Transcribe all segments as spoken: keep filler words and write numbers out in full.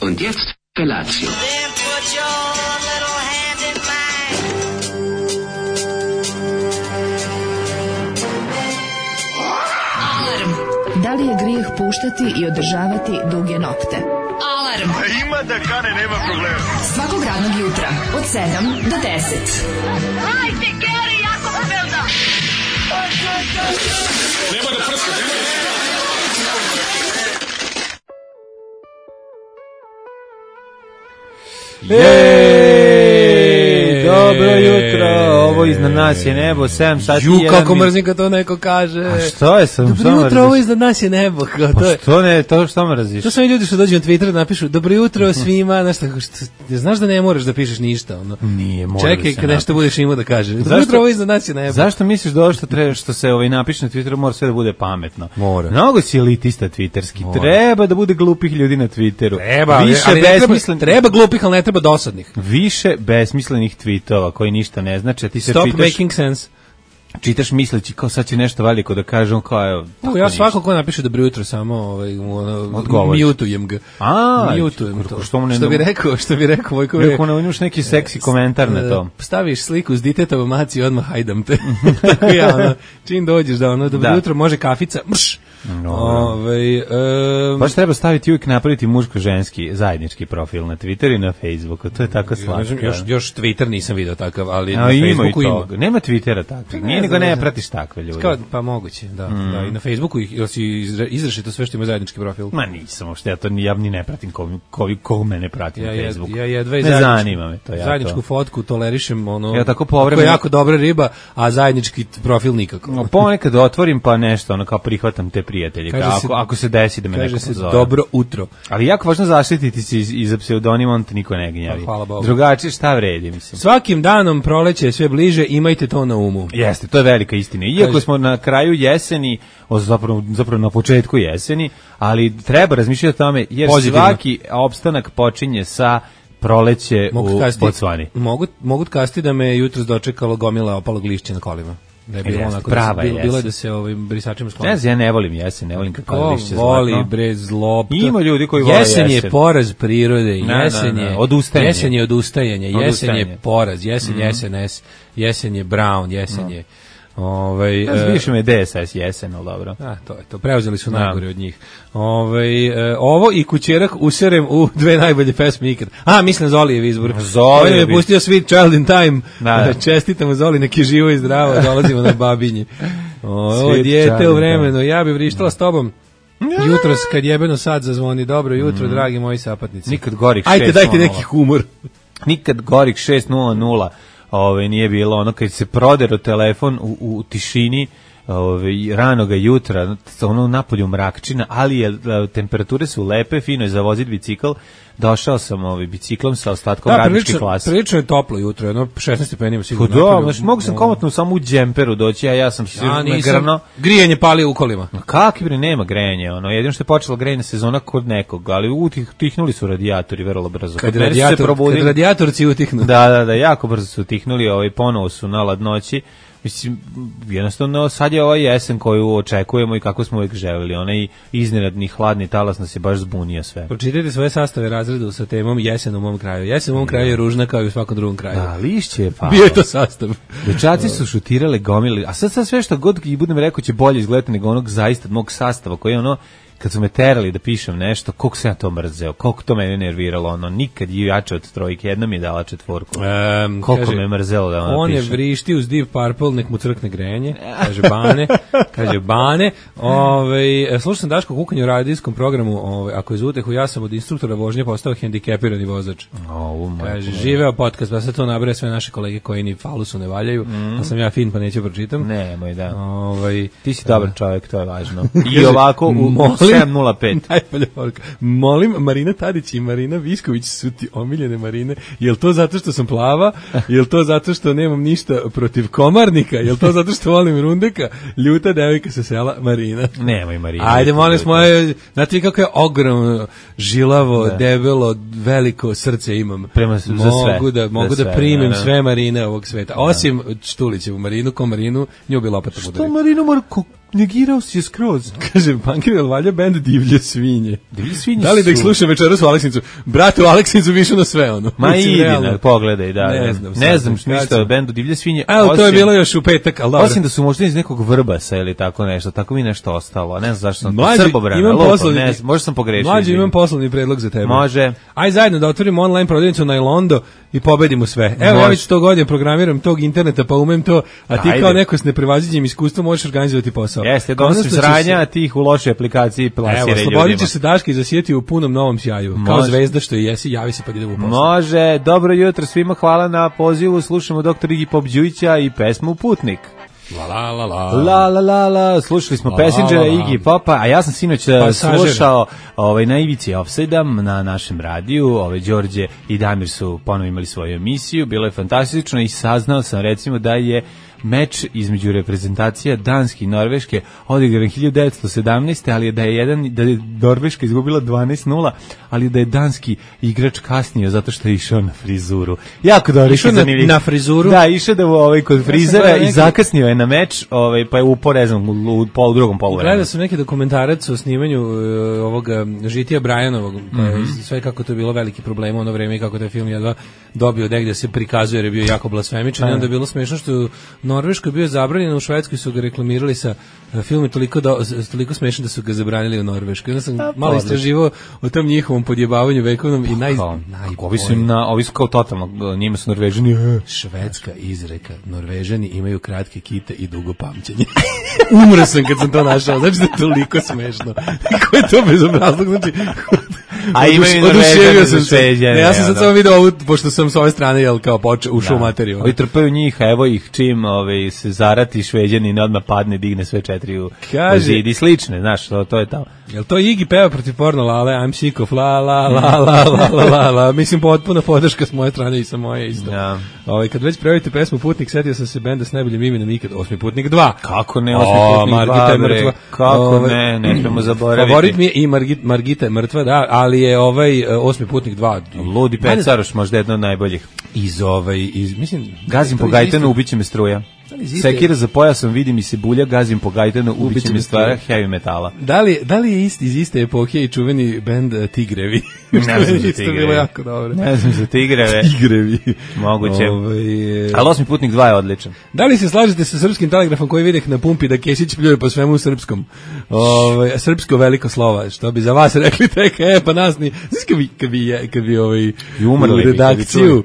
Und jetzt Felatio. Then put your little hand in mine. Alarm. Da li je grijeh puštati i održavati duge nokte? Alarm. A ima da kane, nema problema. Svakog radnog jutra od sedam do deset. Hajde, Geri, jako se velda. Nema da prska, nema da prska. Jej, dobro jutro, ovo iznad nas je nebo, sedam sati Ju, jedan kako min... mrzim kad to neko kaže. A što je sam, Dobro što jutro, mrziš? ovo iznad nas je nebo. Kao, Pa to je, što ne, to što mrziš? to su oni ljudi što dođu na Twitter da napišu dobro jutro svima, znaš, tako što, znaš da ne moraš da pišeš ništa. Ono. Nije, mora Čekaj, da se kad nešto napiše. budeš imao da kažeš. Dobro Zašto- jutro, ovo iznad nas je nebo. Zašto misliš da ovo što, treba, što se ovaj napiše na Twitteru mora sve da bude pametno? Mora. Mnogo si elitista twitterski. Mora. Treba da bude glupih ljudi na Twitteru. Treba, ali, Više ali ne treba, besmislen... treba glupih, ali ne treba dosadnih. Više besmislenih tweetova koji ništa ne znači. Ti se Stop čitaš, making sense. čitaš misleći kao sad će nešto veliko da kaže, on kao evo. Evo, tako ja ništa. svako ko napiše dobro jutro samo ovaj mu ono, Odgovoriš. mutujem ga. A, mutujem to. što mu ne- Što bi rekao, što bi rekao Vojko. Rekao, ne, imaš neki seksi komentar na to. Staviš sliku s ditetovom maci i odmah hajdam te. Tako ja, ono, čim dođeš da ono, dobro Da. jutro, može kafica, mrš. Dobro. Ovaj, em, Baš treba staviti uvijek napraviti muško-ženski zajednički profil na Twitteru i na Facebooku. To je tako ne slatko. znam, još, još Twitter nisam video takav, ali A na ima i Facebooku ima. toga. Nema Twittera takvog. Nije Ne nego znam, ne ne znam. pratiš takve ljude. Kao, pa moguće, da, da. I na Facebooku ih, ili si izra- izrašito sve što ima zajednički profil. Ma nisam, uopšte ja to ni, ja ni ne pratim ko, ko, ko mene prati Ja, na ja, Facebooku. ja jedva i ne zajedničku- zanima me to. Ja zajedničku to. fotku tolerišem, ono, Ja tako ako povremeno- je jako dobra riba, a zajednički t- profil nikako. No, ponekad otvorim pa nešto, ono kao prihvatam te prijatelje. Kaže Kao, se- ako, ako se desi da me Kaže neko se pozove. dobro utro. Ali jako važno zaštititi se iz, iza pseudonima, on te niko ne gnjavi. Pa, hvala Bogu. Drugačije šta vredi, mislim. Svakim danom proleće je sve bliže, imajte to na umu. Jeste, to je velika istina. Iako Kaže- smo na kraju jeseni, o, zapravo, zapravo na početku jeseni, ali treba razmišljati o tome, jer Pozitivno. svaki opstanak počinje sa proleće Mogu u kasti, Bocvani. mogu, mogu kasti da me jutros dočekalo gomila opalog lišća na kolima. Da je bilo Jeste, onako, prava da se, bilo, je bilo je jesen. da se ovim brisačima skloni. Ne znam, ja ne volim jesen, ne volim kako Ko lišće voli zlatno. bre zlopta. Ima ljudi koji vole jesen. je jesen. poraz prirode, Na, jesen na, na, je odustajanje. Jesen je odustajanje, jesen Odustajanje. je poraz, jesen je S N S, jesen je Brown, jesen je ovaj Ja znam, e, više me D S S jesen, ali dobro. A, to je to. Preuzeli su Da. najgore od njih. Ovaj e, ovo i kućerak userem u dve najbolje pesme ikad. A, mislim Zolijev izbor. Zolijev On je izbor. pustio Sweet Child in Time. Da, da. Čestitamo Zoli, neki živo i zdravo, dolazimo na Babinje. Ovo Sweet dijete Child u in vremenu, ja bih vrištala s tobom. Jutros kad jebeno sad zazvoni, dobro jutro, dragi moji sapatnici. Nikad gorih Ajde, šest dajte nula neki humor. Nikad gorih šest nula nula ovaj, nije bilo ono kad se prodero telefon u, u tišini ovaj, ranoga jutra, ono napolju mrakčina, ali je, temperature su lepe, fino je za voziti bicikl. Došao sam ovaj, biciklom sa ostatkom Da, radničke prilično, klase. prilično je toplo jutro, jedno šesnaest stepeni ima Pa sigurno. da, napolju. znači, mogu sam komotno samo u džemperu doći, a ja sam se Ja nisam, nagrno. grijanje pali u kolima. Kakvi bre, nema grejanja, ono, jedino što je počela grejna sezona kod nekog, ali utih, utihnuli su radijatori vrlo brzo. Kad, Kod mene su se radijator, probudili- kad radijatorci utihnu. Da, da, da, jako brzo su utihnuli, ovaj, ponovo su na ladnoći. Mislim, jednostavno, sad je ova jesen koju očekujemo i kako smo uvijek želeli. Onaj iznenadni hladni talas nas je baš zbunio sve. Pročitajte svoje sastave razreda sa temom jesen u mom kraju. Jesen u mom kraju je ružna kao i u svakom drugom kraju. Da, lišće je palo. Bio je to sastav. Dečaci su šutirale gomili, a sad, sad sve što god i budem rekao će bolje izgledati nego onog zaista mog sastava koji je ono, kad su me terali da pišem nešto, koliko sam ja to mrzeo, koliko to mene nerviralo, ono, nikad je jače od trojke, jedna mi je dala četvorku. Um, Koliko me mrzelo da ono on je pišem. vrišti uz Deep Purple, nek mu crkne grenje, kaže Bane, kaže Bane. Ove, slušao sam Daško kukanje u radijskom programu, ove, ako je za utehu, ja sam od instruktora vožnje postao hendikepirani vozač. O, Kaže, živeo podcast, pa sad to nabraje sve naše kolege koji ni falusu ne valjaju, Mm. a sam ja fin pa neću pročitam. Nemoj, da. Ovaj, Ti si dobar čovjek, to je važno. I ovako u, u sedam nula pet. Najbolja poruka. Molim, Marina Tadić i Marina Visković su ti omiljene Marine. Jel to zato što sam plava? Jel to zato što nemam ništa protiv komarnika? Jel to zato što volim Rundeka? Ljuta devojka sa sela Marina. Nemoj, Marina. Ajde, molim, moje, znate vi kako je ogromno, žilavo, Da. debelo, veliko srce imam. Prema- za sve. Mogu da, Za mogu da sve, primim da, da. sve Marine ovog sveta. Osim Štulićevu Marinu, ko Marinu, nju bi lopata Što udari. Marinu mora, ko, negirao si je skroz. Kaže, Punkir, jel valja bend Divlje svinje? Divlje svinje Da li da ih su- slušam večeras u Aleksincu? Brate, u Aleksincu više na sve, ono. Ma Mislim, idi, realno. na, pogledaj, da. Ne Ne znam, znam, ne znam sad, kad ništa sam- o bendu Divlje svinje. Evo, to je osim- bilo još u petak, ali dobro. Osim da su možda iz nekog Vrbasa ili tako nešto, tako mi nešto ostalo. a Ne znam zašto sam Mlađe, Srbobrana, imam lupam, poslovni- ne znam, možda sam pogrešio. Mlađe, izvini. imam poslovni predlog za tebe. Može. Aj zajedno da otvorimo online prodavnicu na Ilondo i pobedimo sve. Evo, Može. ja već sto godina programiram tog interneta, pa umem to, a ti Ajde. kao neko s neprevaziđenim iskustvom možeš organizovati posao. Jeste, Konačno donosi će sranja, se- a ti ih u lošoj aplikaciji plasiraj Evo, ljudima. slobodit će se Daška i zasijeti u punom novom sjaju. Kao Može. zvezda što i jesi, javi se pa idemo u posao. Može, dobro jutro svima, hvala na pozivu, slušamo doktor Igi Pop Đujića i pesmu Putnik. La la la la. La la la la, slušali smo La, Passengera, la, la. Iggy Popa, a ja sam sinoć eh, Pasažer. slušao ovaj, na Ivici Offside-a na našem radiju, ovaj, Đorđe i Damir su ponovo imali svoju emisiju, bilo je fantastično i saznao sam recimo da je meč između reprezentacija Danske i Norveške odigran hiljadu devetsto sedamnaeste. ali da je jedan da je Norveška izgubila dvanaest nula, ali da je danski igrač kasnio zato što je išao na frizuru. Jako dobro, Išao na- zanimljivo. na frizuru? Da, išao da ovaj kod frizera gledao i neki- zakasnio je na meč, ovaj pa je upao ne znam, u, u pol drugom poluvremenu. Gledao sam neki dokumentarac o snimanju uh, ovoga Žitija Brajanovog, pa je sve kako to je bilo veliki problem u ono vreme i kako taj film jedva dobio negde se prikazuje jer je bio jako blasfemičan i onda je bilo smešno što u Norveškoj bio zabranjen, u Švedskoj su ga reklamirali sa uh, film je toliko, do, s- toliko smešan da su ga zabranili u Norveškoj. Onda sam malo odlično. istraživao o tom njihovom podjebavanju vekovnom i naj, Kao, najbolje. ovi su im na, ovi su kao totalno, njima su Norvežani. eh. Švedska izreka, Norvežani imaju kratke kite i dugo pamćenje. Umro sam kad sam to našao, znači da je toliko smešno. Ko je to bezobrazlog, znači... A imaju oduš- i Norvežani oduševio za sam se. Šveđane, Ne, ja sam sad ono. samo video ovu, pošto sam s ove strane, jel, kao počeo, ušao u materiju. Ovi trpaju njih, a evo ih čim ovaj, se zarati Šveđanin odmah padne, digne sve četiri u, Kaže- u zid i slične, znaš, to, to je tamo. Jel to Iggy peva protiv porno lale, I'm sick of la la la la la la la la, mislim potpuna podrška s moje strane i sa moje isto. Ja. Ovaj, kad već prevojite pesmu Putnik, setio sam se benda s najboljim imenom ikad, Osmi Putnik dva. Kako ne, O, osmi putnik Margita dva, je bre, mrtva. kako Ovaj, ne, ne smemo zaboraviti. Favorit mi je i Margit, Margita je mrtva, da, ali je ovaj uh, Osmi Putnik dva. Ludi Pecaroš, možda jedno od najboljih. Iz ovaj, iz, mislim... Gazim to po iz Gajtanu, iste- ubiće me struja. li iz iste- Sekira za pojasom, vidi mi se bulja, gazim po Gajtanu, ubiće me stvara heavy metala. Da li, da li je isti, iz iste epohe i čuveni bend uh, Tigrevi? Ne znam za Isto Tigrevi. bilo jako dobro. Ne znam za tigreve, Tigrevi. moguće. Ovaj, e, Ali Osmi putnik dva je odličan. Da li se slažete sa srpskim telegrafom koji videh na pumpi da Kesić pljuje po svemu u srpskom? Ovaj srpsko veliko slova, što bi za vas rekli tek, e, pa nas ni, znaš kad bi, kad bi, je- kad bi ovaj, I umrli u bi, kad bi redakciju,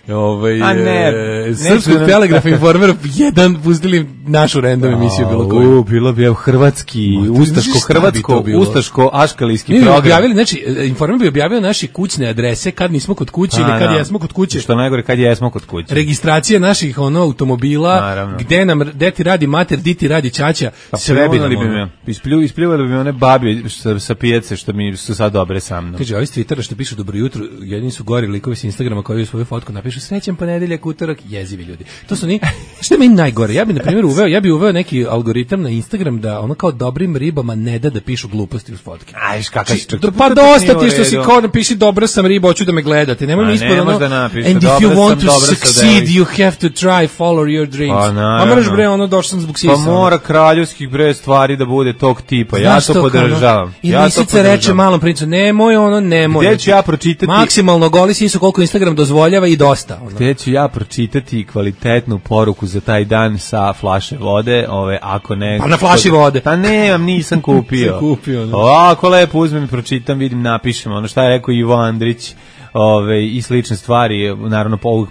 ovaj, A ne, e, ne srpskog znam. telegrafa informera jedan pustili našu random emisiju bilo koju. U, bilo bi evo hrvatski, Ma, ti znaš šta bi ustaško-hrvatsko, to bilo? ustaško-aškalijski Mi bi program. objavili, znači, e, informer bi objavio naše kućne adrese kad nismo kod kuće ili A, kad da. jesmo kod kuće. Što najgore, kad jesmo kod kuće. Registracije naših ono automobila, Naravno. gde nam gde ti radi mater, di ti radi ćaća, Pa sve bi nam pljuvali bi ono. me. Isplju, ispljuvali bi me one babi sa, sa pijace što mi su sad dobre sa mnom. Kaže, ovi s Twittera što pišu dobro jutro, jedini su gori likovi s Instagrama koji u svoju fotku napišu srećan ponedeljak, utorak, jezivi ljudi. To su ni, što je meni najgore? Ja bi na primjer uveo, ja bi uveo neki algoritam na Instagram da ono kao dobrim ribama ne da da pišu gluposti uz fotke. Ajš, kakav si čak. Da, pa dosta ti što si kao napiši dobra sam riba, hoću da me gledate. Nemoj Ma, mi ispod ne ono. možeš da napišeš, And if dobra you want sam, to dobra sam succeed, devojka. you have to try, follow your dreams. Pa, A naravno. moraš bre, ono, došao sam zbog sisa. Pa mora kraljevskih bre stvari da bude tog tipa. Ja Znaš to kao, podržavam. ono, I Ja to lisica reče podržavam. malom princu, nemoj ono, nemoj. Gde ću ja pročitati? Maksimalno goli sisu koliko Instagram dozvoljava i dosta. Ono. Gde ću ja pročitati kvalitetnu poruku za taj dan sa flaše vode, ove, ako ne... Pa na flaši vode. Pa nemam, nisam kupio. Nisam kupio, ne. Ovako lepo uzmem i pročitam, vidim, napišem, ono šta je rekao Ivo Andrić, ove, i slične stvari, naravno, po, u,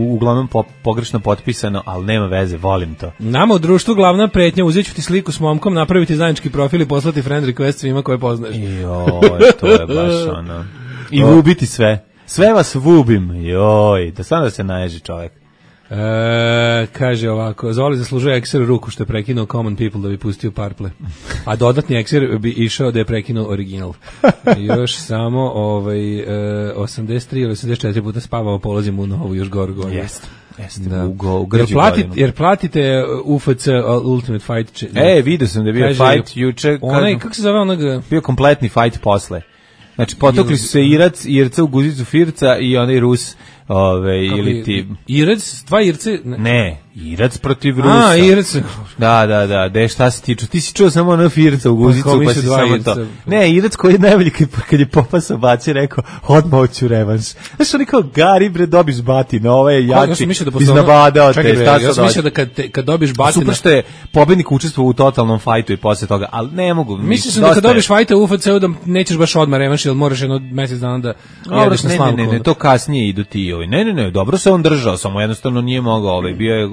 uglavnom po, pogrešno potpisano, ali nema veze, volim to. Nama u društvu glavna pretnja, uzet ću ti sliku s momkom, napraviti zajednički profil i poslati friend request svima koje poznaješ. Joj, to je baš ono. I vubiti sve. Sve vas vubim, joj, da sam da se naježi čovjek. E, kaže ovako, Zoli zaslužuje ekser ruku što je prekinuo Common People da bi pustio Purple. A dodatni ekser bi išao da je prekinuo original. Još samo ovaj, e, osamdeset tri ili osamdeset četiri puta spavao, polazimo u novu, još goru godinu. Jeste. Jeste, Da. u, go, u Jer, grđu platite, godinu. jer platite U F C Ultimate Fight. če- E, vidio sam da je bio Kaže, fight juče. Onaj, kad- kako se zove onog... bio kompletni fight posle. Znači, potokli su se Irac, Irca u guzicu Firca i onaj Rus ove, ili ti... Irec, dva Irce... Ne, ne Irac protiv Rusa. A, Irac. Da, da, da, de šta si ti čuo? Ti si čuo samo ono Firca u guzicu, pa, pa si samo Irca. to. Ne, Irac koji je najbolji kad, kad je Popasa bacio, rekao, odmah hoću revanš. Znaš, oni kao, Gari, bre, dobiš batina, ovo je jači, ja da iznabadao te. Čekaj, ja sam mislio da kad, te, kad dobiš batina... Super što je pobednik učestvovao u totalnom fajtu i posle toga, ali ne mogu. Mislim sam da kad dobiš fajta u U F C-u da nećeš baš odmah revanš, jer moraš jedno mesec dana da jedeš na slamku. Ne, ne, ne, to kasnije idu ti ovi. Ne, ne, ne, dobro se on držao, samo jednostavno nije mogao, ovaj, bio je...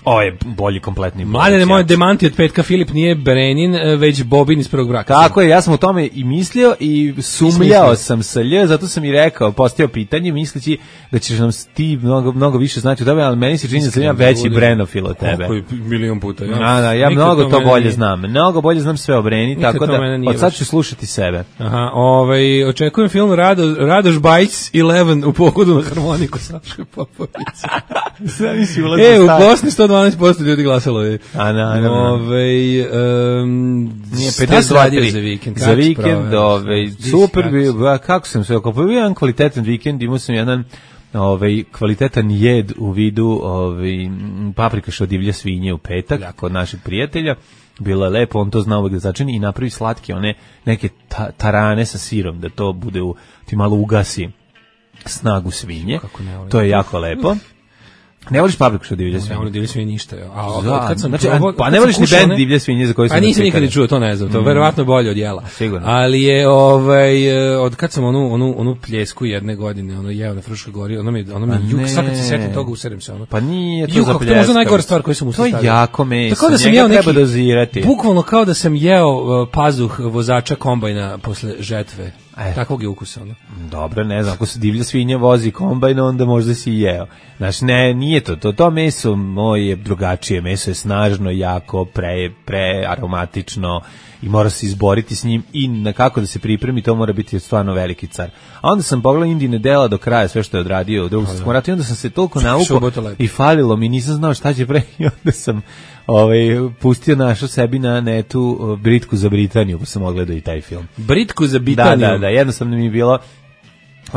O, je bolji kompletni. Mladene, moje demanti od petka, Filip nije Brenin, već Bobin iz prvog braka. Tako je, ja sam o tome i mislio i sumljao sam sa lj, zato sam i rekao, postavio pitanje, misleći da ćeš nam ti mnogo, mnogo više znači o tome, ali meni se čini da sam ja veći Brenofil od tebe. Koliko milion puta. Ja, da, da, ja mnogo to, to bolje nije. znam. Mnogo bolje znam sve o Breni, nikad tako da od sad ću slušati sebe. Aha, ovaj, očekujem film Rado, Radoš Bajc Eleven u pohodu na harmoniku Saše Popovića. E, u Bosni sto dvanaest posto ljudi glasalo je. A naravno. Ovaj um, nije pedeset dva za vikend. Za vikend, ovaj super bio, kako sam se okupio, jedan kvalitetan vikend, imao sam jedan ovaj kvalitetan jed u vidu ovaj paprikaš od divlje svinje u petak Ljako. Kod naših prijatelja. Bilo je lepo, on to zna uvek da začini i napravi slatke, one neke ta, tarane sa sirom, da to bude u, ti malo ugasi snagu svinje. To je jako lepo. Ne voliš papriku što divlje svinje? Ne volim divlje svinje ništa. A da, kad sam znači, probao, pa ne voliš ni bend divlje svinje za koji sam... A nisam nikad ni čuo, to ne znam, to je mm. verovatno bolje od jela. Sigurno. Ali je, ovaj, od kad sam onu, onu, onu pljesku jedne godine, ono jeo na Fruškoj gori, ono mi, ono mi juk, sad kad se setim toga, userem se ono. Pa nije to juk, za pljeska. To je možda najgora stvar koju sam ustavio. To je jako meso, tako da sam njega jeo neki, treba dozirati. Bukvalno kao da sam jeo uh, pazuh vozača kombajna posle žetve. E. Takvog je ukusa, ono. Dobro, ne znam, ako se divlja svinja vozi kombajn, onda možda si jeo. Znači, ne, nije to, to, to meso moje drugačije, meso je snažno, jako, pre, pre aromatično i mora se izboriti s njim i na kako da se pripremi, to mora biti stvarno veliki car. A onda sam pogledao Indine dela do kraja, sve što je odradio u drugom svjetskom ratu i onda sam se toliko naukao i falilo mi, nisam znao šta će pre i onda sam ovaj, pustio našo sebi na netu Britku za Britaniju, pa sam ogledao i taj film. Britku za Britaniju? Da, da, da, jednostavno mi je bilo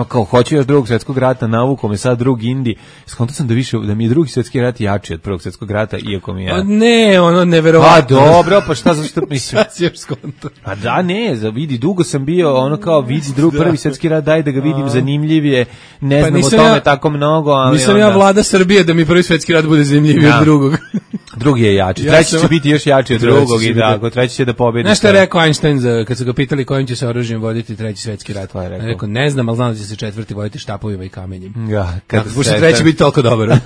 kao hoću još drugog svjetskog rata, navuko me sad drug Indi, skonto sam da više da mi je drugi svjetski rat jači od prvog svjetskog rata, iako mi je... A ne, ono neverovatno. Pa dobro, pa šta zašto mislim? Šta si još skonto? A da, ne, za vidi, dugo sam bio, ono kao vidi drug, prvi svjetski rat, daj da ga vidim, zanimljivije, ne pa znam o tome ja, tako mnogo, ali nisam onda... ja vlada Srbije da mi prvi svjetski rat bude zanimljiviji ja. od drugog. Drugi je jači, ja treći sam... će biti još jači od drugog i tako, treći će da pobedi. Znaš šta je rekao Einstein za, kad su ga pitali kojim će se oružjem voditi treći svjetski rat? Je rekao? rekao, ne znam, ali znam da će se četvrti voditi štapovima i kamenjem. Ja, kad da, se treći biti toliko dobar.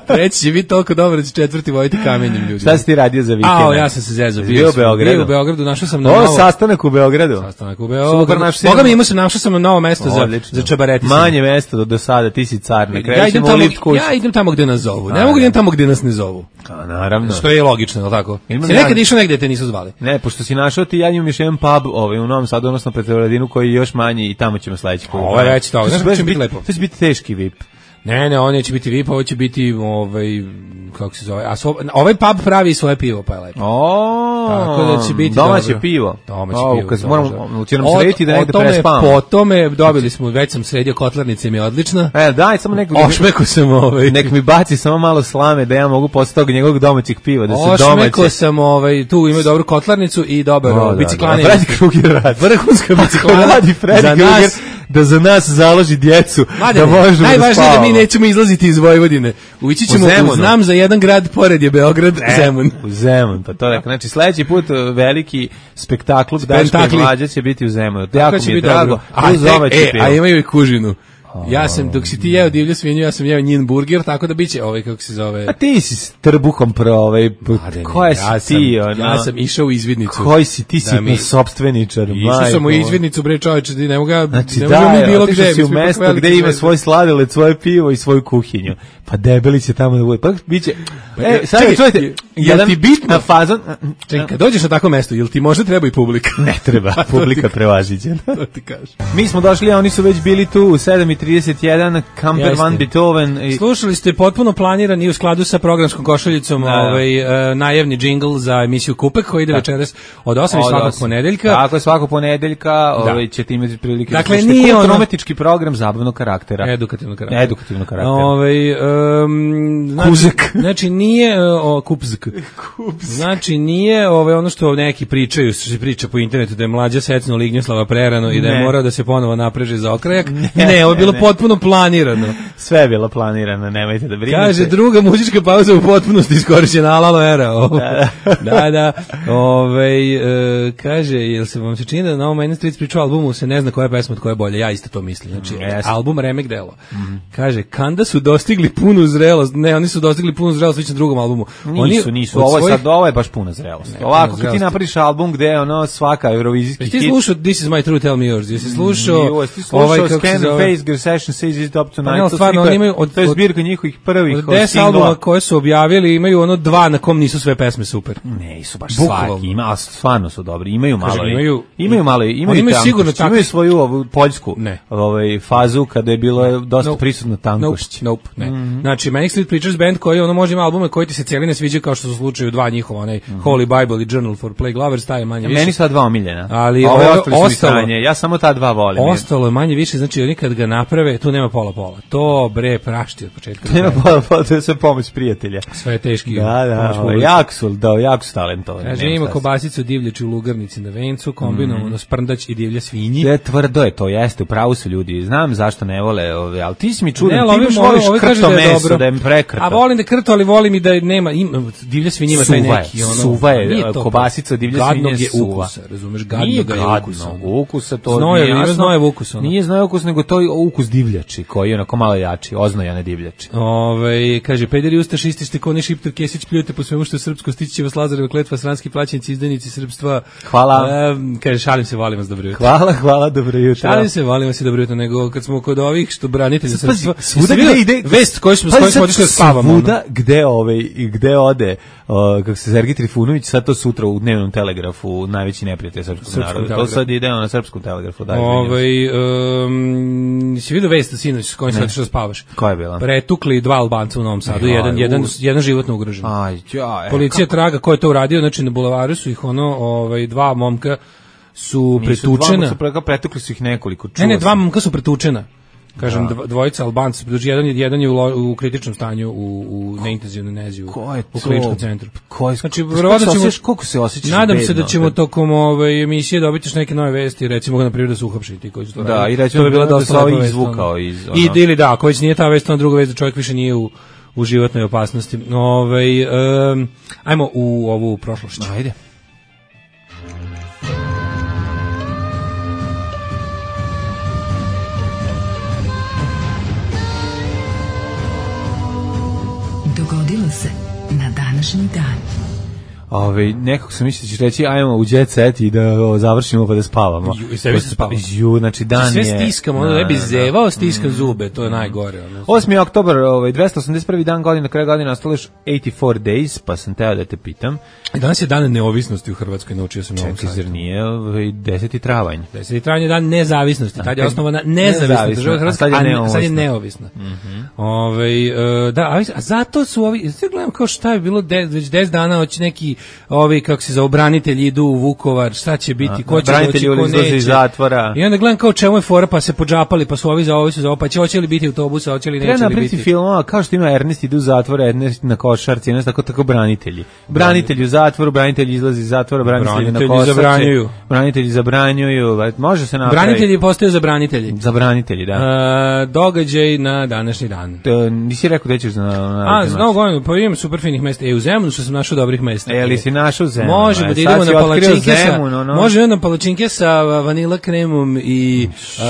Treći će biti toliko dobar da će četvrti voditi kamenjem ljudi. Šta si ti radio za vikend? A, ja sam se zezao. Bio u Beogradu. Bio u Beogradu, našao sam na novo... novo... sastanak u Beogradu. Sastanak u Beogradu. Boga mi imao sam, našao sam na novo mesto za, za čabareti. Manje mesto do, do sada, ti si car. Ne ja, idem tamo, ja idem tamo gde nas zovu. Ne mogu idem tamo gde nas ne zovu. A, naravno. Što je logično, je li tako? Si nekad išao negde te nisu zvali? Ne, pošto si našao ti, ja imam još jedan pub ovaj, u Novom Sadu, odnosno Petrovaradinu, koji je još manji i tamo ćemo sledeći put. Ovo je već to, znaš će biti lepo. To će biti teški V I P. Ne, ne, on neće biti V I P, ovo će biti ovaj, kako se zove, a so, ovaj pub pravi svoje pivo, pa je lepo. O, tako da će biti domaće dobro. pivo. Domaće o, pivo. Kad moramo, će nam srediti da negde prespavamo. Po tome dobili smo, već sam sredio kotlarnice, mi je odlična. E, daj, samo nekog... Ošmeko sam ovaj... Nek mi baci samo malo slame da ja mogu posle tog njegovog domaćeg piva, da se domaće... Ošmeko sam, ovaj, tu ima dobru kotlarnicu i dobar o, da, biciklane. Da, Freddy Kruger radi. Vrhunska biciklana. Radi Freddy Kruger da za nas založi djecu, Madene, da možemo najvažnije da da mi nećemo izlaziti iz Vojvodine. Ući ćemo u, u znam za jedan grad pored je Beograd, e, Zemun. U Zemun, pa to rekao. Znači sledeći put veliki spektakl Daško i Mlađa će biti u Zemunu. Jako mi je drago. A, e, a imaju i kužinu. Ja sam, dok si ti jeo divlju svinju, ja sam jeo njin burger, tako da biće ovaj, kako se zove... A ti si s trbuhom pro ovaj... Koja ja si ti, ono? Ja sam išao u izvidnicu. Koji si, ti si mi... sopstveničar, majko. Išao sam u izvidnicu, bre čoveče, ne mogu ga... Znači ne da, mi bilo otišao gde, si u mesto gde ima svoj sladoled, svoje pivo i svoju kuhinju. Pa debeli će tamo da bude. Pa biće... E, sad čujete, jel ti bitno fazon... Čekaj, kad dođeš na tako mesto, jel ti možda treba i publika? Ne treba, publika prevaziđena. To ti kažem. Mi smo došli, a oni su već bili tu u sedam i trideset jedan, Camper Jeste. van Beethoven. I... Slušali ste potpuno planiran i u skladu sa programskom košaljicom Da, da. ovaj, uh, najavni džingl za emisiju Kupek koji ide večeras od osam i Od svakog osam. ponedeljka. Tako je, svakog ponedeljka ovaj, ćete imati prilike. Dakle, da slušate nije ono- kulturno-umetnički program zabavnog karaktera. Edukativnog karaktera. Edukativnog karaktera. Ovaj um, znači, Kuzek. znači nije uh, o kupzk. Znači nije ovaj ono što neki pričaju, što se priča po internetu da je mlađa secno Lignjoslava prerano i da je Ne. morao da se ponovo napreže za okrajak. Ne, ne, ovo je bilo ne. potpuno planirano. Sve je bilo planirano, nemojte da brinete. Kaže, druga muzička pauza u potpunosti iskorišćena, alalo era. Ovo. Da, da, da. Ovaj, e, kaže, jel se vam se čini da na ovom Main Street priču albumu se ne zna koja je pesma od koje je bolja? Ja isto to mislim. Znači, Yes. album Remek delo. Kaže, kanda su dostigli punu zrelost. Ne, oni su dostigli punu zrelost već na drugom albumu. Nisu, Oni nisu. od Ovo je svojih- sad, ovo je baš puna zrelost. Ne, Ovako, puna kad ti zrelost. napraviš album gde je ono svaka eurovizijski Jesi hit. ti slušao This is my true, tell me yours? Jesi slušao Jo, jesi ti slušao ovaj, kako se Scan zove? Face, Your Session Says It's Up Pa Tonight. ne, to stvarno, slika- oni imaju od- to je od- zbirka njihovih prvih Od deset singlova. albuma koje su objavili imaju ono dva na kom nisu sve pesme super. Ne, su baš Bukvalno. svaki, ima, a stvarno su dobri. Imaju malo. Kažem, i- imaju- imaju malo, imaju Oni imaju tankošć, sigurno takvi- imaju svoju ovu poljsku Ne. ovaj fazu kada je bilo dosta Nope. prisutno tankošć. Nope, nope, ne. Znači, Manic Street Preachers Band koji ono može ima albume koji ti se cijeli ne sviđaju kao što su u slučaju dva njihova, onaj Holy Bible i Journal for Plague Lovers, taj je manje više. Meni su ta dva omiljena. Ali ove ovo- ostali su mi ostalo- sranje. Ja samo ta dva volim. Ostalo je manje više, znači oni kad ga naprave, tu nema pola pola. To bre prašti od početka. do Nema kraja. pa, pa, to je sve pomoć prijatelja. Sve je teški. Da, da, pomoć ovaj, publike. jako su, da, jako su talentovani. Kaže, nema ima šta se- kobasicu divljači u lugarnici na vencu, kombinovano sprndać i divlja svinji. Je tvrdo je to, jeste, u pravu su ljudi. Znam zašto ne vole, ove, ali ti si mi čudan, Ne, ali ti ovi baš vole- voliš ovi kažu krto da je meso, dobro. da je prekrto. A volim da krto, ali volim i da nema, ima, divlja svinja ima taj Suva je, neki, ono, suva je, nije to kobasica divlje gadnog svinje je suva. ukusa, razumeš, gadnog Nije je gadno, ukusa. ukusa to Znojev, nije ima jasno. znojev ukus, ono. Nije znojev ukus, nego to je ukus divljači, koji je onako malo jači, oznojane divljači. Ove, kaže, pederi ustašisti ste koni Šiptar Kesić pljujete po svemu što je srpsko, stići će vas Lazareva kletva, sranski plaćenici, izdajnici srpstva. Hvala. E, kaže, šalim se, volim vas, dobro jutro. Hvala, hvala, dobro jutro. Šalim se, volim vas i dobro jutro, nego kad smo kod ovih što branitelja Pazi, srpstva, svuda jeste gde vidio ide vest koju smo, s Pazi, kojom smo sad otišli da spavamo. ono? Svuda gde ovaj i gde ode o, kako se Sergej Trifunović sad to sutra u dnevnom telegrafu najveći neprijatelj srpskog Srpskom naroda. To telegrafu. sad ide na srpskom telegrafu, da. izvinjavam se. Ovaj um, si vidio vest sinoć s kojim se otišao da spavaš? Koja je bila? Pretukli dva Albanca u Novom Sadu, Aj, jedan, jedan, us. jedan životno ugrožen. Aj, ja, e, Policija traga ko je to uradio, znači na bulevaru su ih ono, ovaj, dva momka su nisu pretučena. Dva, su preka, pretukli su ih nekoliko. Ne, ne, čuo dva sam. momka su pretučena. Kažem, Da. dv- dvojica Albanca su pretučeni, jedan, je- jedan je u, lo- u kritičnom stanju u, u neintenzivnoj nezi u, Ko je u to? kliničkom centru. Ko je, Znači, kako verovatno se ćemo- osjećaš- koliko se osjećaš Nadam se bedno da ćemo kad- tokom ove emisije dobiti još neke nove vesti, recimo na primjer da su uhapšeni ti koji su to Da, radili. i recimo To bi bila da dosta se ovaj lepa vest, izvukao ono. iz, I ono. ili da, ako već nije ta vest, onda druga vest da čovjek više nije u, u životnoj opasnosti. Ovaj em, ajmo u ovu prošlošću. Ajde. Dogodilo se na današnji dan. Ove, nekako sam mislio da ćeš reći ajmo u jet set i da o, završimo pa da spavamo. Ju, i sebi se spava. Ju, znači dan Sve je... stiskam, ono Da, ne bi da, da. zevao, stiskam zube, to je najgore. Ono. osmi oktobar, ovaj, dvesta osamdeset prvi dan godine, na kraju godine ostalo još osamdeset četiri days, pa sam teo da te pitam. Danas je dan neovisnosti u Hrvatskoj, naučio sam na ovom Čekaj, sajtu. zar nije ovaj, deseti travanj? deseti travanj je dan nezavisnosti, tad je kad- osnovana nezavisna nezavisna, država a Hrvatska, sad je a, ne- neovisna. sad je neovisna. Ovaj, e, da, a, a zato su ovi, sve gledam kao šta je bilo de, već deset dana, hoće neki, ovi, kako se za obranitelji idu u Vukovar, šta će biti, ko će branitelji doći, ko izlaze neće. iz zatvora. I onda gledam kao čemu je fora, pa se podžapali, pa su ovi za ovi su za ovo, pa će, hoće li biti autobusa, hoće li Treba neće li napraviti biti. filmova kao što ima Ernest ide u zatvor, Ernest na košarci, Ernest tako tako branitelji. Branitelji u zatvoru, branitelji izlazi iz zatvora, branitelji, na Branitelji košarci. zabranjuju. Branitelji zabranjuju. Može se napraviti. Branitelji postaju za branitelji. Zabranitelji, da. E, događaj na današnji dan. To, nisi rekao da ćeš na... na A, za novu godinu, pa imam super finih mesta. E, u Zemunu što sam našao dobrih mesta. E, ali si našao Zemun? Možemo e, da sad idemo si na otkrio palačinke sa, Zemun, ono. možemo na palačinke sa vanila kremom i uh,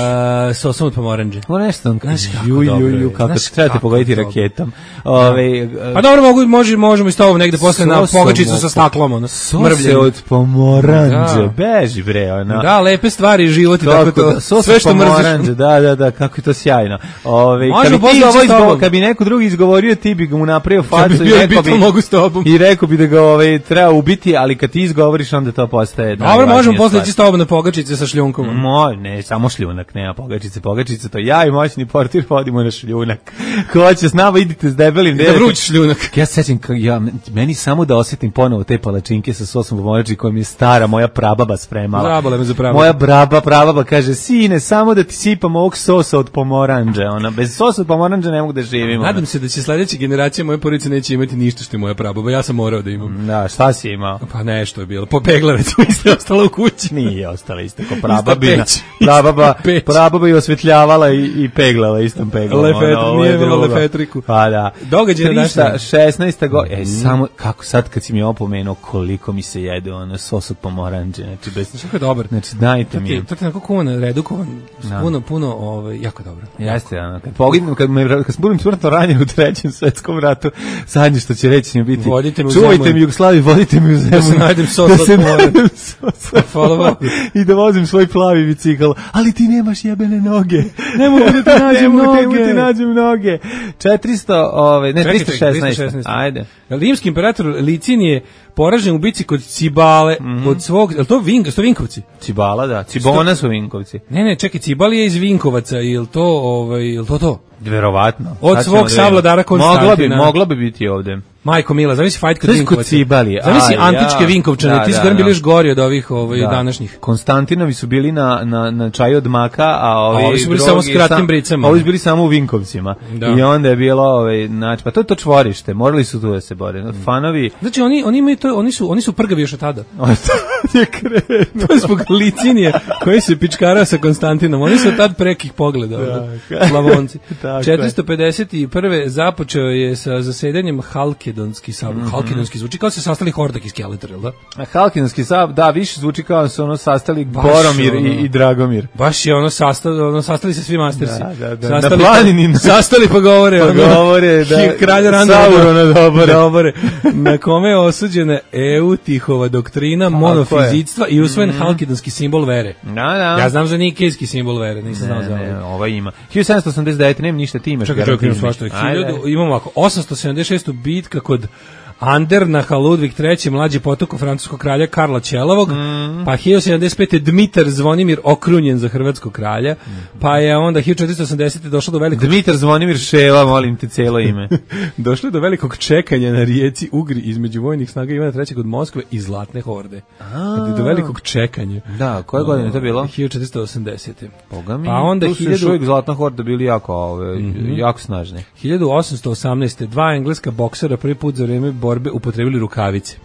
sosom od pomoranđe. Ovo nešto, Znaš kako ju, ju, dobro ju, je, kako znaš se trebate kako pogoditi dobro. raketom. Ove, Pa dobro, mogu, može, možemo i s tobom negde posle na Sosom pogačicu od- sa staklom, ono, Sose mrvljenje. od pomoranđe, Da. beži bre, ono. Da, lepe stvari, život i tako to, da, sos sve od što mrziš. pomoranđe, da, da, da, kako je to sjajno. Ove, Možemo kad bi ti posle ovo sa izgovor, tobom. kad bi neko drugi izgovorio, ti bi ga mu napravio Kad bi facu i bio rekao Beatle, bi, mogu s tobom. i rekao bi da ga ovaj, treba ubiti, ali kad ti izgovoriš, onda to postaje... Dobro, možemo posle ići s tobom na pogačice sa šljunkom. Mo, ne, samo šljunak, nema pogačice, pogačice, to ja i moćni portir vodimo na šljunak. Ko hoće s nama, idite s debelim. Da vruć šljunak. Ja se sećam, ja, meni samo da osjetim ponovo te palačinke sa sosom pomorađi koja mi je stara, moja prababa spremala. Zabole me za prababa. Moja braba, prababa kaže, sine, samo da ti sipam ovog sosa od pomoranđe. Ona, bez sosa od pomoranđe ne mogu da živim. Ona. Nadam se da će sledeća generacija moje porodice neće imati ništa što je moja prababa. Ja sam morao da imam. Da, šta si imao? Pa nešto je bilo. Popegla recimo isto je ostala u kući. Nije ostala isto ko prababina. Prababa, prababa je osvetljavala i, i peglala istom peglom. Lefetri, ono, nije bilo lefetriku. Pa da. Događaj na trista šesnaesta godina. E, samo, kako sad kad si mi opomenuo koliko mi se jede ono sos od pomoranđe. Znači, bez... Jako je dobar. Znači, dajte mi. To ti onako kuvan, redukovan, puno, puno, ovaj, jako dobro. Jeste, ono, kad pogledam, kad, me, kad budem smrtno ranjen u trećem svetskom ratu, zadnje što će reći mi biti, čuvajte mi Jugoslaviju, vodite mi u zemlju. Da se najdem sos od pomoranđe. I da vozim svoj plavi bicikl, ali ti nemaš jebene noge. Ne mogu da ti nađem noge. Ne mogu da ti nađem noge. četiristo, ove, ne, trista šesnaest. Ajde. Rimski imperator Licin je poražen u bici kod Cibale, mm -hmm. od svog, je li to, Vink, to Vinkovci? Cibala, da. Cibona su Vinkovci. Ne, ne, čekaj, Cibali je iz Vinkovaca, je li to, ovaj, je li to to? Verovatno. Od svog savladara Konstantina. Mogla bi, mogla bi biti ovde. Majko Mila, zamisli fight kod Vinkovaca. Cibali. Zamisli antičke ja. Vinkovčane, da, ti su da, bili još gori od ovih ovaj, da. današnjih. Konstantinovi su bili na, na, na čaju od maka, a ovi, a ovi su bili samo s kratkim bricama. Ovi su bili samo u Vinkovcima. Da. I onda je bilo, ovaj, znači, pa to je to čvorište, morali su tu da se bore. Fanovi... Znači, oni, oni, imaju to, oni, su, oni su prgavi još od tada. To je krenuo. To je zbog Licinije, koji se pičkarao sa Konstantinom. Oni su tad prekih pogleda, da, Slavonci. četiristo pedeset prve započeo je sa zasedanjem Halkedonski sabor. Mm -hmm. Halkedonski zvuči kao se sastali Hordak i Skeletor, jel da? A Halkedonski sabor, da, više zvuči kao se ono sastali baš Boromir ono, i, i Dragomir. Baš je ono sastali, ono sastali se svi mastersi. Da, da, da. Sastali na planini. Pa, sastali pa govore. Pa ono, govore, da. Kralja Randa. Saurona dobore. Dobore. Na kome je osuđena Eutihova doktrina monofizictva i usvojen mm -hmm. Halkedonski simbol vere. Da, da. Ja znam za nikejski simbol vere, nisam znao za ovo. Ne, ova ima. hiljadu sedamsto osamdeset devete nema ništa, ti imaš. Čekaj, čekaj, svašta. Imamo ovako, osamsto sedamdeset šesta bitka kod Andernaha Ludvig treći, mlađi potok francuskog kralja Karla Ćelavog, mm. pa hiljadu sedamdeset pete Dmitar Zvonimir okrunjen za hrvatskog kralja, mm. pa je onda hiljadu četiristo osamdesete došlo do velikog... Dmitar Zvonimir Ševa, molim te cijelo ime. Došlo je do velikog čekanja na rijeci Ugri između vojnih snaga Ivana trećeg od Moskve i Zlatne horde. A, do velikog čekanja. Da, koje godine je to bilo? hiljadu četiristo osamdesete Boga mi, pa onda tu su hiljadu... još uvijek Zlatna horda bili jako, ove, mm -hmm. jako snažni. hiljadu osamsto osamnaeste dva engleska boksera prvi put za vrijeme borbe upotrebili rukavice.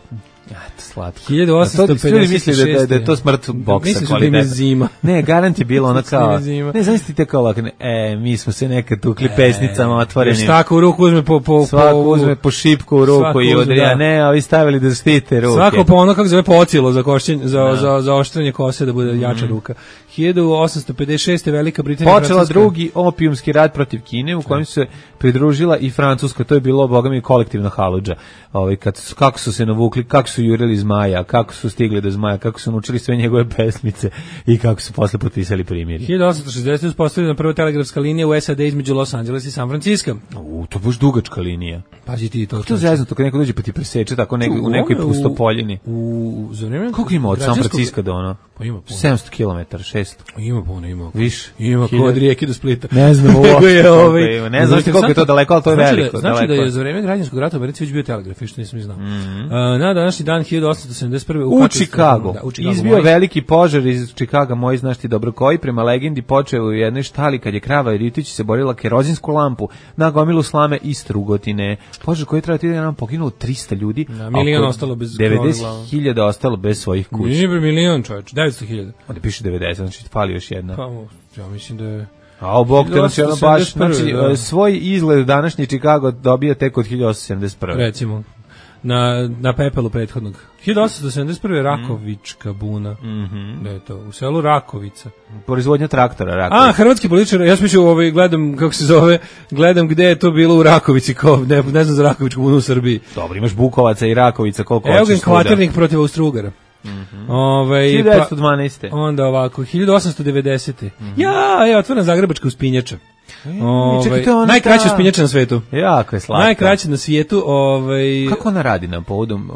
Ja, to slatko. hiljadu osamsto pedeset šeste misli da, da je to smrt boksa kvaliteta. Misliš da zima. Ne, garant je bilo ono kao... Ne, zamislite kao ovako, e, mi smo se nekad tukli e, pesnicama otvorenim. Svako u ruku uzme po... po svako uzme po šipku u ruku i odrija. Da. Ne, a vi stavili da štite ruke. Svako po ono kako zove pocilo za, košćenje, za, da. za, za oštrenje kose da bude jača mm. ruka. hiljadu osamsto pedeset šeste Velika Britanija... Počela Francuska. Drugi opijumski rat protiv Kine u kojem se pridružila i Francuska. To je bilo, boga mi, kolektivna haludža. Ovaj, kad, kako su se navukli, kako su jurili zmaja, kako su stigli do zmaja, kako su naučili sve njegove pesmice i kako su posle potpisali primirje. hiljadu osamsto šezdesete uspostavljena prva telegrafska linija u S A D između Los Angeles i San Francisco. U, to je baš dugačka linija. Pazi ti to. To je zeznuto kad neko dođe pa ti preseče tako nek, u nekoj pustopoljini. U, u za vreme koliko ima od San Francisco do ono? Pa ima puno. sedamsto kilometara, šesto. Ima puno, ima. Više. Ima kod rijeke do Splita. Ne znam uopšte. ovaj, ne znam koliko je to daleko, al to je veliko. Znači daleko. da je za vreme građanskog rata u Americi već bio telegraf, što nisam ni znao. Mm -hmm. uh, na današnji dan hiljadu osamsto sedamdeset prve u, u Chicago. Da, u Chicago izbio moj. Veliki požar iz Chicaga, moj znaš ti dobro koji, prema legendi počeo u jednoj štali kad je krava Ritić se borila kerozinsku lampu na gomilu slame i strugotine. Požar koji je trajao tri dana, poginulo trista ljudi, a milion ostalo bez devedeset hiljada ostalo bez svojih kuća. Nije milion, čovječ, devetsto hiljada. Onda piše devedeset, znači fali još jedna. Pa, ja mislim da je... A bog te nas jedno baš, znači da. Svoj izgled današnji Chicago dobija tek od hiljadu osamsto sedamdeset prve. Recimo, na, na pepelu prethodnog. hiljadu osamsto sedamdeset prve Rakovička buna. Mm -hmm. Da je to, u selu Rakovica. Proizvodnja traktora Rakovica. A, hrvatski političar, ja sam mišljio, ovaj, gledam, kako se zove, gledam gde je to bilo u Rakovici, kao, ne, ne znam za Rakovičku bunu u Srbiji. Dobro, imaš Bukovaca i Rakovica, koliko hoćeš svuda. Eugen Kvaternik protiv Austro-Ugara. Mm -hmm. Ove, hiljadu devetsto dvanaeste. Pa, onda ovako, hiljadu osamsto devedesete. Mm -hmm. Ja, je otvorena Zagrebačka uspinjača. Ovaj, čekaj, to je ona najkraća ta- uspinjača na svetu. Jako je slatka. Najkraća na svijetu, ovaj Kako ona radi na povodom?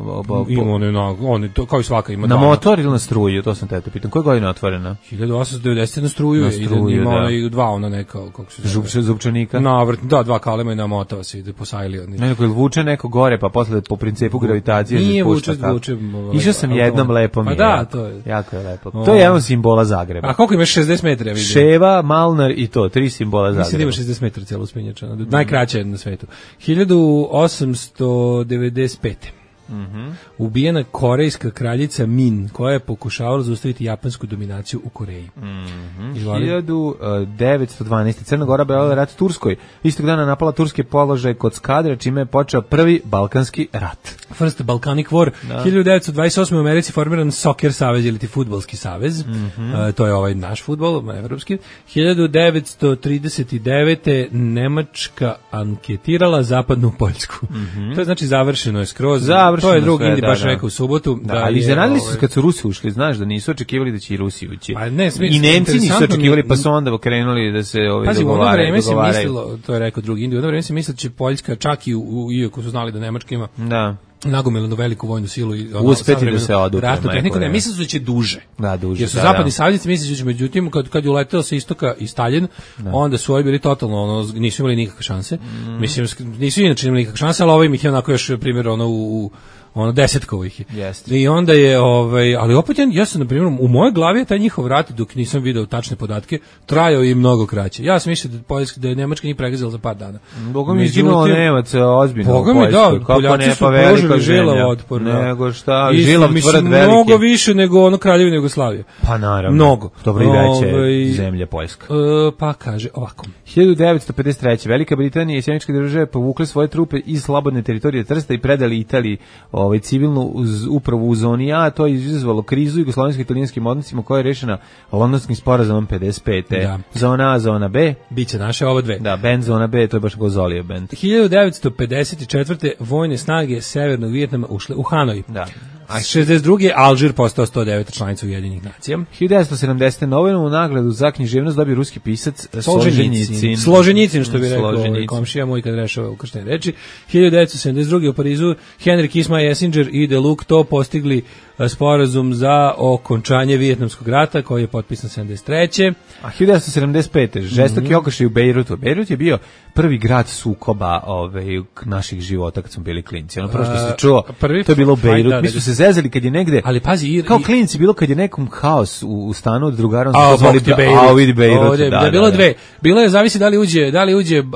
ima one na one to kao i svaka ima Na dva. motor ili na struju, to sam te te pitam. Koje godine je otvorena? hiljadu osamsto devedeset na struju, Na je, ide, struju, ima da. onaj dva ona neka kako se zove. Žub, zubčanika? Navrt, da, dva kalema i namotava se ide po sajli oni. Neko vuče neko gore, pa posle po principu gravitacije se Nije spušta vuče, kako. vuče, ovaj, Išao sam automat. jednom, lepo mi Pa je. da, jako. to je. Jako je lepo. O. To je jedan od simbola Zagreba. A koliko imaš šezdeset metara, ja vidim? Ševa, Malnar i to, tri simbola Mislim da Zagreba. ima šezdeset metara cijelo uspinjača. Najkraća je na svetu. hiljadu osamsto devedeset pete. Mhm. Ubijena korejska kraljica Min, koja je pokušavala zaustaviti japansku dominaciju u Koreji. Mhm. Izvoli. hiljadu devetsto dvanaeste. Crna Gora objavila rat Turskoj. Istog dana napala turske položaje kod Skadra, čime je počeo prvi Balkanski rat. First Balkanic War. hiljadu devetsto dvadeset osme. u Americi formiran Soccer savez ili ti fudbalski savez. Mhm. E, to je ovaj naš fudbal, evropski. hiljadu devetsto trideset devete. Nemačka anketirala zapadnu Poljsku. To je znači završeno je skroz. Završeno to je drug sve, Indi da, baš da. rekao u subotu. Da, ali je, iznenadili su ovaj, se kad su Rusi ušli, znaš da nisu očekivali da će i Rusi ući. Pa ne, smisli, I Nemci nisu interesantno očekivali, mi- pa su onda krenuli da se ovaj Pazi, u ono dogovaraju. vreme se dogovaraju. mislilo, to je rekao drugi Indi, u ono vreme se mislilo da će Poljska čak i, u, iako su znali da Nemačka ima Da. nagomilanu veliku vojnu silu i ono, Uspeti da savremenu se odupe, ratnu majko tehniku, ne, moja. mislili su da će duže. Da, duže, Jer su da, zapadni da. saveznici mislili da će, međutim, kad, kad je uleteo sa istoka i Stalin, onda su ovi bili totalno, ono, nisu imali nikakve šanse. Mm. Mislim, nisu inače imali nikakve šanse, ali ovaj ih je onako još, primjer, ono, u, u ono desetkovo ih je. Jeste. I onda je, ovaj, ali opet ja, ja sam, na primjer, u mojoj glavi je taj njihov rat, dok nisam video tačne podatke, trajao i mnogo kraće. Ja sam mislio da, Poljska, da je Nemačka njih pregazila za par dana. Boga mi Međutim- izginulo Nemaca ozbiljno Boga u mi, da, Poljskoj. Kako Poljaci ne, su pa velika pružili žilav zemlja. otpor, da. Nego šta, Isto, žilav mislim, tvrd veliki. mnogo više nego ono Kraljevina Jugoslavije. Pa naravno. Mnogo. Dobro i veće Ovaj, zemlje Poljska. E, pa kaže ovako. hiljadu devetsto pedeset treće. Velika Britanija i Sjemičke države povukle svoje trupe iz slobodne teritorije Trsta i predali Italiji ovaj, civilnu uz, upravu u zoni A. To je izazvalo krizu jugoslovensko-italijanskim odnosima koja je rešena Londonskim sporazumom pedeset pete. Da. Zona A, zona B. Biće naše ovo dve. Da, band zona B, to je baš Gozolijev band. hiljadu devetsto pedeset četvrte. vojne snage Severnog Vijetnama ušle u Hanoj. Da. A šezdeset druge. Alžir postao sto deveta članica Ujedinjenih nacija. hiljadu devetsto sedamdesete. Nobelu nagradu za književnost dobio ruski pisac Solženjicin. Složenjicin, što bi rekao ovaj Solženjicin. komšija moj kad rešava ukrštene reči. hiljadu devetsto sedamdeset druge. u Parizu Henry Kissinger, Kissinger i De Luc to postigli e, sporazum za okončanje Vijetnamskog rata koji je potpisan sedamdeset treće. A hiljadu devetsto sedamdeset pete. žestoki mm-hmm. okršaj u Bejrutu. Bejrut je bio prvi grad sukoba ovaj, naših života kad smo bili klinci. Ono prvo što se čuo, prvi to je bilo u fajt, Bejrut. da, Mi da, smo da. se zezali kad je negde, Ali pazi, i, kao i- klinci, bilo kad je nekom haos u, u stanu od drugara, on A, se zvali Bog ti Bejrut. A, vidi Bejrut. Ovdje, da, da, bilo je da, dve. Bilo je, zavisi da li uđe, da li uđe, uh,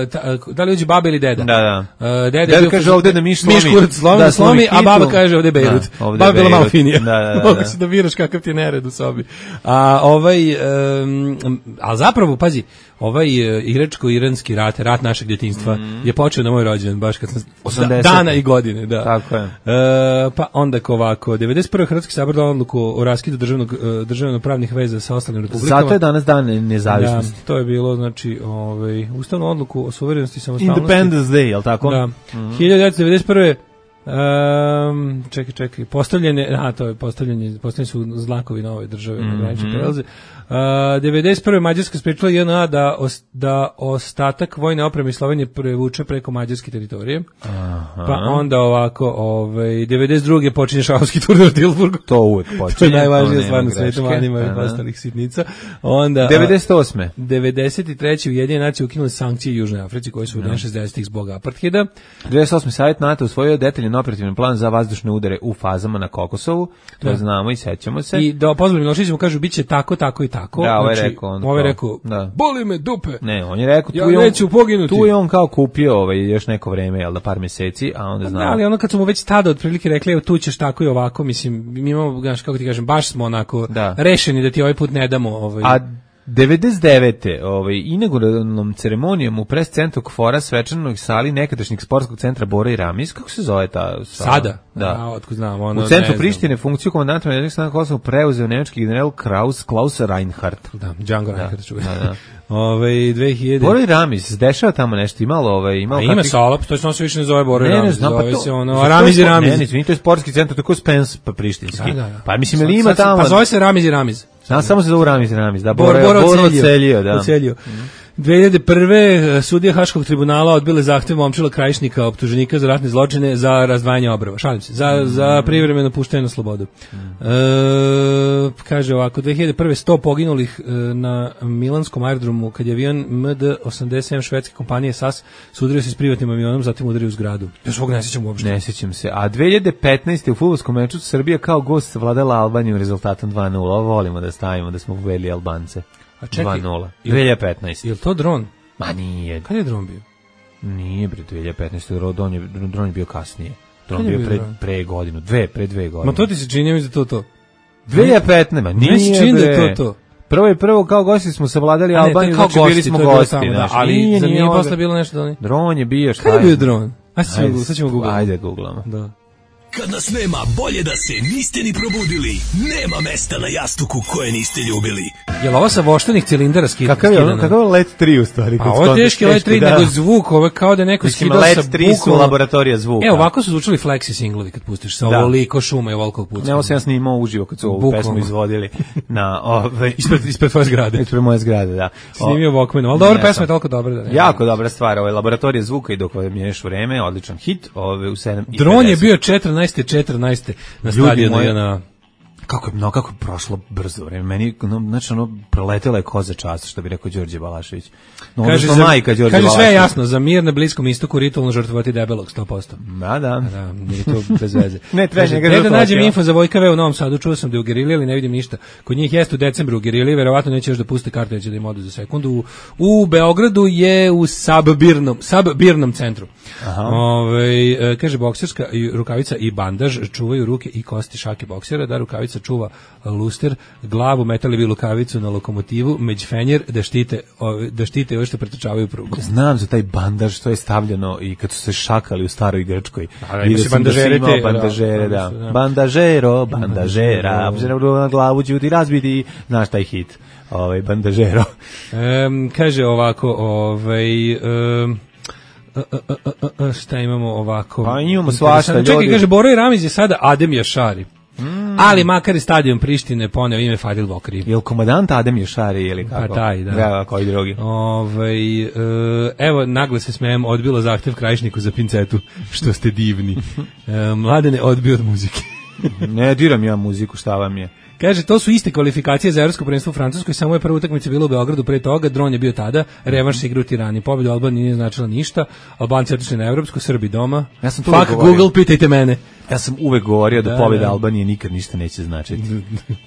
ta- da li uđe baba ili deda. Da, da. Uh, deda, je Deda bio- kaže ovde da miš slomi. Miš kurac slomi, Da, da, slomi, slomi a baba kitu. kaže ovde je Bejrut. Da, ovde Baba je je bila malo Bejrut. finija. Da, da, da, Mogu da. si da biraš kakav ti je nered u sobi. A ovaj, um, a zapravo, pazi, ovaj uh, iračko-iranski rat, rat našeg djetinjstva, Mm. je počeo na moj rođendan, baš kad sam osamdesete. dana i godine, da. Tako je. E, pa onda ovako, devedeset prve. Hrvatski sabor dao odluku o raskidu državnog, e, državno-pravnih veza sa ostalim republikama. Zato je danas dan nezavisnosti. Da, to je bilo, znači, ovaj, ustavnu odluku o suverenosti i samostalnosti. Independence Day, jel tako? Da. Mhm. hiljadu devetsto devedeset prve. Um, čekaj, čekaj, postavljene, a to je postavljanje, postavljeni su znakovi nove države na granične prelaze. Uh, devedeset prve. Mađarska sprečila J N A da, os, da ostatak vojne opreme iz Slovenije prevuče preko mađarske teritorije. Aha. Pa onda ovako, ovaj, devedeset druge. počinje šahovski turnir u Tilburgu. To uvek počinje. To je najvažnija nema stvar na greške. svetu, manima i Aha. ostalih sitnica. Onda, a, devedeset osme. devedeset treće. Ujedinjene nacije ukinule sankcije Južnoj Africi koji su u šezdesetih zbog apartheida. devedeset osme. Savjet NATO usvojio detaljan operativni plan za vazdušne udare u fazama na Kokosovu. To Da. znamo i sećamo se. I da pozvali Milošević mu kažu biće tako, tako i tako. Da, ovaj Znači, rekao on ovaj to. rekao, Da. boli me dupe. Ne, on je rekao, Ja tu je on, neću poginuti. tu je on kao kupio ovaj, još neko vreme, jel da, par meseci, a onda Da, znamo. ali ono kad smo mu već tada otprilike rekli, evo tu ćeš tako i ovako, mislim, mi imamo, znaš, kako ti kažem, baš smo onako Da. rešeni da ti ovaj put ne damo. Ovaj. A devedeset devete. Ovaj, inauguralnom ceremonijom u pres centru Kfora svečanog sali nekadašnjeg sportskog centra Bora i Ramiz, kako se zove ta sala? Sada? Da. A, otkud znam, ono, U centru ne znam. Prištine funkciju komandanta medijskih snaga Kosova preuzeo nemački general Kraus, Klaus Reinhardt. Da, Django Reinhardt čuje. Da, da. Ove, dve hiljade. Bora i Ramiz, dešava tamo nešto, imalo, ovaj, imalo A ima kakvih- sala, to se više ne zove Bora i Ne, ne Ramiz, znam, pa zove to. se ono, za to je Ramiz i sport- Ramiz. Ne, ne, izvini, to je sportski centar, tako Spens pa prištinski. Da, da, da. Pa mislim, ili Sad- ima sad se- tamo... Pa zove se Ramiz i Ramiz. Znam, samo se zove Ramiz i Ramiz, da, Bor, Bora, Bora Bora ocelio. ocelio, da. Ocelio. dve hiljade prve sudija Haškog tribunala odbile zahtev Momčila Krajišnika, optuženika za ratne zločine, za razdvajanje obrava. Šalim se, za, za privremeno puštanje na slobodu. E, kaže ovako, dve hiljade prve sto poginulih e, na milanskom aerodromu kad je avion M D osamdeset sedam švedske kompanije S A S sudario se s privatnim avionom, zatim udario u zgradu. Ja svog ne sjećam uopšte. Ne sjećam se. A dve hiljade petnaeste u fudbalskom meču Srbija kao gost vladala Albanijom rezultatom dva nula. Ovo volimo da stavimo da smo pobedili Albance. A čekaj, dva nula. dve hiljade petnaeste. Je li to dron? Ma nije. Kad je dron bio? Nije, bre, dve hiljade petnaeste. Dron je, dron je bio kasnije. Dron je bio pre, pre godinu. Dve, pre dve godine. Ma to ti se čini, mi za to to. dve hiljade petnaeste. Ma nije, ne se čini bre. Da je to to. Prvo je prvo kao gosti smo savladali A ne, Albaniju, kao znači gosti, bili smo to je bilo gosti. tamo, da, Znači, ali nije, za nije nije ovdje. posle bilo nešto da ne. Dron je bio, šta Kad je bio dron? Ajde, Ajde, sad ćemo googlamo. Ajde, googlamo. Da. Kad nas nema, bolje da se niste ni probudili. Nema mesta na jastuku koje niste ljubili. Jel ovo sa voštenih cilindara skidano? Kakav je ono, kakav je Let tri u stvari? Pa ovo je teški Let tri, nego zvuk, ovo je kao da neko Mislim, skidao sa Let tri su bukom. laboratorija zvuka. E, ovako su zvučali flexi singlovi kad pustiš sa Da. ovoliko šuma i ovoliko pucka. Ne, ovo sam ja snimao uživo kad su ovu Bukvalno. pesmu izvodili na ove, Ispred, ispred tvoje zgrade. ispred moje zgrade, da. Snimio Walkmanom, ali dobra Ne, pesma sam- je toliko dobra da ne. Jako dobra stvar, ovaj laboratorija zvuka i dok miješ vreme, odličan hit, ove u sedam i Dron je pedeset. bio četrnaeste četrnaeste na Ljudi stadionu moji, J N A. Kako je, no, kako je prošlo brzo vreme. Meni, no, znači, ono, proletela je koza čast, što bi rekao Đorđe Balašević. No, Kaže, odnosno za, majka Đorđe kaže sve je Balašević. jasno, za mir na Bliskom istoku ritualno žrtvovati debelog sto posto. Da, da. Da, nije to bez veze. Ne, treba Kaže, njega gde da žrtvovati, nađem ja. info za Vojka V u Novom Sadu, čuo sam da je u Geriliji, ali ne vidim ništa. Kod njih jeste u decembru u Geriliji, verovatno neće još da puste kartu, neće da im odu za sekundu. U, u Beogradu je u Sabbirnom, Sabbirnom centru. Ove, e, kaže, bokserska i rukavica i bandaž čuvaju ruke i kosti šake boksera, da rukavica čuva luster, glavu, metali bi lukavicu na lokomotivu, međfenjer, da štite, ove, da štite ove što pretrčavaju prugu. Znam za taj bandaž što je stavljeno i kad su se šakali u staroj Grčkoj. Da, da, Vidio ima se sam da si bandažere imao te, bandažere, da, da. da, da. Bandažero, bandažera, obzirom na glavu ću ti razbiti. Znaš taj hit, ovaj bandažero. Um, kaže ovako, ovaj... Um, a, a, a, a, a, šta imamo ovako? Pa imamo svašta, Čekaj, ljudi. kaže, Boro i Ramiz je sada Adem Jašari. Mm. Ali makar je stadion Prištine poneo ime Fadil Vokri. Je li komadant Adem Ješari ili kako? Pa taj, da. Da, koji drugi. Ovaj, e, evo, naglo se smejem, odbilo zahtev Krajišniku za pincetu, što ste divni. E, Mladene odbio od muzike. Ne diram ja muziku, šta vam je? Kaže, to su iste kvalifikacije za evropsko prvenstvo u Francuskoj, samo je prva utakmica bila u Beogradu, pre toga dron je bio tada, revanš se igra u Tirani, pobjeda Albanije nije značila ništa, Albanci otišli na evropsko, Srbi doma. Ja sam to Fuck govorio. Google, pitajte mene. Ja sam uvek govorio da, Da, pobjeda da. Albanije nikad ništa neće značiti.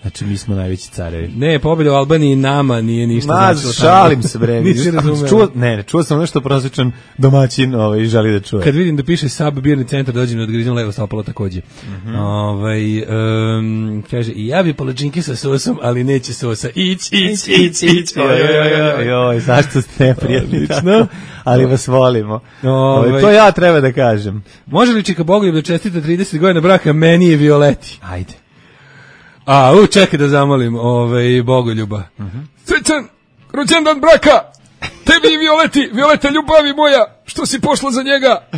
Znači, mi smo najveći carevi. Ne, pobjeda u Albaniji nama nije ništa Ma, značilo. šalim se, bre. Nisi razumeo. Čuo, ne, ne, čuo sam nešto prosječan domaćin ovaj, želi da čuje. Kad vidim da piše Sab birni centar, dođem da odgrizem levo stopalo takođe. Mhm. Ovaj, um, kaže, i ja bi palačinke sa sosom, ali neće sosa. Ić, ić, ić, ić. Joj, joj, joj, joj, zašto ste neprijatni Odlično. tako? Ali vas volimo. Ovaj. Ovaj, to ja treba da kažem. Može li Čika Bogoljub da čestita trideset godina braka meni i Violeti? Ajde. A, u, čekaj da zamolim ovaj, Bogoljuba. Mhm. Srećan, rođendan braka! Tebi i Violeti, Violeta ljubavi moja, što si pošla za njega,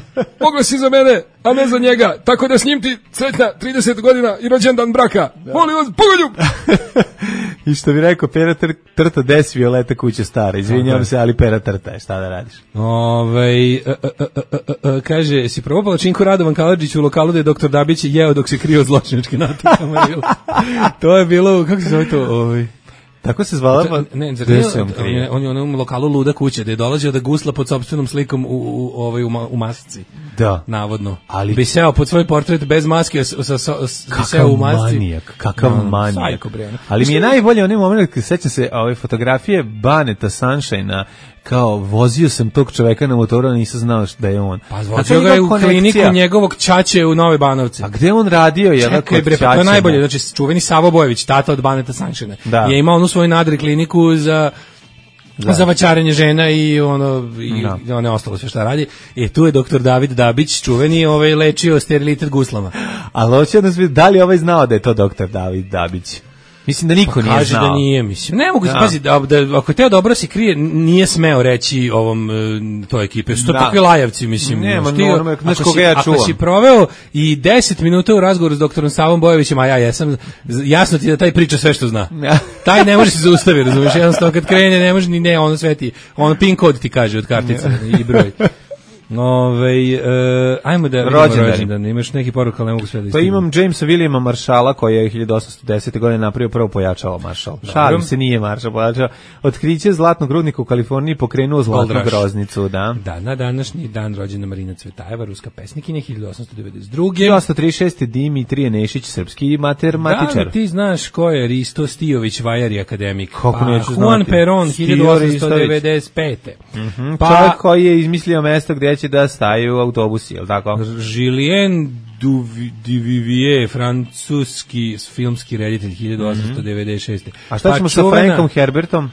mogla si za mene, a ne za njega, tako da s njim ti sretna trideset godina i rođendan braka. Molim vas, Bogoljub! I što bi rekao, pera tr trta des Violeta kuća stara. Izvinjavam Tako se, ali pera trta je, šta da radiš? Ovaj, a, a, a, a, a, kaže, si probao palačinku Radovan Kaladžić u lokalu da je doktor Dabić jeo dok se krio od zločinačke natakama. To je bilo, kako se zove to? Ovaj... Tako se zvala, pa... Ne, zar Gde nije, se on on, krije? je, on je u onom lokalu Luda kuća, gde je dolazio da gusla pod sopstvenom slikom u, u, ovaj, u, ma- u masci. Da. Navodno. Ali- bi seo pod svoj portret bez maske, a s- sa, sa, s- bi seo Kakav u masci. manijak, kakav No, manijak. sajko, bre, ono. Ali mi je najbolje onaj moment kad sećam se ove fotografije Baneta Sunshine-a, kao vozio sam tog čoveka na motoru, a nisam znao da je on. Pa A zvozio to ga je je u konekcija. kliniku njegovog ćaće u Nove Banovce. A gde on radio? Je Čekaj bre, pa to je najbolje, znači čuveni Savo Bojević, tata od Baneta Sunshine, Da. je imao onu svoju nadri kliniku za za vaćarenje žena i ono i Da. ono ostalo sve šta radi. I tu je doktor David Dabić, čuveni, ovaj lečio sterilitet guslama. Ali hoće da nas vidi, da li ovaj znao da je to doktor David Dabić? Mislim da niko Pa nije kaže znao. da nije, mislim. Ne mogu, Da. pazi, da, da, ako je teo dobro se krije, nije smeo reći ovom e, toj ekipe. Što Da. takvi lajavci, mislim. Nema, znaš, ti, normalno, znaš ako koga si- ja Ako čuvam. si proveo i deset minuta u razgovoru s doktorom Savom Bojovićem, a ja jesam, z- jasno ti da taj priča sve što zna. Taj ne može se zaustaviti, razumiješ, jednostavno kad krene ne može ni ne, ono sve ti, ono pin kod ti kaže od kartice i broj. Ove, uh, ajmo da vidimo Rođendani. rođendan. Imaš neki poruk, ali ne mogu sve da Pa istignem. imam Jamesa Williama Maršala koji je hiljadu osamsto desete. godine napravio prvo pojačalo Maršal. Šalim se, nije Maršal pojačao. Otkriće zlatnog rudnika u Kaliforniji pokrenuo zlatnu Gold Rush. groznicu, da. Da, na današnji dan rođena Marina Cvetajeva, ruska pesnikinja, hiljadu osamsto devedeset druge. hiljadu osamsto trideset šeste. Dimitrije Nešić, srpski matematičar. Da li ti znaš ko je Risto Stijović, vajar i akademik? Kako pa, neću Juan znati. Perón, Stijo hiljadu osamsto devedeset pete. Mm, Pa, Čovjek koji je izmislio mesto gdje će da staju autobusi, je li tako? Julien Duvi- Duvivier, francuski filmski reditelj, hiljadu osamsto devedeset šeste. A šta Pa ćemo sa čuvena- Frankom Herbertom?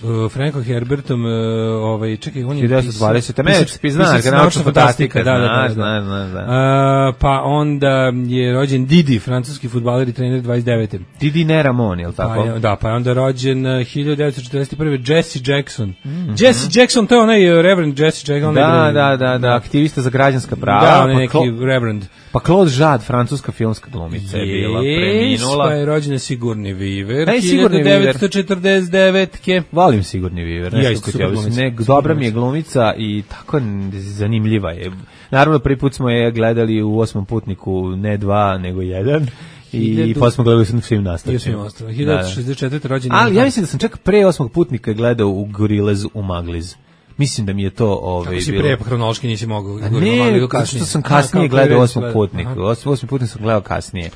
Uh, Frankom Herbertom, uh, ovaj, čekaj, on je hiljadu devetsto dvadesete. pisac- Meć, ti znaš, pisac ga naučna naučna fantastika, da, da, da, znaš, da. znaš, znaš, da. Uh, pa onda je rođen Didi, francuski fudbaler i trener dvadeset devete. Didi ne Ramon, je li Pa tako? je, da, pa je onda rođen uh, hiljadu devetsto četrdeset prve. Jesse Jackson. Mm-hmm. Jesse Jackson, to je onaj uh, Reverend Jesse Jackson. Da, onaj- da, da, da, aktivista za građanska prava. Da, on je pa neki Cla- Reverend. Pa Claude Jade, francuska filmska glumica je bila, preminula. Pa je rođen Sigurni Viver, Ej, Sigurni hiljadu devetsto četrdeset devete. Volim Sigurni Viver, Ja nešto isto kod super je, glumica. ne, Super dobra mi je glumica. glumica i tako n- zanimljiva je. Naravno, prvi put smo je gledali u Osmom putniku, ne dva, nego jedan. I Hiljadu- pa smo gledali u svim I nastavcima. osam ostalo. hiljadu devetsto šezdeset četvrte. rođen. Ali ja mislim da sam čak pre Osmog putnika gledao u Gorillaz u Magliz. Mislim da mi je to ovaj, Kako si bilo... pre, pa hronološki nisi mogao. A govorimo ne, malo zato kasnije. što sam A, kasnije kako gledao je Osmog gledao. putnika. Aha. Osmi, osmi putnik sam gledao kasnije.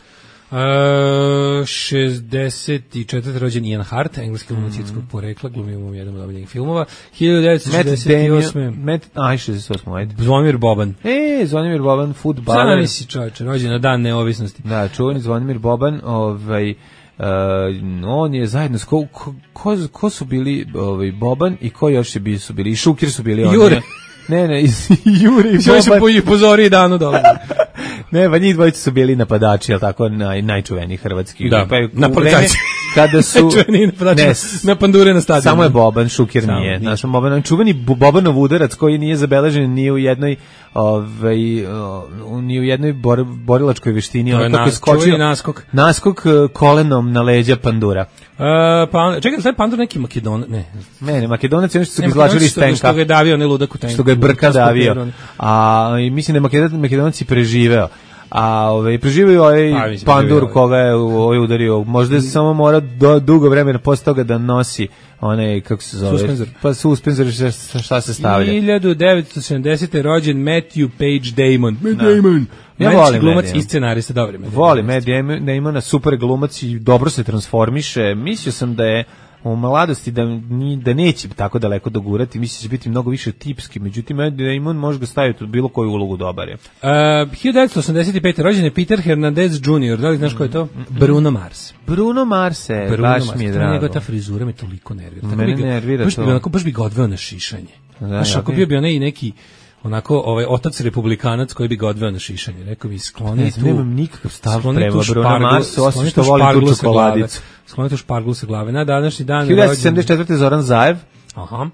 Uh, šezdeset četvrte. rođen Ian Hart, engleski glumac srpskog porekla, glumio u jednom od omiljenih filmova. hiljadu devetsto Matt šezdeset osme. Damon, Matt, aj, šezdeset osam, ajde. Zvonimir Boban. E, Zvonimir Boban, fudbaler. Sada nisi čovječe, rođen na dan neovisnosti. Da, čuveni Zvonimir Boban, ovaj, uh, on je zajedno s ko, ko, ko, ko su bili ovaj, Boban i ko još je bi, su bili, i Šukir su bili oni. Jure. Ne, ne, iz, Jure i Sve su Boban. po pozori danu dolazi. Ne, pa njih dvojica su bili napadači, jel tako, naj, najčuveniji hrvatski. Da, pa je u napadači. vreme kada su... Čuveni napadači ne, na pandure na stadionu. samo je Boban, Šukir Samo nije. nije. Znaš, Boban, čuveni Bu- Bobanov udarac koji nije zabeležen ni u jednoj ovaj, o, ni u jednoj bor, borilačkoj veštini. To je ono kako nas- skočio- čuveni naskok. Naskok e, kolenom na leđa pandura. Uh, pa onda, čekaj, sad pandur neki Makedon, ne. Ne, ne, Makedonac je ono što su ga Ne, izvlačili iz što, što tenka. ga je davio, ne ludak u tenku. Što ga je brka Ludak davio. Makedon. A i mislim da je Makedon, Makedonac i preživeo. A ovaj preživio je ovaj Pa, mislim, pandur preživeo je. koga je ovaj udario. Možda je samo mora do, dugo vremena posle toga da nosi onaj, kako se zove? Suspenzor. Pa suspenzor, šta, šta- šta se stavlja. hiljadu devetsto sedamdesete. rođen Matthew Page Damon. Matt Da. Damon. Ja Američki volim glumac Matt Damon. i scenarista, dobro. Matt Volim Damon. Matt Damon, da ima na super glumac i dobro se transformiše. Mislio sam da je u mladosti da, ni, da neće tako daleko dogurati, mislim da će biti mnogo više tipski, međutim Matt Damon može ga staviti u bilo koju ulogu dobar je. Uh, hiljadu devetsto osamdeset pete. rođen je Peter Hernandez junior Da li znaš ko je to? Bruno Mars. Bruno Marse, Bruno baš Mars. mi je Ta drago. njegova ta frizura me toliko nervira. Tako Mene bi ga- nervira baš to. Bi, onako, baš bi ga odveo na šišanje. Da, Znaš, ja ako bi- bio bi onaj neki onako ovaj otac republikanac koji bi ga odveo na šišanje. Rekao bi skloni Ne tu. znam, nemam nikakav stav skloni prema tu Bruno šparglu- Marsu, osim skloni što tu volim tu šparglu sa glave. čokoladicu. Skloni tu šparglu sa glave. Na današnji dan hiljadu devetsto rođen- sedamdeset četvrte. Zoran Zaev. Aha.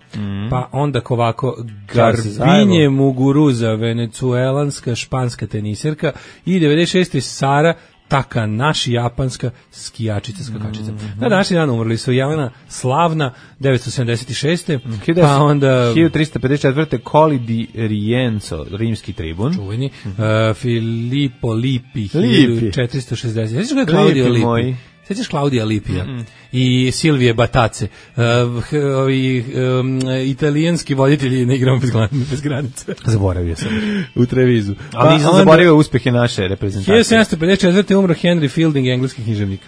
Pa onda ovako Čao se Garbinje zajedno. Muguruza, venecuelanska španska teniserka i devedeset šeste. Sara Takanashi, japanska skijačica, skakačica. Na današnji dan umrli su Jelena Slavna, devetsto sedamdeset šeste. Pa onda hiljadu trista pedeset četvrte. Coli di Rienzo, rimski tribun. čuveni uh, Filippo Lippi, Lippi. hiljadu četiristo šezdeset. Sjećaš ga je Claudio Lipi Lippi? moj. Sjećaš Claudia Lipija i Silvije Batace, uh, h- ovi um, italijanski voditelji na igrama bez, glan- bez granice Zaboravio sam. u Trevizu. Ali nisam onda- zaboravio uspehe naše reprezentacije. hiljadu sedamsto pedeset četvrte. umro Henry Fielding, engleski književnik.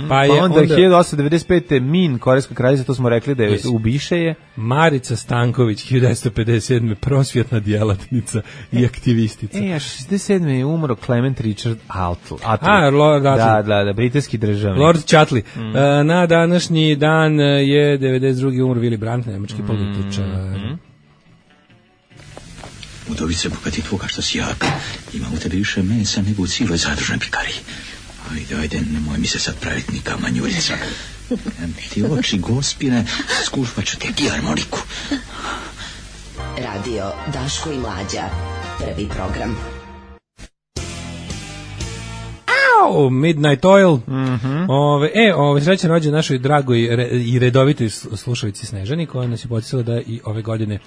Pa je Pa onda, onda, hiljadu osamsto devedeset pete. Min, korejska kraljica, to smo rekli da je Jesi. ubiše je. Marica Stanković, hiljadu devetsto pedeset sedme. prosvjetna djelatnica i aktivistica. E, a šezdeset sedme. je umro Clement Richard Atl. Atl. A, Lord Atlee. Da, da, da, britanski državnik. Lord Chatley. E, na današnji dan je devedeset druge. umro Willy Brandt, nemački političar. Udovice, bogati tvoga što si jak, ima u tebi više mesa nego u cijeloj zadružnoj pikariji. Ajde, ajde, nemoj mi se sad praviti ni kamanjurica. Ti oči gospine, skušpat ću te harmoniku. Radio Daško i Mlađa, prvi program. Au, Midnight Oil. Mm-hmm. Ove, e, ove, srećan rođen našoj dragoj re, i redovitoj slušalici Snežani, koja nas je potisala da i ove godine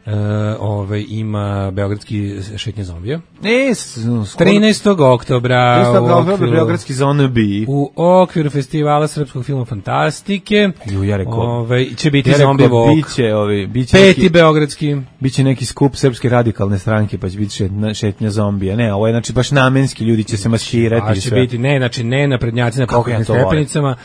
Uh, ove, ima beogradski šetnje zombija. E, trinaestog oktobra trinaestog oktobra beogradski zombiji. U okviru festivala srpskog filma Fantastike. Ju, ja rekao, ove, će biti ja zombi vok. Biće, ovi, biće Peti neki, beogradski. Biće neki skup srpske radikalne stranke, pa će biti šetnja, šetnja zombija. Ne, ovo je znači baš namenski, ljudi će se maskirati. A će biti, ne, znači ne na prednjaci na pokretnim stepenicama,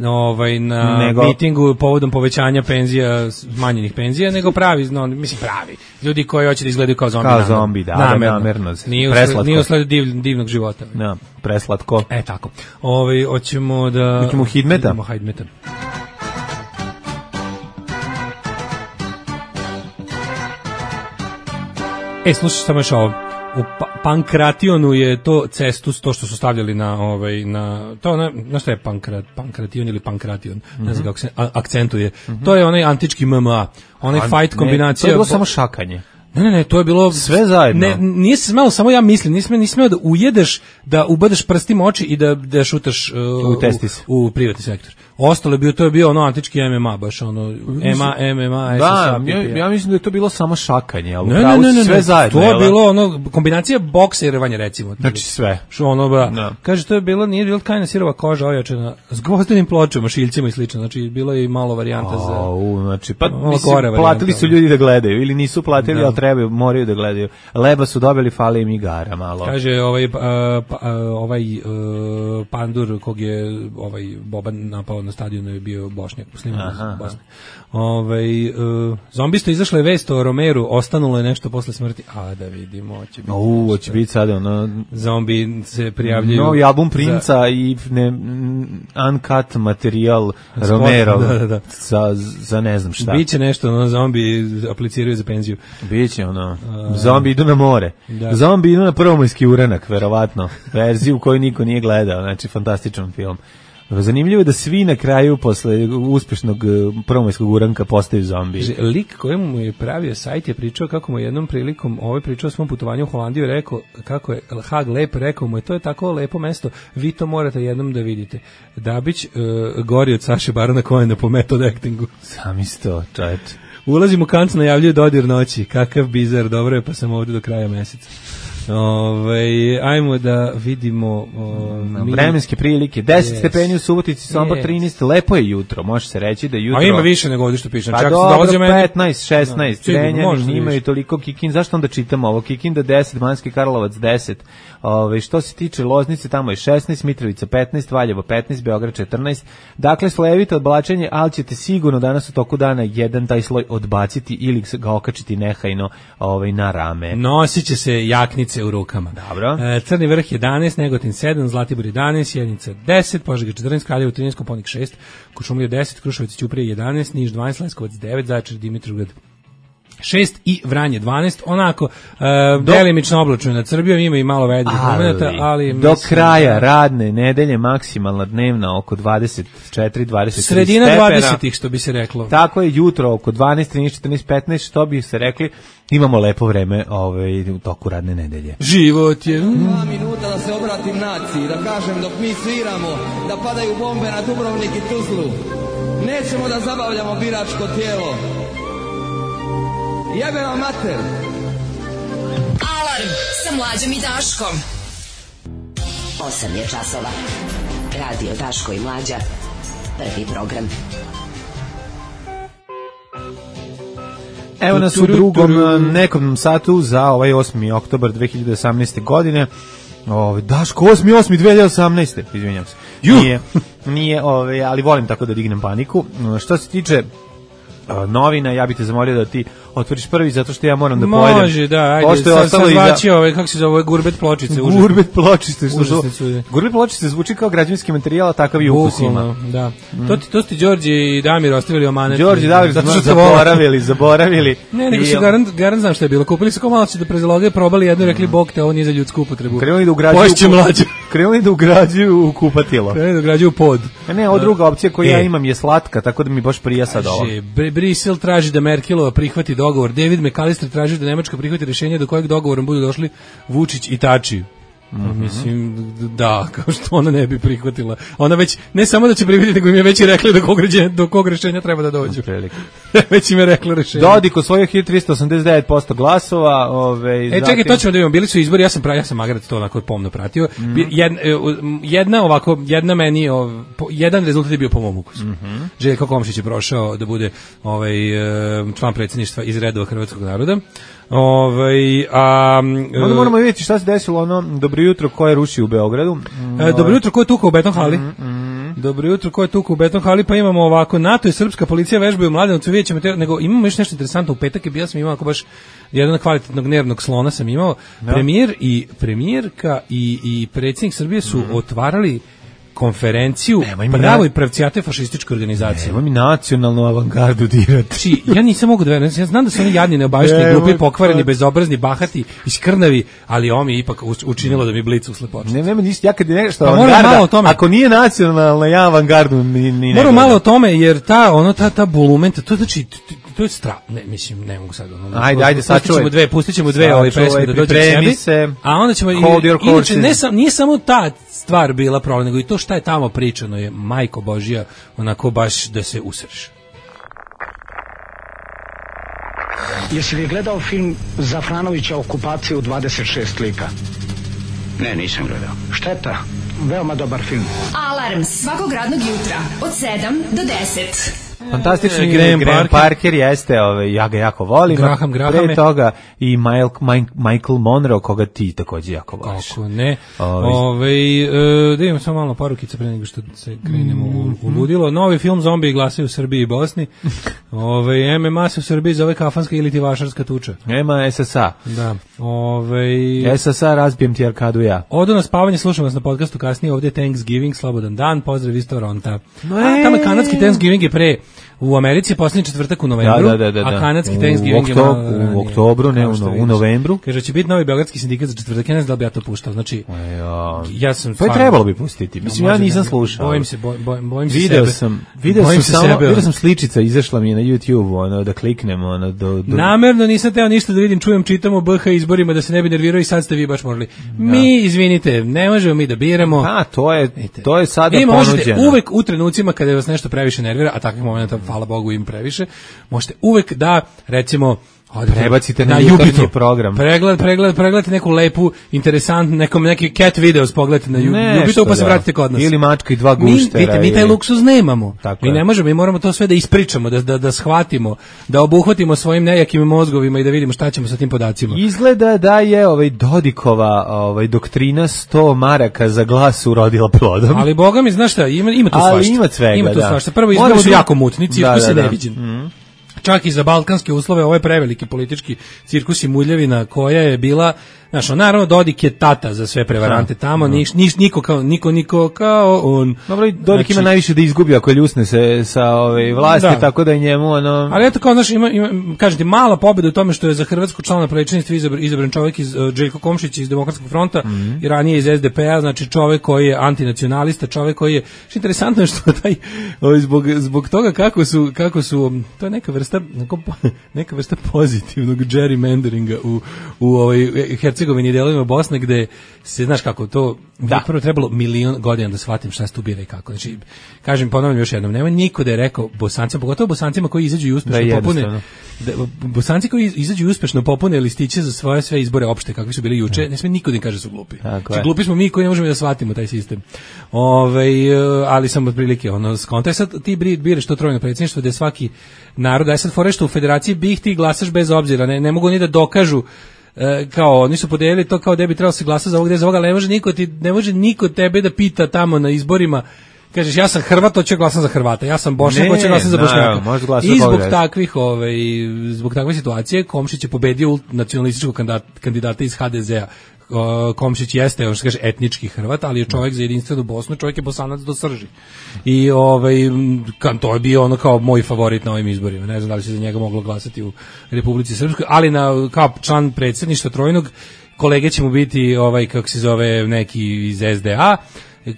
ovaj, na nego, mitingu povodom povećanja penzija, smanjenih penzija, nego pravi, no, mislim pravi, ljudi koji hoće da izgledaju kao zombi. Kao zombi, da, namerno. namerno. Nije usled, nije usled div, divnog života. Da, preslatko. E, tako. Ovaj, hoćemo da... Hoćemo Hidmeta. Hoćemo Hidmeta. E, slušaj samo još ovo. U pa Pankrationu je to cestus, to što su stavljali na ovaj na to na na šta je Pankrat Pankration ili Pankration, mm-hmm. ne znam kako se a, akcentuje. Mm-hmm. To je onaj antički M M A, onaj a, fight kombinacija. To je bilo samo šakanje. Ne, ne, ne, to je bilo sve zajedno. Ne, nije se smelo, samo ja mislim, nisi smeo, nisi smeo da ujedeš, da ubadeš prstima oči i da da šutaš uh, u testis, u, u privatni sektor. Ostalo je bio, to je bio ono antički M M A, baš ono M A, M M A, da, ja, ja mislim da je to bilo samo šakanje, ali ne, ne, ne, ne, sve ne, zajedno. To je bilo ono kombinacija boksa i rvanja, recimo. Znači sve. Što ono ba, no. Kaže, to je bilo, nije bilo tkana sirova koža ojačana s gvozdenim pločama, šiljcima i slično, znači bilo je i malo varijanta za... Au, znači, pa mislim, platili su ljudi da gledaju, ili nisu platili, da. Ali trebaju, moraju da gledaju. Leba su dobili, fali im igara malo. Kaže, ovaj, uh, pa, uh, ovaj uh, pandur kog je ovaj Boban napao na stadionu je bio Bošnjak, musliman iz Bosne. Ovaj uh, zombista izašla je vest o Romeru, ostanulo je nešto posle smrti. A da vidimo, hoće biti. U, hoće biti sada ono zombi se prijavljuju. Novi album Princa za... i ne uncut materijal Romero. Da, da, da. Za, za ne znam šta. Biće nešto, ono zombi apliciraju za penziju. Biće ono. Uh, zombi idu na more. Da. Zombi idu na prvomajski uranak, verovatno. Verziju koju niko nije gledao, znači fantastičan film. Zanimljivo je da svi na kraju posle uspešnog prvomajskog uranka postaju zombi. Lik kojemu mu je pravio sajt je pričao kako mu jednom prilikom, ovaj pričao o svom putovanju u Holandiju, rekao kako je Hag lep, rekao mu je to je tako lepo mesto, vi to morate jednom da vidite. Dabić uh, gori od Saše Barona Cohena po method actingu. Sam isto, čajte. Ulazim u kanc, najavljuje dodir noći. Kakav bizar, dobro je, pa sam ovdje do kraja meseca. Ove, ajmo da vidimo o, mi... vremenske prilike. deset yes. stepeni u Subotici, Sombor yes. trinaest, lepo je jutro, može se reći da jutro. A ima više nego ovdje što pišem. Pa čak dobro, petnaest, šesnaest, no, Renjanin imaju toliko Kikin, zašto onda čitamo ovo? Kikinda deset, Banski Karlovac deset. Ove, što se tiče Loznice, tamo je šesnaest, Mitrovica petnaest, Valjevo petnaest, Beograd četrnaest. Dakle, slojevito odblačenje, ali ćete sigurno danas u toku dana jedan taj sloj odbaciti ili ga okačiti nehajno ovaj, na rame. Nosit će se jaknice u rukama. Dobro. E, Crni vrh jedanaest, Negotin sedam, Zlatibor jedanaest, Sjenica deset, Požega četrnaest, Kraljevo trinaest, Koponik šest, Kuršumlija deset, Kruševac i Ćuprija jedanaest, Niš dvanaest, Leskovac devet, Zaječar, Dimitrovgrad šest i Vranje dvanaest, onako uh, delimično oblačno nad Srbijom, ima i malo vedrih momenata, ali do kraja da, radne nedelje maksimalna dnevna oko dvadeset četiri dvadeset tri sredina stepena. dvadesetih što bi se reklo. Tako je, jutro oko dvanaest trinaest četrnaest petnaest što bi se rekli. Imamo lepo vreme ovaj, u toku radne nedelje. Život je... Dva minuta da se obratim naciji, da kažem dok mi sviramo, da padaju bombe na Dubrovnik i Tuzlu. Nećemo da zabavljamo biračko tijelo. Jebe vam mater. Alarm sa Mlađom i Daškom. osam je časova. Radio Daško i Mlađa. Prvi program. Evo nas u drugom nekom satu za ovaj osmi oktobar dve hiljade osamnaeste. godine. Ovaj Daško osmi osmi dve hiljade osamnaeste. Izvinjavam se. Nije, nije, ovaj, ali volim tako da dignem paniku. Što se tiče novina, ja bih te zamolio da ti otvoriš prvi zato što ja moram da pojedem. Može, da, ajde. Pošto je Sad ostalo sam iza- zvačio ove, kako se zove, gurbet pločice. užasno. Gurbet pločice, što Užasne su. su. Gurbet pločice zvuči kao građevinski materijal, a takav i ukus ima. Bukvalno, da. To ti, to ti Đorđe i Damir ostavili omanet. Đorđe i Damir zato su što vole. zaboravili, zaboravili. Ne, nego I- su garant, garant znam šta je bilo. Kupili su kao malo će da prezaloge, probali jedno i rekli, bog te, ovo nije za ljudsku upotrebu. Krenuli da ugrađuju Poješće u- mlađe. Krenuli da ugrađuju u kupatilo. Krenuli da ugrađuju pod. A ne, ova druga opcija koju E. ja imam je slatka, tako da mi baš prija sad ovo. Kaže, Br- Brisel traži da Merkelova prihvati dogovor. David McAllister traži da Nemačka prihvati rješenje do kojeg dogovorom budu došli Vučić i Tači. Mhm. Mislim, da, kao što ona ne bi prihvatila. Ona već, ne samo da će prihvatiti, nego im je već i rekla do kog, ređenja, do kog rješenja treba da dođu. Prilike. Već im je rekla rješenje. Dodik osvojio hiljadu trista osamdeset devet posto glasova. Ove, E, čekaj, to ćemo da vidimo. Bili su izbori, ja sam pra, ja sam Magrat to onako pomno pratio. Mhm. Bi- Jedna, jedna ovako, jedna meni, ov, po- jedan rezultat je bio po mom ukusu. Mhm. Željko Komšić je prošao da bude ovaj e, član predsjedništva iz redova hrvatskog naroda. Ovaj a Onda moramo vidjeti šta se desilo ono dobro jutro ko je rušio u Beogradu. E, dobro jutro, ko je tukao u beton hali? Mhm, Dobro jutro, ko je tukao u beton hali? Pa imamo ovako, NATO i srpska policija vežbaju u Mladenovcu, vidjet ćemo te, nego imamo još nešto interesantno. U petak je bio sam imao ako baš jedan kvalitetnog nervnog slona sam imao. Premijer i premijerka i, i predsjednik Srbije su otvarali konferenciju Nema, ima pravoj na- pravcijate fašističke organizacije. Evo mi nacionalnu avangardu dirati. Znači, ja nisam mogu da verujem, ja znam da su oni jadni, neobavešteni, Nemoj glupi, pokvareni, to. bezobrazni, bahati, iskrnavi, ali ovo mi je ipak u- učinilo da mi blic usle počne. Ne, nema ništa, ja kad je nešto Pa moramo avangarda, malo o tome. ako nije nacionalna, ja avangardu ni, ni ne Moram gledam. malo o tome, jer ta, ono, ta, ta bulumenta, to znači, t- t- to je stra, ne, mislim, ne mogu sad, ono, Ajde, ajde, pustit ćemo sačuvaj. dve, pustit ćemo dve ove Sačuvaj, pesme da dođe k pripremi sebi, se. a onda ćemo, i- Hold your inače, horses. ne sam, nije samo ta stvar bila problem, nego i to šta je tamo pričano je, majko Božija, onako baš da se usreš. Jesi li gledao film Zafranovića Okupacija u dvadeset šest lika? Ne, nisam gledao. Šteta, veoma dobar film. Alarm svakog radnog jutra od sedam do deset. Fantastični E, Graham, Graham Graham Parker. Parker jeste, ovaj, ja ga jako volim. Graham, Grahame. Pre toga i Michael, Mike- Michael Monroe, koga ti takođe jako voliš. Kako ne. Ovaj. Ove, e, da imamo samo malo porukica pre nego što se krenemo u, u ludilo. Novi film Zombiji glasaju u Srbiji i Bosni. Ove, M M A se u Srbiji zove kafanska ili ti vašarska tuča. Nema S S A. Da. Ove, S S A razbijem ti arkadu ja. Odo na spavanje, slušam vas na podcastu kasnije, ovdje je Thanksgiving, slobodan dan, pozdrav iz Toronta. A, e. tamo je kanadski Thanksgiving je pre, u Americi je posljednji četvrtak u novembru, Da, da, da, da. a kanadski U Thanksgiving je oktob- malo u ranije. oktobru, ne, Kao u što no- u vidiš. novembru. Kaže, će biti novi beogradski sindikat za četvrtak, ja ne znam da li bi ja to puštao, znači, Ja, ja sam to je stvarno- trebalo bi pustiti. Mislim, ja Možda nisam ne, slušao. Bojim se, boj, boj, bojim se Video sebe. sam, video Bojim sam se samo, sebe, video ono. sam sličica, izašla mi je na YouTube, ono, da kliknem, ono, do, do... Namerno nisam teo ništa da vidim, čujem, čitam o B H izborima, da se ne bi nervirao i sad ste vi baš morali. Mi, izvinite, ne možemo mi da biramo. A, to je, to je sada Vi možete ponuđeno. uvek u trenucima kada vas nešto previše nervira, a takvih momenata, hvala Bogu, im previše, možete uvek da, recimo, odete Prebacite na jutarnji Jubitu. program. Pregled, pregled, pregledate neku lepu, interesantnu, nekom neki cat videos pogledate na Ju- Nešto, Jubitu, pa se da. vratite kod nas. Ili mačka i dva Mi, guštera vidite, mi taj ili- luksuz nemamo. Tako mi je. ne možemo, mi moramo to sve da ispričamo, da, da, da shvatimo, da obuhvatimo svojim nejakim mozgovima i da vidimo šta ćemo sa tim podacima. Izgleda da je ovaj Dodikova ovaj doktrina sto maraka za glas urodila plodom. Ali boga mi, znaš šta, ima, ima tu Ali svašta. ima svega, Ima tu da. svašta. Prvo, Moraš izbori su da- jako mutni, cirkus Da, da, je da. neviđen. Čak i za balkanske uslove, ovo je preveliki politički cirkus i muljevina koja je bila, znaš, on, naravno Dodik je tata za sve prevarante tamo, niš, niš, niko kao, niko, niko kao on. Dobro, i Dodik Znači- ima najviše da izgubi ako ljusne se sa ove vlasti, Da. tako da je njemu ono... Ali eto kao, znaš, ima, ima, kažem ti, mala pobjeda u tome što je za Hrvatsku člana predsjedništva izabran, izabran čovjek iz uh, Željko Komšić iz Demokratskog fronta i ranije iz S D P A, znači čovjek koji je antinacionalista, čovjek koji je, što je interesantno je što taj, ovaj, zbog, zbog toga kako su, kako su, um, to je neka vrsta, neko- neka vrsta pozitivnog gerrymanderinga u, u ovoj Hercegovini i delovima Bosne, gde se, znaš kako, to da. Prvo trebalo milion godina da shvatim šta se tu bira i kako. Znači, kažem, ponavljam još jednom, nema niko da je rekao Bosancima, pogotovo Bosancima koji izađu i uspešno Da, popune, jednostavno. da, Bosanci koji izađu i uspešno popune listiće za svoje sve izbore opšte, kakvi su bili juče, ne sme niko da im kaže su glupi. Tako Znači, je. glupi smo mi koji ne možemo da shvatimo taj sistem. Ovaj, e, ali sam otprilike, ono, skontaj sad ti bri- biraš to trojno predsjedništvo gde svaki narod, aj sad fore što u federaciji bih ti glasaš bez obzira, ne, ne mogu ni da dokažu e, kao oni su podelili to kao da bi trebalo se glasa za ovog, gde za ovoga, ali ne može niko ti, ne može niko tebe da pita tamo na izborima kažeš ja sam Hrvat, hoću glasam za Hrvata, ja sam Bošnjak, hoću glasam za Bošnjaka. I zbog takvih, ovaj, zbog takve situacije Komšić je pobedio nacionalističkog kandidata iz ha de zea. Komšić jeste, on što kaže, etnički Hrvat, ali je čovjek za jedinstvenu Bosnu, čovjek je Bosanac do srži. I ovaj, to je bio ono kao moj favorit na ovim izborima. Ne znam da li se za njega moglo glasati u Republici Srpskoj, ali na, kao član predsjedništva trojnog, kolege će mu biti, ovaj, kako se zove, neki iz es de a,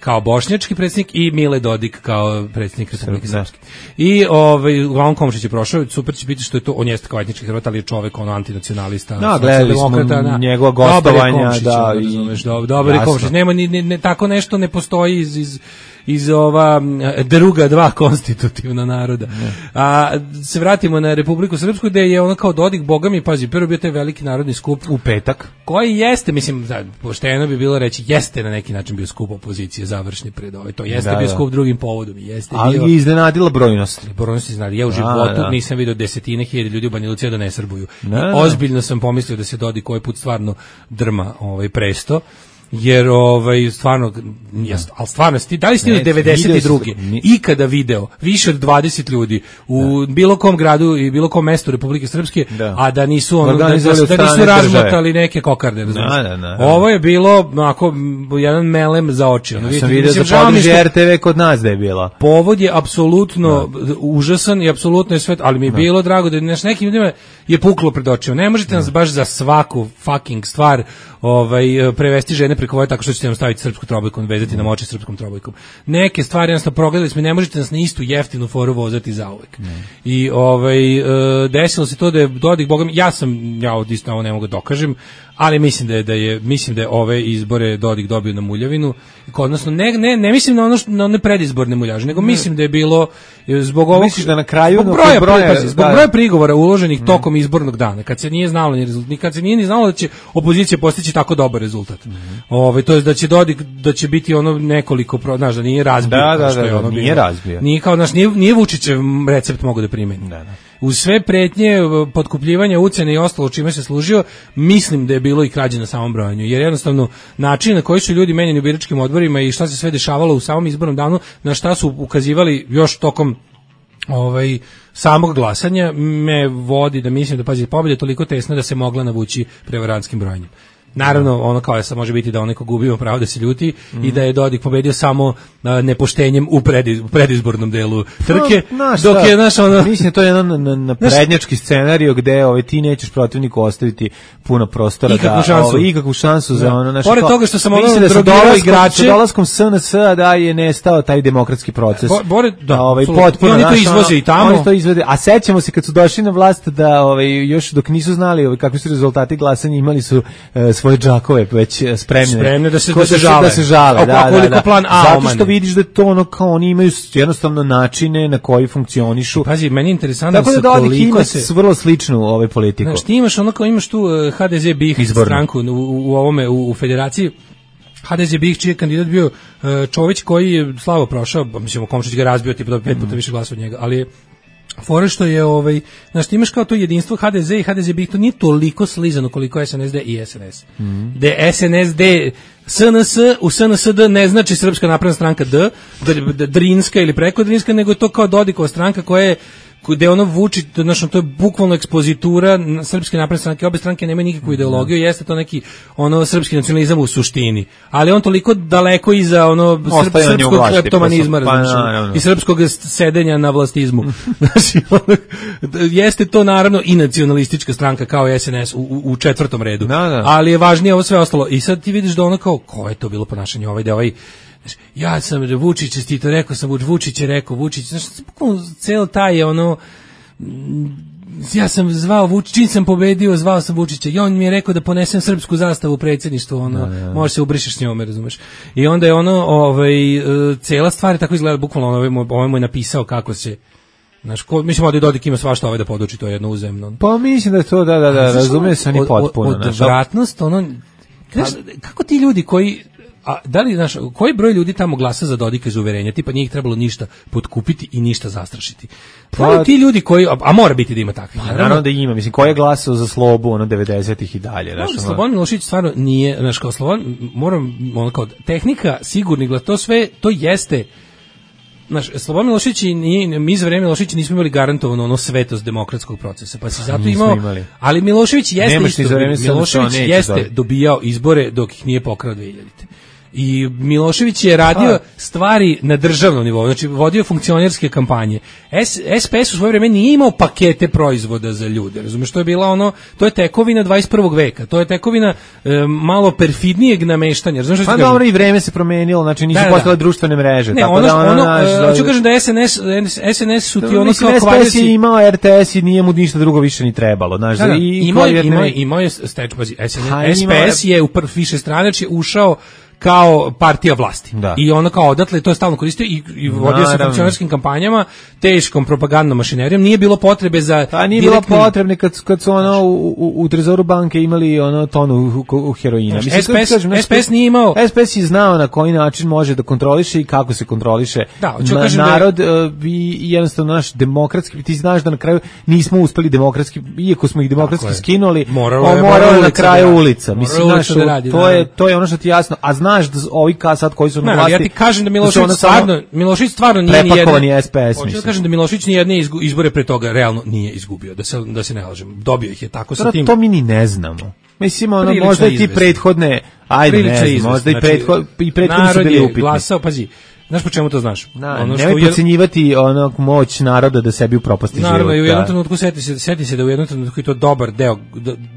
kao bošnjački predsjednik i Mile Dodik kao predsjednik Republike Srpske. I ovaj uglavnom Komšić je prošao, super će biti što je to, on jeste kao etnički Hrvat, ali je čovjek ono antinacionalista, no, gledali smo njegova gostovanja, da, i razumeš, dobar je Komšić, nema ni ne, ne, tako nešto ne postoji iz iz iz ova druga dva konstitutivna naroda. Ne. A se vratimo na Republiku Srpsku gde je ona kao Dodik, boga mi, pazi, prvo bio taj veliki narodni skup u petak, koji jeste, mislim, pošteno bi bilo reći, jeste na neki način bio skup opozicije završni pred ovaj, to jeste da, bio da. skup drugim povodom, jeste ali bio, je iznenadila brojnost. Brojnost iznenadila. Ja u životu da. nisam vidio desetine hiljada ljudi u Banja Luci da ne srbuju. Da. Ozbiljno sam pomislio da se Dodik koji put stvarno drma ovaj presto. Jer ovaj stvarno jest, al stvarno sti da li ste u devedeset druge ikada video više od dvadeset ljudi u da. bilo kom gradu i bilo kom mestu Republike Srpske, da. a da nisu ono da, da, da nisu razmotali neke kokarde, da, da, da, da. Ovo je bilo onako jedan melem za oči. Ono, ja sam vidio za područje er te ve kod nas da je bila. Povod je apsolutno da. užasan i apsolutno je sve, ali mi je da. bilo drago da naš nekim ljudima je puklo pred očima. Ne možete da. nas baš za svaku fucking stvar ovaj prevesti žene preko vode tako što ćete nam staviti srpsku trobojku, vezati nam oči srpskom trobojkom. Neke stvari jednostavno progledali smo, ne možete nas na istu jeftinu foru vozati zauvek. Mm. I ovaj e, desilo se to da je Dodik, boga mi, ja sam, ja od isto ovo ne mogu da dokažem, ali mislim da je, da je mislim da je ove izbore Dodik dobio na muljavinu. Odnosno ne ne ne mislim na ono što, na one predizborne muljaže, nego mislim da je bilo zbog ovog misliš da na kraju zbog broja, broja, broja, zbog broja prigovora uloženih mm. tokom izbornog dana, kad se nije znalo ni rezultat, ni kad se nije ni znalo da će opozicija postići tako dobar rezultat. Mm. Ovaj to jest da će Dodik da će biti ono nekoliko, znaš, da nije razbio, da, da, što je da, ono nije bilo. razbio. Nije kao naš nije, nije Vučićev recept mogu da primeni. Da, da. Uz sve pretnje, potkupljivanja, ucene i ostalo čime se služio, mislim da je bilo i krađe na samom brojanju, jer jednostavno način na koji su ljudi menjeni u biračkim odborima i šta se sve dešavalo u samom izbornom danu, na šta su ukazivali još tokom ovaj samog glasanja, me vodi da mislim da, pazi, pobjeda je toliko tesna da se mogla navući prevarantskim brojanjem. Naravno, ono kao je sad može biti da onaj ko gubio pravo da se ljuti mm. i da je Dodik pobedio samo a, nepoštenjem u, prediz, u predizbornom delu trke, no, naš, dok je naš ono... Mislim, to je jedan na, na prednjački scenariju gde ovaj, ti nećeš protivniku ostaviti puno prostora ikakvu da... Šansu. Ovaj, ikakvu šansu. Da. Za ono... Naš, Pored kao, toga što sam ono da drogirao igrače... Sa dolaskom es en es da je nestao taj demokratski proces. Bo, bore, da, ovaj, potpuno, I oni to izvoze i tamo. Oni to izvode, a sećamo se kad su došli na vlast da ovaj, još dok nisu znali ovaj, kakvi su rezultati glasanja, imali su uh, svoje džakove već spremne, spremne da se, da se žale, da se žale, da, da, da. Plan A, zato što vidiš da to ono kao oni imaju jednostavno načine na koji funkcionišu. Pazi, meni je interesantno tako da Dodik ima se vrlo sličnu ovaj politiku. Znaš, ti imaš ono kao imaš tu uh, ha de ze BiH stranku u, u ovome u, u federaciji. ha de ze BiH čiji je kandidat bio uh, Čović koji je slabo prošao, mislim Komšić ga razbio tipa pet puta više glasova od njega, ali fora što je ovaj, znaš, ti imaš kao to jedinstvo ha de ze i ha de ze BiH, to nije toliko slizano koliko es en es de i es en es. Mm. Da es en es de es en es u es en es de ne znači Srpska napredna stranka D, Drinska ili preko Drinska, nego je to kao Dodikova stranka koja je gde ono Vučić, znači to je bukvalno ekspozitura Srpske napredne stranke, obe stranke nemaju nikakvu ideologiju, jeste to neki ono srpski nacionalizam u suštini, ali on toliko daleko iza ono srp, srpskog kleptomanizma pa, i srpskog sedenja na vlastizmu. Znači, ono, jeste to naravno i nacionalistička stranka kao es en es u, u, u četvrtom redu, da, da. ali je važnije ovo sve ostalo. I sad ti vidiš da ono kao, ko je to bilo ponašanje ovaj da ovaj ja sam Vučić čestito, rekao sam Vučić je rekao Vučić, znači ceo taj je ono, ja sam zvao Vučić, čim sam pobedio zvao sam Vučića i on mi je rekao da ponesem srpsku zastavu u predsjedništvo, ono, da, da. Možeš se ubrišeš s njome, razumeš. I onda je ono, ovaj, cela stvar je tako izgleda, bukvalno ovaj, ovaj mu je napisao kako se, znaš, ko, mislim da Dodik ima svašta ovaj da poduči, to je jedno uzemno. Pa mislim da je to, da, da, da, razumije se ni potpuno. Od, od, odvratnost, ono, znaš, kako ti ljudi koji, a da li, znaš, koji broj ljudi tamo glasa za Dodika iz uverenja, tipa nije ih trebalo ništa potkupiti i ništa zastrašiti. Pa ti ljudi koji, a, a mora biti da ima takvih. Naravno, naravno da ima, mislim, ko je glasao za Slobu, ono, devedesetih i dalje. No, Slobodan Milošević stvarno nije, znaš, kao Slobodan, moram, ono, kao tehnika, sigurni glas, to sve, to jeste, Znaš, Slobodan Milošević i nije, mi za vreme Miloševića nismo imali garantovano ono svetost demokratskog procesa, pa si zato imao, imali. Ali Milošević jeste Nemaš isto, Milošević jeste dobiti. dobijao izbore dok ih nije pokrao dve hiljadite. I Milošević je radio ha. stvari na državnom nivou, znači vodio funkcionerske kampanje. S P S u svoje vreme nije imao pakete proizvoda za ljude, razumiješ, to je bila ono, to je tekovina dvadeset prvog veka, to je tekovina e, malo perfidnijeg nameštanja, razumiješ. Pa dobro, i vreme se promenilo, znači nisu da, postale da. društvene mreže. Ne, tako ono, da ono, ono naš, uh, hoću kažem da S N S, S N S su ti ono kao S P S je imao R T S i nije mu ništa drugo više ni trebalo. Znaš, da, da, i imao je, imao je, imao je steč, pazi, S P S je u više stranač je ušao kao partija vlasti. Da. I ono kao odatle to je stalno koristio i, i vodio se funkcionerskim kampanjama, teškom propagandnom mašinerijom, nije bilo potrebe za pa nije direktni... bilo potrebne kad, kad su ono u, u, u trezoru banke imali ono tonu u, u heroina. Mislim, S P S, kažem, S P S nije imao... S P S je znao na koji način može da kontroliše i kako se kontroliše da, na, narod da je... i jednostavno naš demokratski, ti znaš da na kraju nismo uspeli demokratski, iako smo ih demokratski skinuli, moralo je, moralo na kraju da ulica. Mislim, znaš, da radi, to, je, to je ono što ti jasno, a znaš da ovi ka sad koji su na vlasti. Ja ti kažem da Milošević da stvarno, Milošević stvarno nije prepakovani S P S. Hoću da kažem da Milošević ni jedne izbore pre toga realno nije izgubio, da se da se ne lažem. Dobio ih je tako sa tim. To mi ni ne znamo. Mislim, ono, možda i ti prethodne, ajde, ne znam, možda i prethod i prethodni su bili upitni. Glasao, pazi. Znaš po čemu to znaš? Na, ono što nemoj podcenjivati onog moć naroda da sebi upropasti život. Naravno, i u jednom trenutku seti se, seti se da u jednom trenutku i to dobar deo,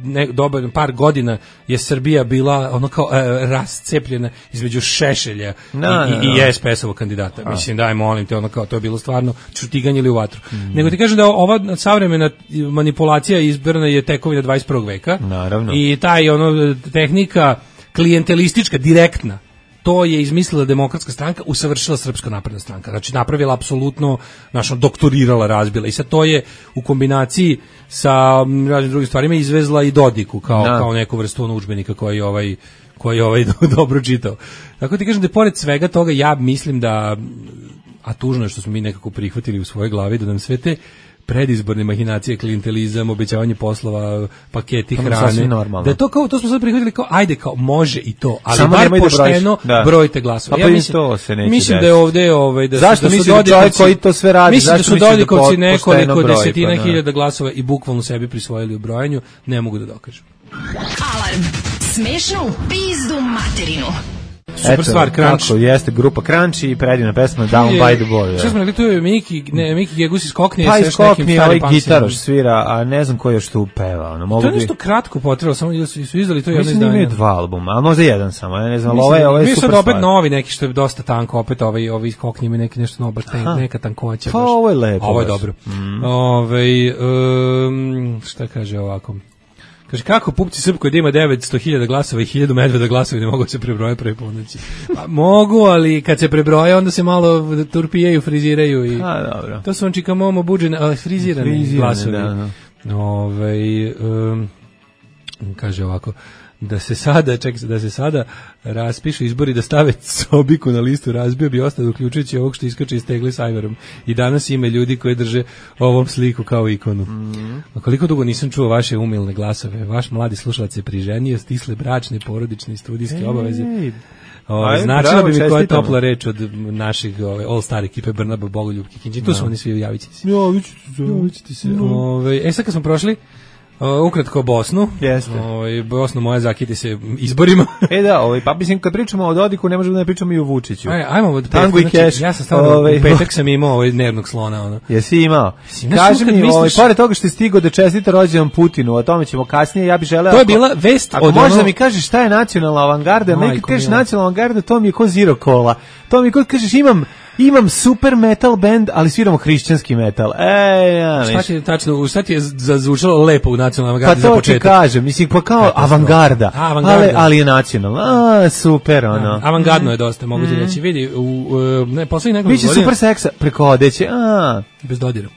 ne, dobar par godina je Srbija bila ono kao e, rascepljena između Šešelja na, i, na, i, i S P S-ovog kandidata. A. Mislim, daj, molim te, ono kao, to je bilo stvarno čutiganje ili u vatru. Mm. Nego ti kažem da ova savremena manipulacija izborna je tekovina dvadeset prvog veka. Naravno. I taj, ono, tehnika klijentelistička, direktna, to je izmislila Demokratska stranka, usavršila Srpska napredna stranka. Znači napravila apsolutno, našo doktorirala, razbila. I sad to je u kombinaciji sa raznim drugim stvarima izvezla i Dodiku kao da. kao neku vrstu ono udžbenika koji ovaj koji ovaj dobro čitao. Tako ti kažem da pored svega toga ja mislim da, a tužno je što smo mi nekako prihvatili u svojoj glavi da nam sve te predizborne mahinacije, klijentelizam, obećavanje poslova, paketi hrane. Da je to kao, to smo sad prihvatili kao, ajde, kao, može i to, ali samo bar pošteno da brojite glasove. Ja mislim, to se neće mislim da je ovde, ovaj, da zašto su, da su Dodikovci, koji to sve radi, mislim zašto da su Dodikovci nekoliko broj, desetina pa, hiljada glasova i bukvalno sebi prisvojili u brojanju, ne mogu da dokažem. Alarm. Smešno u pizdu materinu. Super eto, stvar, Crunch. Tako, jeste grupa Crunch i predivna pesma Down je, by the Boy. Šta smo rekli, tu je Miki, ne, Miki Gegus iz Koknije. Pa iz Koknije, ovaj gitaroš svira, a ne znam ko još tu peva. Ono, mogu to je nešto bi... kratko potrebalo, samo su, su izdali to jedno izdanje. Mislim da imaju dva albuma, ali možda jedan samo, ja ne znam, ali ovo je, ovo je super stvar. Mi su opet novi neki što je dosta tanko, opet ovaj, ovaj iz Koknije ima neki nešto nobar, neka tankoća. Pa ovo je lepo. Ovo je dobro. Mm. Ove, um, šta kaže ovako? Kaže, kako pupci Srpkoj da ima devetsto hiljada glasova i hiljadu medveda glasova ne mogu se prebrojati prvi ponoći. Pa, mogu, ali kad se prebroje, onda se malo turpijaju, friziraju. I a, dobro. To su on čika momo buđene, ali frizirane, frizirane glasovi. Da, da. Ove, um, kaže ovako, da se sada, ček se, da se sada raspišu izbori da stave Sobiku na listu, razbio bi ostalo uključujući ovog što iskače iz tegle s Ajvarom. I danas ima ljudi koji drže ovom sliku kao ikonu. Mm. A koliko dugo nisam čuo vaše umilne glasove, vaš mladi slušalac je priženio, stisle bračne, porodične i studijske hey. obaveze. O, značilo bi mi koja je topla reč od naših ove, all-star ekipe Brnaba, Bogoljub, Kikinđi. Tu no. su oni svi, javit ćete se. Javit ćete se. Ove, e sad kad smo prošli Uh, ukratko Bosnu. Jeste. Ovaj Bosnu moja zakiti se izborima. E da, ovaj pa mislim kad pričamo o Dodiku ne možemo da ne pričamo i o Vučiću. Aj, ajmo od Tango i Cash. Ja sam stavio ovaj, u petak sam imao ovaj nervnog slona ono. Jesi imao? Kaži mi, misliš... ovaj pored toga što je stigao da čestita rođendan Putinu, o tome ćemo kasnije, ja bih želeo. To je bila vest od možda ono... mi kažeš šta je nacionalna avangarda, neki kažeš nacionalna avangarda, to mi je ko Zero Cola. To mi je kod kažeš imam Imam super metal band, ali sviramo hrišćanski metal. Ej, ja, šta ti je tačno, šta ti je zazvučalo lepo u nacionalnoj avangardi za početak? Pa to ti kažem, mislim, pa kao avangarda, A, avangarda. Ali, ali je nacionalna. A, super, ono. A, avangardno je dosta, mogu ti mm. reći. Vidi, u, u ne, poslednjih nekoliko godina... Biće super seksa, preko odeće, a... Bez dodira.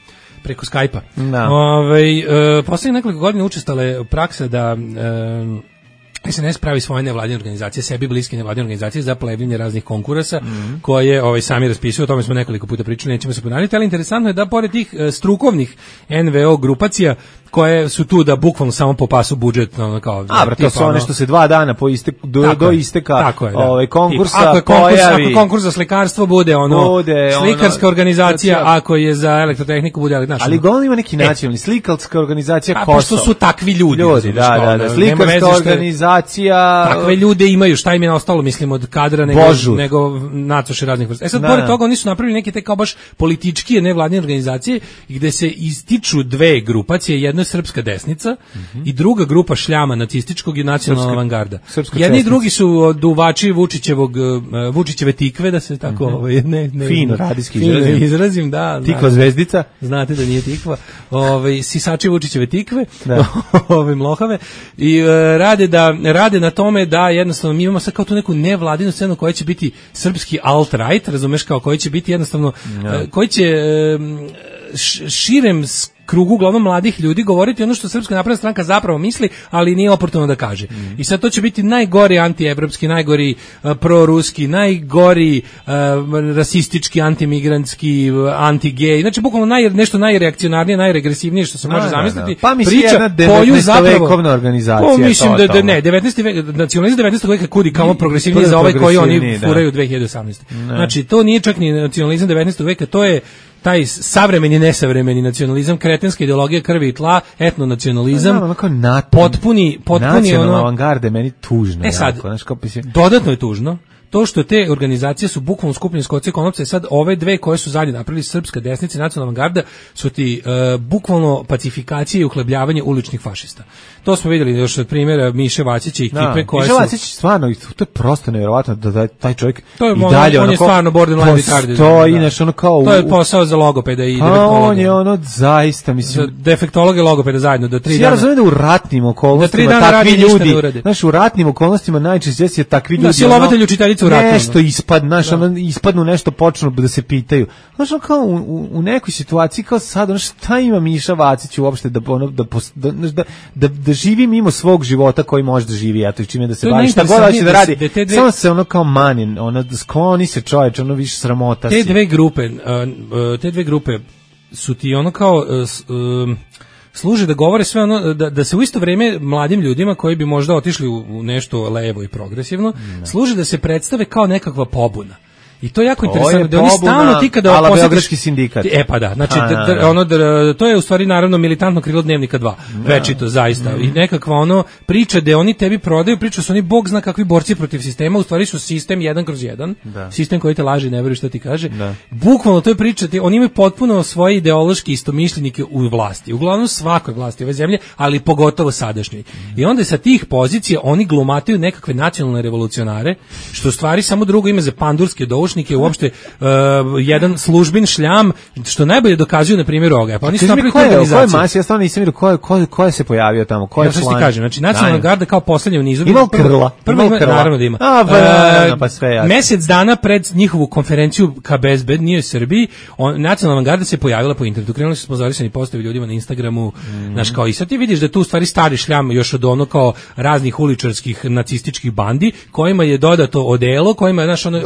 Preko Skype-a. Da. Ove, uh, poslednjih nekoliko godina učestale praksa da... Uh, S N S pravi svoje nevladine organizacije, sebi bliske nevladine organizacije za plebljanje raznih konkursa mm. koje ovaj, sami raspisuju, o tome smo nekoliko puta pričali, nećemo se ponavljati, ali interesantno je da pored tih strukovnih N V O grupacija koje su tu da bukvalno samo popasu budžet, ono kao. A, bro, to su one što se dva dana po iste, do, do isteka je, da. ovaj konkursa ako je konkurs, pojavi. Ako konkurs za slikarstvo bude ono bude slikarska ono, organizacija, znači, ako je za elektrotehniku bude, znaš. Ali uglavnom ima neki nacionalni, slikarska organizacija a, Kosovo. Pošto su takvi ljudi. Ljudi, da, da, da, slikarska organizacija. Takve ljude imaju, šta im je ostalo, mislim, od kadra nego, nego nacoše raznih vrsta. E sad, pored toga, oni su napravili neke te kao baš političke nevladine organizacije gde se ističu dve grupacije, jedna je srpska desnica mm-hmm. i druga grupa šljama nacističkog i nacionalna avangarda. Jedni i drugi su duvači Vučićevog uh, Vučićeve tikve, da se tako mm-hmm. ovaj ne, ne fino radijski izrazim. izrazim, da. Tikva zvezdica. Znate da nije tikva. Ovaj sisači Vučićeve tikve, ove mlohave i uh, rade da rade na tome da jednostavno mi imamo sad kao tu neku nevladinu scenu koja će biti srpski alt-right, razumeš, kao koji će biti jednostavno no. uh, koji će uh, širem krugu uglavnom mladih ljudi govoriti ono što Srpska napredna stranka zapravo misli, ali nije oportuno da kaže. Mm. I sad to će biti najgori antievropski, najgori uh, proruski, najgori uh, rasistički, antimigrantski, uh, anti-gej. Znači bukvalno naj, nešto najreakcionarnije, najregresivnije što se može no, zamisliti. No, no. Pa mi priča jedna devetnaestovekovna organizacija. Pa mislim to, da, da ne, devetnaesti vek, nacionalizam devetnaestog veka kudi kao progresivniji za ovaj koji oni furaju dve hiljade osamnaeste. Ne. Znači to nije čak ni nacionalizam devetnaestog veka, to je taj savremeni, nesavremeni nacionalizam, kretenska ideologija krvi i tla, etnonacionalizam, no, potpuni, potpuni nacionalna ono... avangarde, meni tužno. E sad, jako, znaš, kao pisi... dodatno je tužno, to što te organizacije su bukvalno skupljene iz koce konopca, sad ove dve koje su zadnje napravili, srpska desnica i nacionalna avangarda, su ti uh, bukvalno pacifikacije i uhlebljavanje uličnih fašista. To smo vidjeli još od primjera Miše Vacića i ekipe koje su... Miše Vacić stvarno, to je prosto nevjerovatno da, da taj čovjek to je, i on, dalje... On ono, je stvarno borderline retarded. To je inače ono kao... To je posao za logopeda i defektologa. On je ono zaista, mislim... Za defektologa i logopeda zajedno, do tri ja dana... Ja razumijem da u ratnim okolnostima takvi ljudi... Znaš, u ratnim okolnostima najčešće je takvi ljudi... Da, silovatelj učiteljica u ratu. Nešto ispadnu, znaš, ono, ispadnu nešto, počnu da se pitaju. Znaš, ono kao u, u nekoj situaciji kao sad, ono šta ima Miša Vacić uopšte da, ono, da, da, da, da, da živi mimo svog života koji može da živi, eto, čime da se bavi, šta god hoće da radi, da dve... samo se ono kao manin, ono, skloni se čovječ, ono više sramota te si. Dve grupe, uh, te dve grupe su ti ono kao... Uh, služe da govore sve ono, da, da se u isto vrijeme mladim ljudima koji bi možda otišli u, u nešto levo i progresivno, ne. služe da se predstave kao nekakva pobuna. I to je jako to interesantno, je da oni stalno ti kada posjetiš Beogradski sindikat. E pa da, znači da, da, ono da, to je u stvari naravno militantno krilo Dnevnika dva. Da. Večito zaista. Mm. I nekakva ono priča da oni tebi prodaju, priča su oni bog zna kakvi borci protiv sistema, u stvari su sistem jedan kroz jedan. Da. Sistem koji te laže, ne veruje šta ti kaže. Da. Bukvalno to je priča, oni imaju potpuno svoje ideološke istomišljenike u vlasti. Uglavnom svakoj vlasti ove zemlje, ali pogotovo sadašnjoj. Mm. I onda sa tih pozicija oni glumataju nekakve nacionalne revolucionare, što u stvari samo drugo ime za pandurske doušnike, uopšte uh, jedan službin šljam, što najbolje dokazuju na primjeru ovoga. Pa oni su napravili organizaciju. Ko je masi, ja stvarno nisam vidio ko je, ko, ko je se pojavio tamo, ko je ja član. Ja kažem, znači nacionalna garda kao poslednja u nizu. Ima krla. Prvo ima, naravno da ima. A, pa, uh, pa sve jasno. Mesec dana pred njihovu konferenciju K B S B, nije u Srbiji, on, nacionalna garda se pojavila po internetu. Krenuli su sponzorisani postovi ljudima na Instagramu, mm. znaš, kao i sad ti vidiš da tu u stvari stari šljam još od ono kao raznih uličarskih nacističkih bandi, kojima je dodato odelo, kojima je, znaš, ono,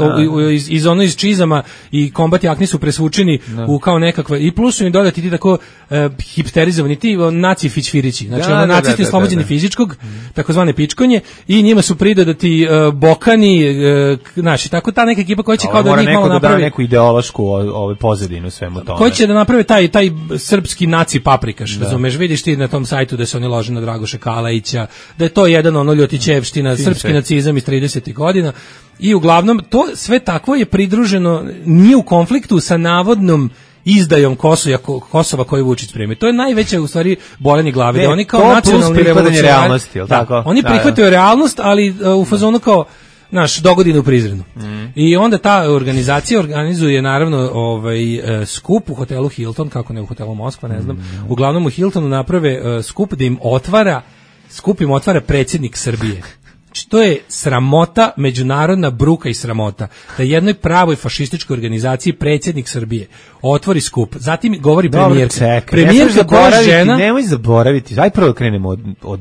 iz, iz ono iz čizama i kombat jakni su presvučeni no. u kao nekakve, i plus su im dodati ti tako uh, hipsterizovani ti naci fićfirići, znači da, ono da, nacisti oslobođeni fizičkog, takozvane pičkonje, i njima su pridodati uh, bokani, uh, znači tako ta neka ekipa koja će kao da njih malo da napravi da neku ideološku ovaj pozadinu svemu tome. Ko će da naprave taj taj srpski naci paprikaš, da. Razumeš, vidiš ti na tom sajtu da se oni lože na Dragoša Kalajića, da je to jedan ono ljotićevština, srpski sve. Nacizam iz tridesetih godina. I uglavnom to sve takvo je pridruženo, nije u konfliktu sa navodnom izdajom Kosova, Kosova koji Vučić spremi. To je najveće u stvari bolenje glave. Ne, da oni kao nacionalni revolucionari, da, oni prihvataju da, da. realnost, ali uh, u fazonu kao naš dogodine u Prizrenu. Mm. I onda ta organizacija organizuje naravno ovaj uh, skup u hotelu Hilton, kako ne u hotelu Moskva, ne znam. Mm. Uglavnom u Hiltonu naprave uh, skup da im otvara, skup im otvara predsjednik Srbije. Znači, to je sramota, međunarodna bruka i sramota. Da jednoj pravoj fašističkoj organizaciji predsjednik Srbije otvori skup. Zatim govori premijerka. Premijerka koja žena... Nemoj zaboraviti, aj prvo krenemo od, od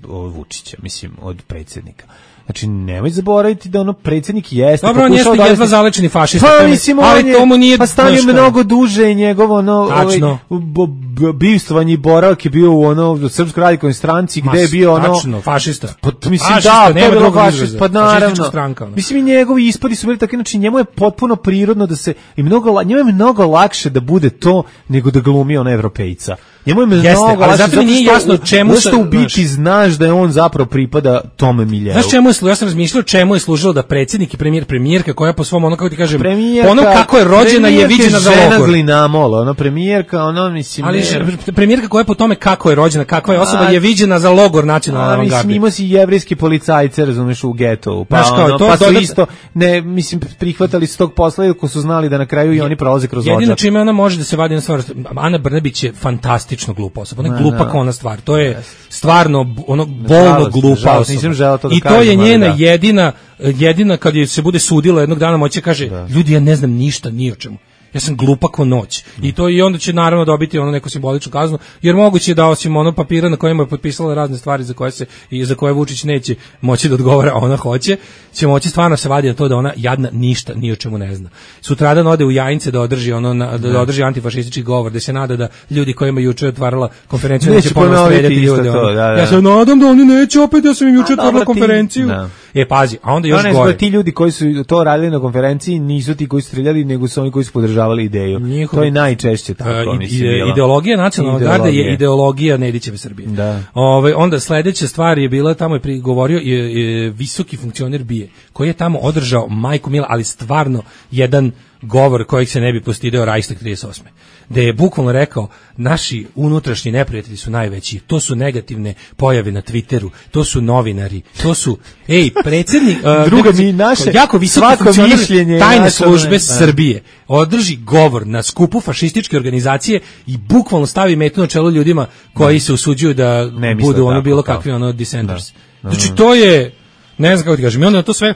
od Vučića, mislim, od predsjednika. Znači, nemoj zaboraviti da ono predsjednik jeste... Dobro, on jeste jedva zalečeni fašista. Pa, mislim, ali je, tomu nije... Pa stavio mnogo duže i njegovo, ono... Tačno. Ovaj, bivstvanje i boravak je bio u ono Srpskoj radikalnoj stranci, gde je bio ono... Tačno, fašista. Pa, mislim, fašista, da, to je bilo fašista, pa naravno. Stranka, ono. Mislim, i njegovi ispadi su bili takvi, znači, njemu je potpuno prirodno da se... I mnogo, njemu je mnogo lakše da bude to, nego da glumi ona Evropejca. Njemu je mnogo Jeste, ali lakše, zato mi nije jasno čemu se... u biti znaš da je on zapravo pripada tome miljeu. Znaš čemu je služilo? Ja sam razmišljao čemu je služilo da predsjednik i premijer, premijerka koja po svom, ono kako ti kažem, premijerka, ono kako je rođena je viđena za logor. Žena Glinamol, ono premijerka, ono mislim... Ali ne... premijerka koja je po tome kako je rođena, kakva je osoba, a, je viđena za logor nacionalne avangarde. Mislim, imao si jevrijski policajce, razumeš, u getovu. Pa, Znaš, kao, ono, to pa su dodat... isto, ne, mislim, prihvatali s tog posla iako su znali da na kraju i oni prolaze kroz odžak. Jedino čime ona može da se vadi na stvar, Ana Brnabić je fantastično glupa osoba. Ona je glupa kao ona stvar. To je stvarno ono bolno glupa osoba. To da I to kažem, je njena da. jedina, jedina kad je se bude sudila jednog dana moće kaže, da. Ljudi, ja ne znam ništa ni o čemu. Ja sam glupa ko noć. I to i onda će naravno dobiti ono neku simboličnu kaznu, jer moguće je da osim ono papira na kojem je potpisala razne stvari za koje se i za koje Vučić neće moći da odgovara, a ona hoće, će moći stvarno se vadi na to da ona jadna ništa ni o čemu ne zna. Sutradan ode u Jajince da održi ono na, da, da održi antifašistički govor, da se nada da ljudi kojima juče otvarala konferenciju neće ponovno streljati ljude. To, da, da. Ja se nadam da oni neće opet da sam im juče otvarala konferenciju. Da. E pazi, a onda još no, ne, gore. Ti ljudi koji su to radili na konferenciji nisu ti koji su streljali, nego su oni koji su podržavali ideju. Njihov, to je najčešće tako, uh, mislim, ide, ideologija nacionalne garde je ideologija Nedićeve Srbije. Da. Ove, onda sledeća stvar je bila, tamo je prigovorio je, je visoki funkcioner B I E, koji je tamo održao majku mila, ali stvarno jedan govor kojeg se ne bi postideo Reichstag trideset osme gde je bukvalno rekao, naši unutrašnji neprijatelji su najveći, to su negativne pojave na Twitteru, to su novinari, to su, ej, predsjednik, uh, druga mi naše, jako visoki funkcioner tajne službe naše, Srbije, održi govor na skupu fašističke organizacije i bukvalno stavi metu na čelo ljudima koji ne. se usuđuju da ne, budu ono bilo kao. kakvi ono dissenters. Da. Znači, to je, ne znam kako ti kažem, i onda na to sve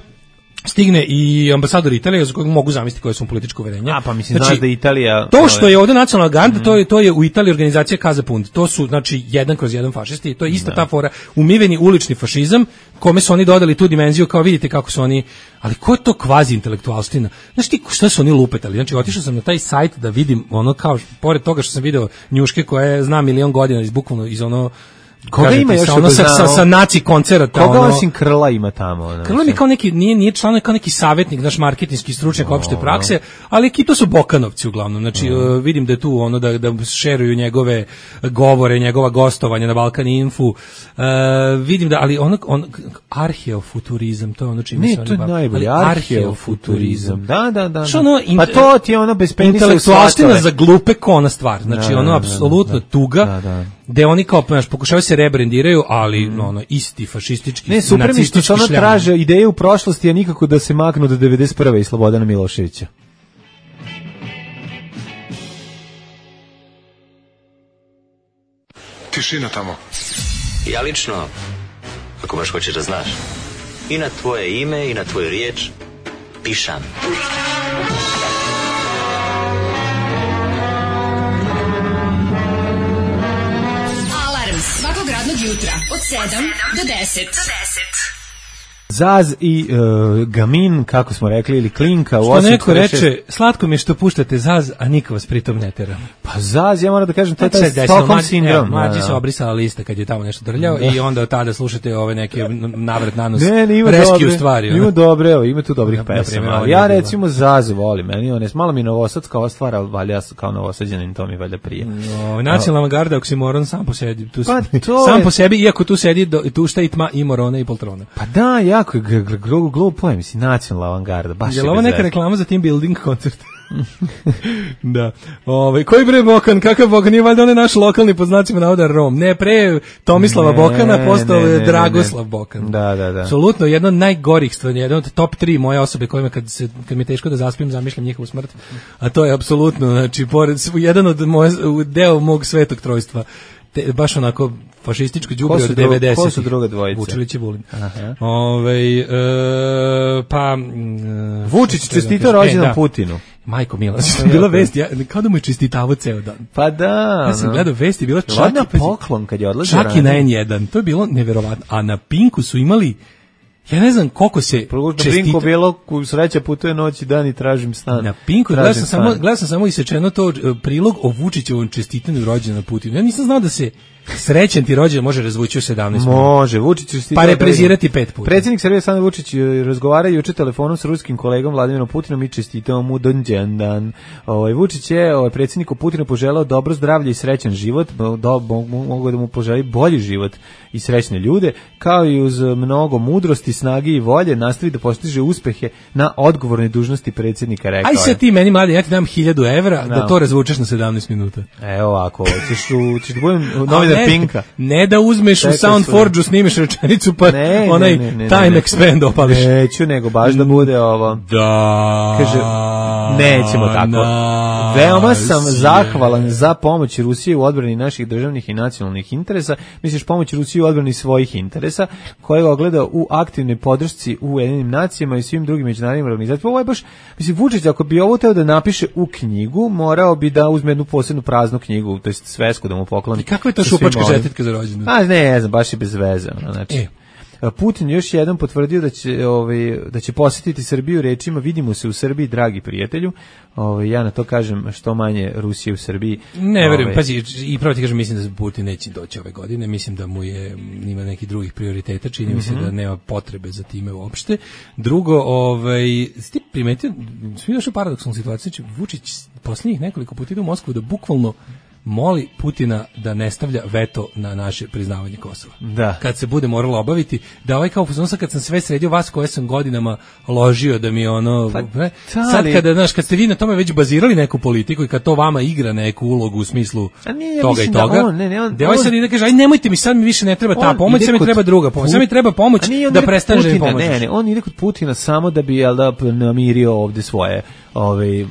stigne i ambasador Italije za kojeg mogu zamisliti koje su političko uverenje. A pa mislim, znači, znaš da Italija... To što je ovdje nacionalna garda, mm. to, je, to je u Italiji organizacija Casa Punt. To su, znači, jedan kroz jedan fašisti. To je ista da. ta fora. Umiveni ulični fašizam, kome su oni dodali tu dimenziju, kao vidite kako su oni... Ali ko je to kvazi intelektualština? Znaš ti šta su oni lupetali? Znači, otišao sam na taj sajt da vidim ono kao, pored toga što sam video njuške koje zna milion godina iz bukvalno iz ono... Koga kažete, ima još sa, ono, sa, sa, sa naci koncerata. Koga ono, osim Krla ima tamo? Ono, Krla mi kao neki, nije, nije član, kao neki savjetnik, naš marketinški stručnjak oh, opšte prakse, ali ki to su Bokanovci uglavnom. Znači, oh. uh, vidim da je tu ono, da, da šeruju njegove govore, njegova gostovanja na Balkan Infu. Uh, vidim da, ali ono, on, arheofuturizam, to je ono čime ne, se oni to je bavi. najbolje, arheofuturizam. Da, da, da. Što ono, pa to ti je ono bez penisa intelektualština za glupe kona stvar. Znači, da, ono, da, apsolutno da, tuga. Da, da. Gde oni kao znaš, pokušavaju se rebrendiraju, ali mm. ono isti fašistički, ne, super mi što ono traže ideje u prošlosti, a nikako da se maknu do devedeset prve i Slobodana Miloševića. Tišina tamo. Ja lično, ako baš hoćeš da znaš, i na tvoje ime i na tvoju riječ pišam. Svakog radnog jutra od sedam do deset. Zaz i uh, Gamin, kako smo rekli, ili Klinka. Što neko reče, slatko mi je što puštate Zaz, a niko vas pritom ne tera. Pa Zaz, ja moram da kažem, to je taj Stockholm sindrom. Mlađi se obrisala lista kad je tamo nešto drljao da. I onda od tada slušate ove neke navrat nanos ne, ne, ima rescue dobre, stvari. Ima dobre, evo, ima tu dobrih pesama. Ja recimo Zaz volim, meni on je malo mi novosadska ova stvar, ali valja kao novosađanin, to mi valjda prije. No, nacionalna garda, oksimoron sam po sebi, tu, pa sam je... po sebi, iako tu sedi, do, tu šta i tma i morona i poltrona. Pa da, jako je glupo je, mislim, nacionalna avangarda, baš je bez. Je li ovo neka reklama za team building koncert? Da. Ove, koji bre Bokan, kakav Bokan, nije valjda on je naš lokalni pod znacima navoda Rom. Ne, pre Tomislava ne, Bokana postao je Dragoslav ne, ne. Bokan. Da, da, da. Apsolutno, jedna od najgorih stvari, jedna od top tri moje osobe kojima kad, se, kad mi je teško da zaspim, zamišljam njihovu smrt. A to je apsolutno, znači, pored, jedan od moje, deo mog svetog trojstva. Te, baš onako fašističko đubre od devedesetih. Ko su druga dvojica? Vučilić i Vulin. Aha. Ove, e, pa... E, Vučić čestitao rođendan e, da. Putinu. Majko Mila, bila vest, ja, kao da mu je čestitavao ceo dan. Pa da. Ja sam no. gledao vesti, bila čak na poklon kad je odlazio. Čak i na en jedan, to je bilo neverovatno. A na Pinku su imali, ja ne znam koliko se čestita. Na Pinku bilo, sreća putuje noć i dan i tražim stan. Na Pinku, gledao sam, samo, gledao sam samo isečeno to prilog o Vučićevom čestitanju rođendana Putinu. Ja nisam znao da se srećan ti rođendan može razvući u sedamnaest minuta. Može, Vučić čestitao. Pa reprezirati pet puta. Predsjednik Srbije Aleksandar Vučić razgovara juče telefonom sa ruskim kolegom Vladimirom Putinom i čestitao mu rođendan. Ovaj Vučić je ovaj predsjedniku Putinu poželeo dobro zdravlje i srećan život, do, mogu da mu poželi bolji život i srećne ljude, kao i uz mnogo mudrosti, snage i volje nastavi da postiže uspehe na odgovornoj dužnosti predsjednika, rekao. Aj se ti meni mladi, ja ti dam hiljadu evra no. da to razvučeš na sedamnaest minuta. Evo ovako, ćeš u ćeš da budem novi ne, Pinka. Ne da uzmeš Čekaj u Soundforge-u, snimiš rečenicu pa ne, onaj ne, ne, ne, time ne, ne. expand opališ. Neću, nego baš da bude ovo. Da. Kaže, nećemo tako. Na, Veoma sam zahvalan za pomoć Rusije u odbrani naših državnih i nacionalnih interesa. Misliš pomoć Rusije u odbrani svojih interesa, koje ogleda u aktivnoj podršci u Ujedinjenim nacijama i svim drugim međunarodnim organizacijama. Ovo je baš, mislim, Vučić, ako bi ovo teo da napiše u knjigu, morao bi da uzme jednu posebnu praznu knjigu, to jest svesku da mu pokloni. I kakva je to šupačka čestitka za rođendan? A ne, ne znam, baš je bez veze. Znači, e. Putin još jedan potvrdio da će ovaj da će posjetiti Srbiju rečima vidimo se u Srbiji dragi prijatelju. Ovaj ja na to kažem što manje Rusije u Srbiji. Ne verujem, ovaj, pazi, i pravo ti kažem, mislim da Putin neće doći ove godine, mislim da mu je ima nekih drugih prioriteta, čini mi mm-hmm. se da nema potrebe za time uopšte. Drugo, ovaj ste primetili, svi još u paradoksalnu situaciju, znači Vučić poslednjih nekoliko puta ide u Moskvu da bukvalno moli Putina da ne stavlja veto na naše priznavanje Kosova. Da. Kad se bude moralo obaviti, da ovaj kao fuzon, kad sam sve sredio vas koje sam godinama ložio da mi ono... Pa, ne, sad kada, znaš, kad ste vi na tome već bazirali neku politiku i kad to vama igra neku ulogu u smislu nije, toga i toga, da on, ne, ne, on, da ovaj sad ide kaže, aj nemojte mi, sad mi više ne treba ta pomoć, sad mi treba druga pomoć, sad mi treba pomoć da prestane da mi pomoći. Ne, ne, on ide kod Putina samo da bi, jel da, namirio ovde svoje... Ove,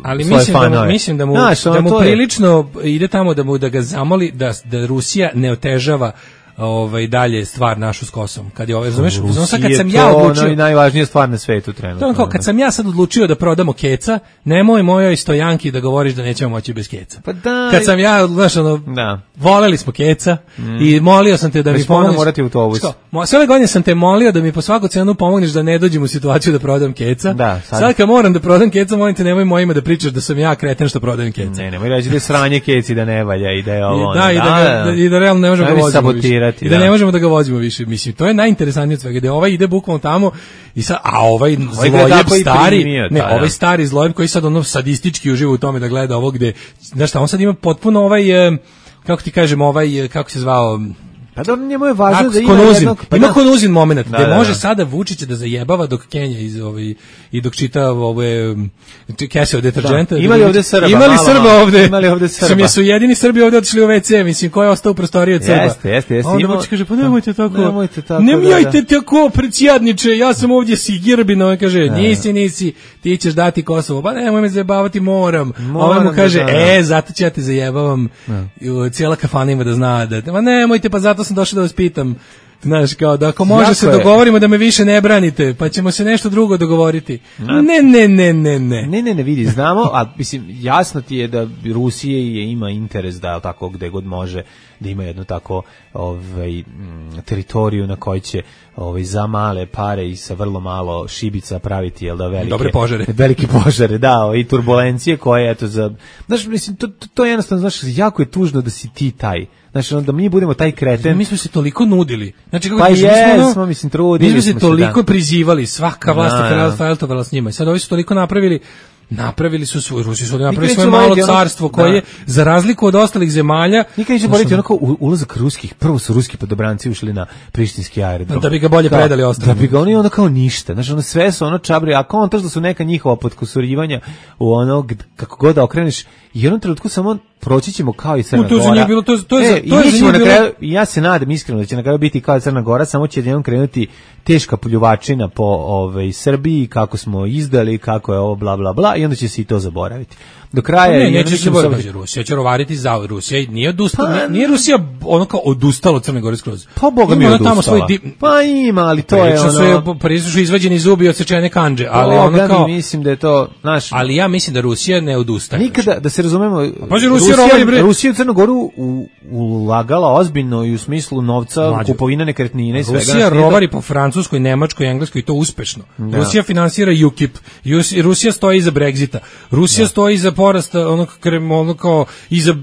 ali mislim da, mu, mislim da mu, Znaš, da mu prilično je... ide tamo da mu da ga zamoli da, da Rusija ne otežava ovaj dalje stvar našu s Kosovom. Kad je ovaj, razumeš, znači kad sam ja odlučio, ono najvažnija stvar na svetu trenutno. To kao kad sam ja sad odlučio da prodamo keca, nemoj mojoj Stojanki da govoriš da nećemo moći bez keca. Pa da, kad sam ja, znaš, ono, da. voleli smo keca mm. i molio sam te da mi pomogneš. Morati autobus. Sve ove godine sam te molio da mi po svaku cenu pomogneš da ne dođem u situaciju da prodam keca. Da, sad. sad kad moram da prodam keca, molim te nemoj mojima da pričaš da sam ja kreten što prodajem keca. Ne, nemoj reći da je sranje keci da ne valja i da je ovo. Da, i da, da, i da realno ne možemo da vozimo. I da ne možemo da ga vozimo više, mislim, to je najinteresantnije od svega, da ovaj ide bukvalno tamo i sad, a ovaj zlojeb stari, primio, ne, ovaj stari zlojeb koji sad ono sadistički uživa u tome da gleda ovo gde, znaš šta, on sad ima potpuno ovaj, kako ti kažem, ovaj, kako se zvao, pa da njemu je važno da ima konuzin, jednog... Pa ima da. konuzin moment, da, gde da, može da. sada Vučića da zajebava dok Kenja iz, ovaj, i dok čita ove kese od deterđenta. Da. Imali ovde Srba? Imali malo, Srba malo. ovde? Imali ovde Srba? Sam je su jedini Srbi ovde otišli u ve ce, mislim, ko je ostao u prostoriji od Srba? Jeste, jeste, jeste. Onda Vučić kaže, pa nemojte tako, nemojte tako, nemojte da, da. tako, predsjedniče, ja sam ovdje Sigirbino, on kaže, da. nisi, nisi, ti ćeš dati Kosovo, pa nemoj me zajebavati, moram. Ovaj mu kaže, e, zato ću ja te zajebavam, cijela kafana ima da zna, da, ma nemojte, pa zato sam došao da vas pitam. Znaš, kao da ako može jako se je. dogovorimo da me više ne branite, pa ćemo se nešto drugo dogovoriti. Ne, ne, ne, ne, ne. Ne, ne, ne, vidi, znamo, a mislim, jasno ti je da Rusije je, ima interes da tako gde god može, da ima jednu tako ovaj, teritoriju na kojoj će ovaj, za male pare i sa vrlo malo šibica praviti, jel da, velike... Dobre požare. Velike požare, da, i turbulencije koje, eto, za... Znaš, mislim, to, to, to je jednostavno, znaš, jako je tužno da si ti taj. Znači, onda mi budemo taj kreten. Mi smo se toliko nudili. Znači, kako pa kažem, jesmo, mi smo, mislim, trudili mi smo se toliko da. prizivali, svaka vlast je feltovala s njima. I sad ovi su toliko napravili, napravili su svoj, Rusi su napravili svoje malo carstvo koje, da. za razliku od ostalih zemalja... Nikad neće boriti onako ulazak ruskih, prvo su ruski podobranci ušli na prištinski aerodrom. Da bi ga bolje kao, predali ostalo. Da bi ga oni onda kao ništa. Znači, ono sve su ono čabri, a kontraš da su neka njihova podkusurivanja u ono, kako god da okreneš, i u jednom trenutku samo proći ćemo kao i Crna Gora. To je bilo, to, to je, e, to je za njih bilo... Kraju, ja se nadam iskreno da će na kraju biti kao i Crna Gora, samo će jednom krenuti teška pljuvačina po ovaj, Srbiji, kako smo izdali, kako je ovo, bla, bla, bla, i onda će se i to zaboraviti. Do kraja... Ne, neće se zaboraviti. Rusija će rovariti za Rusija. Nije, odustala, pa, nije, nije Rusija ono kao odustala od Crne Gore skroz. Pa Boga mi je odustala. Svoj di... Pa ima, ali to je ono... Su, Parizu su izvađeni zubi i odsečene kandže. Ali Boga ono kao... mi mislim da je to... Naš... Ali ja mislim da Rusija ne odustaje. Nikada, da se razumemo... Pa, Rusija, Rusija, Rusija u Crnu Goru u, ulagala ozbiljno i u smislu novca, Mađu. Kupovina nekretnine i svega. Rusija rovari po Francuskoj, Nemačkoj, Engleskoj i to uspešno. Da. Rusija finansira U K I P. Rusija stoji iza Brexita. Rusija da. stoji iza porasta onog ono kao iza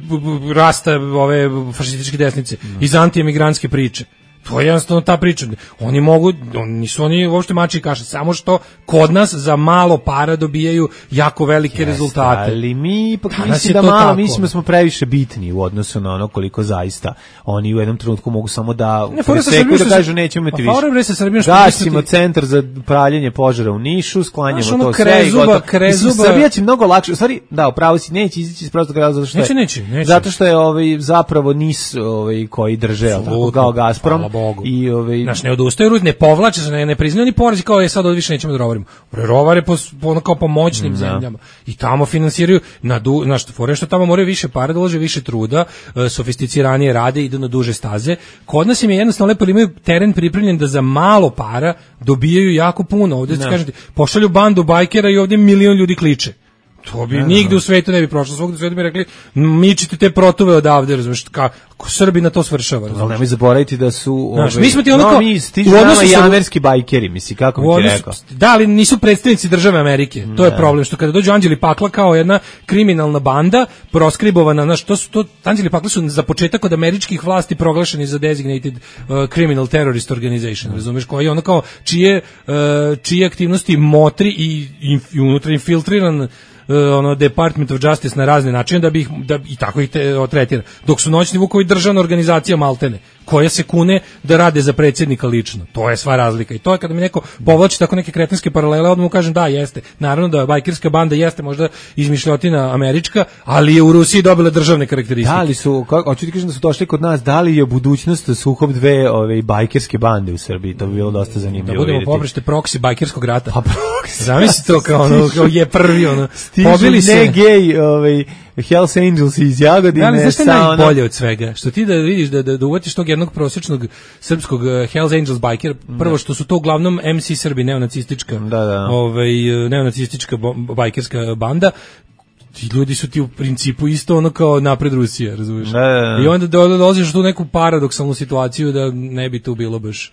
rasta ove fašističke desnice, mm. iza antiemigrantske priče. To je jednostavno ta priča. Oni mogu, oni nisu oni uopšte mači i kaše, samo što kod nas za malo para dobijaju jako velike Jeste, rezultate. Ali mi ipak mislim da malo, mislim da smo previše bitni u odnosu na ono koliko zaista oni u jednom trenutku mogu samo da preseku da kažu nećemo imati više. Gasimo centar za pravljenje požara u Nišu, sklanjamo to sve i gotovo. Srbija će mnogo lakše, u stvari, da, upravo si, neće izići iz prostog razloga zato što neće, neće, neće. Zato što je ovaj, zapravo nis ovaj, koji drže, tako kao Gazprom. Bogu. I ovaj naš ne odustaju, ne povlače se, ne, ne priznaju ni porezi kao je sad od više nećemo da rovarimo. Rovare po po kao po moćnim mm, zemljama i tamo finansiraju na du, na što fore što tamo moraju više para, dolaže više truda, e, sofisticiranije rade, idu na duže staze. Kod nas im je jednostavno lepo, imaju teren pripremljen da za malo para dobijaju jako puno. Ovdje se kažete, pošalju bandu bajkera i ovdje milion ljudi kliče. To bi ne, nigde u svetu ne bi prošlo. Svugde u svetu bi rekli, mičite te protove odavde, razumiješ, kako Srbi na to svršava. Ali nemoj zaboraviti da su... Znaš, mi smo ti ono kao... No, mi stižu nama i amerski bajkeri, misli, kako bi ti rekao. Da, ali nisu predstavnici države Amerike. To ne. je problem, što kada dođu Anđeli Pakla kao jedna kriminalna banda, proskribovana, znaš, to su to... Anđeli Pakla su za početak od američkih vlasti proglašeni za designated uh, criminal terrorist organization, mm. razumiješ, koji je ono kao čije, uh, čije aktivnosti motri i, i, i unutra infiltriran Uh, ono Department of Justice na razne načine da bi ih, da i tako ih te, o, tretira. Dok su noćni vukovi državna organizacija maltene, koja se kune da rade za predsjednika lično. To je sva razlika. I to je kada mi neko povlači tako neke kretenske paralele, odmah mu kažem da, jeste. Naravno da bajkerska banda jeste možda izmišljotina američka, ali je u Rusiji dobila državne karakteristike. Da li su, kako, hoću ti kažem da su došli kod nas, da li je budućnost sukob dve ove bajkerske bande u Srbiji? To bi bilo dosta zanimljivo. Da budemo poprište proksi bajkerskog rata. Pa proksi. Zamisli to kao ono, kao je prvi ono. Pobili se ne gej, ovaj Hells Angels iz Jagodine. Ali znaš što je najbolje od svega? Što ti da vidiš da, da, da uvatiš tog jednog prosječnog srpskog uh, Hells Angels biker, prvo što su to uglavnom M C Srbi, neonacistička, da, da. Ovaj, neonacistička bajkerska banda, ti ljudi su ti u principu isto ono kao napred Rusija, razumiješ? Da, da, da. I onda dolaziš u tu neku paradoksalnu situaciju da ne bi tu bilo baš...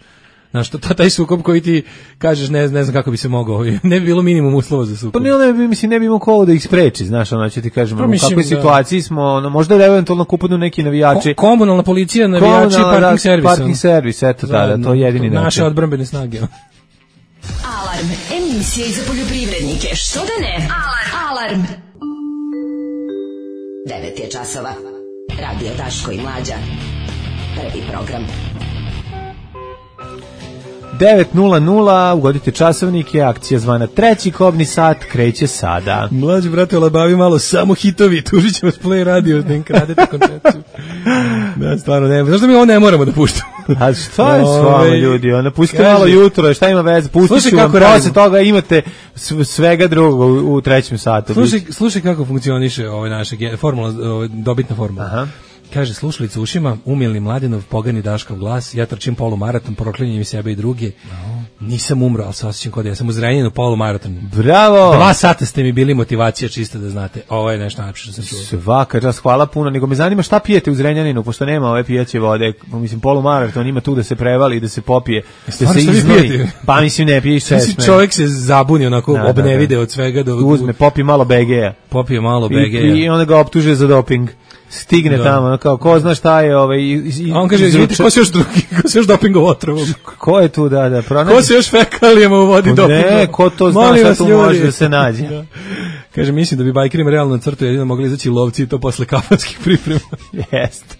Znaš, to, taj sukob koji ti kažeš, ne, ne znam kako bi se mogao, ne bi bilo minimum uslova za sukob. Pa ne, ne bi, mislim, ne bi imao ko da ih spreči, znaš, ono ću ti kažem, u kakvoj situaciji smo, ono, možda da eventualno kupadnu neki navijači. Ko, komunalna policija, navijači, parking servis. Parking servis, eto, da, da, to je jedini način. Naše odbrambene snage. Alarm, emisija za poljoprivrednike, što da ne? Alarm. Alarm. devet je časova. Radio Daško i Mlađa. Prvi program. devet nula nula, ugodite časovnike, akcija zvana treći kobni sat, kreće sada. Mlađi brate, olabavi malo, samo hitovi, tužit ćemo s Play Radio, da im kradete koncepciju. Da, stvarno ne, zašto mi ovo ne moramo da puštamo? A šta je s vama ljudi, ona pustite malo jutro, šta ima veze, pustit ću vam, posle toga imate svega drugog u, u trećem satu. Slušaj, slušaj kako funkcioniše ovaj naša formula, ovaj, dobitna formula. Aha. Kaže, slušalica u ušima, umilni Mladenov, pogani Daškov glas, ja trčim polumaraton, proklinjem i sebe i druge. No. Nisam umro, ali se osjećam kod ja sam uzranjen polumaraton. Bravo! Dva sata ste mi bili motivacija, čisto da znate. Ovo je nešto najlepše što sam čuo. Svaka čast, hvala puno. Nego me zanima šta pijete u Zrenjaninu, pošto nema ove pijaće vode. Mislim, polumaraton ima tu da se prevali, da se popije, da se iznoji. Pa mislim, ne piješ sve. Mislim, čovjek se zabuni, onako, da, obnevide da, da. od svega. Do, uzme, popije malo B G-a. Popije malo B G-a. I, i onda ga optuže za doping. Stigne da. Tamo, kao ko zna šta je ovaj i, a on kaže, izvite, ko se još drugi, ko se još dopingov otrovom? Ko je tu, da, da, pronađe. Ko se još fekalijama uvodi dopingom? Ne, ko to zna šta tu može da se nađe. Da. Kaže, mislim da bi bajkerima realno na crtu jedino mogli izaći lovci i to posle kafanskih priprema. Jeste.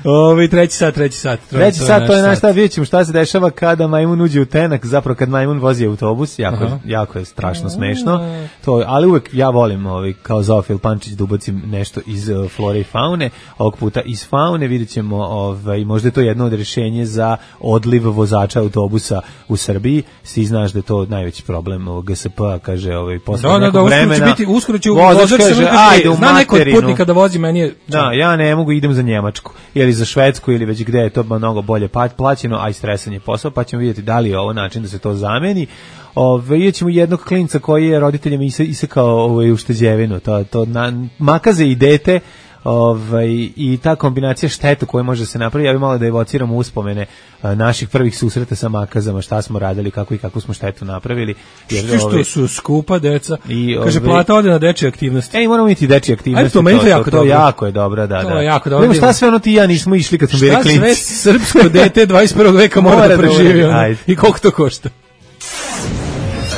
Ovi, treći sat, treći sat. Treći sat, to je naš stav, vidjet ćemo šta se dešava kada majmun uđe u tenak, zapravo kad majmun vozi autobus, jako, jako je strašno smešno, to, ali uvek ja volim ovaj, kao Zoofil Pančić da ubacim nešto iz uh, flore i faune, ovog puta iz faune, vidjet ćemo, ovaj, možda je to jedno od rješenja za odliv vozača autobusa u Srbiji, svi znaš da je to najveći problem ovog G S P-a, kaže, ovaj, posle da, nekog da, vremena, uskoro će biti, uskoro će vozač kaže, ajde u zna neko od materinu, putnika da vozi, meni je... Da, ja ne mogu, idem za Njemačku, ili za Švedsku, ili već gde je to mnogo bolje plaćeno, a i stresan je posao, pa ćemo vidjeti da li je ovo način da se to zameni. Ove, vidjet ćemo jednog klinca koji je roditeljem isekao ovaj, ušteđevinu, to, to na, makaze i dete, ovaj, i ta kombinacija šteta koja može se napraviti, ja bih malo da evociramo uspomene a, naših prvih susreta sa makazama, šta smo radili, kako i kako smo štetu napravili. Jer, što ove, su skupa deca, i, kaže ove, plata ode na dečje aktivnosti. Ej, moramo imati dečje aktivnosti. Ajde, to, meni to, to jako to, dobro. To jako je dobro, da, to da. Je jako dobro. Nemo šta sve ono ti ja nismo išli kad smo bili klinci. Šta sve srpsko dete dvadeset prvog veka mora, mora da preživi da i koliko to košta.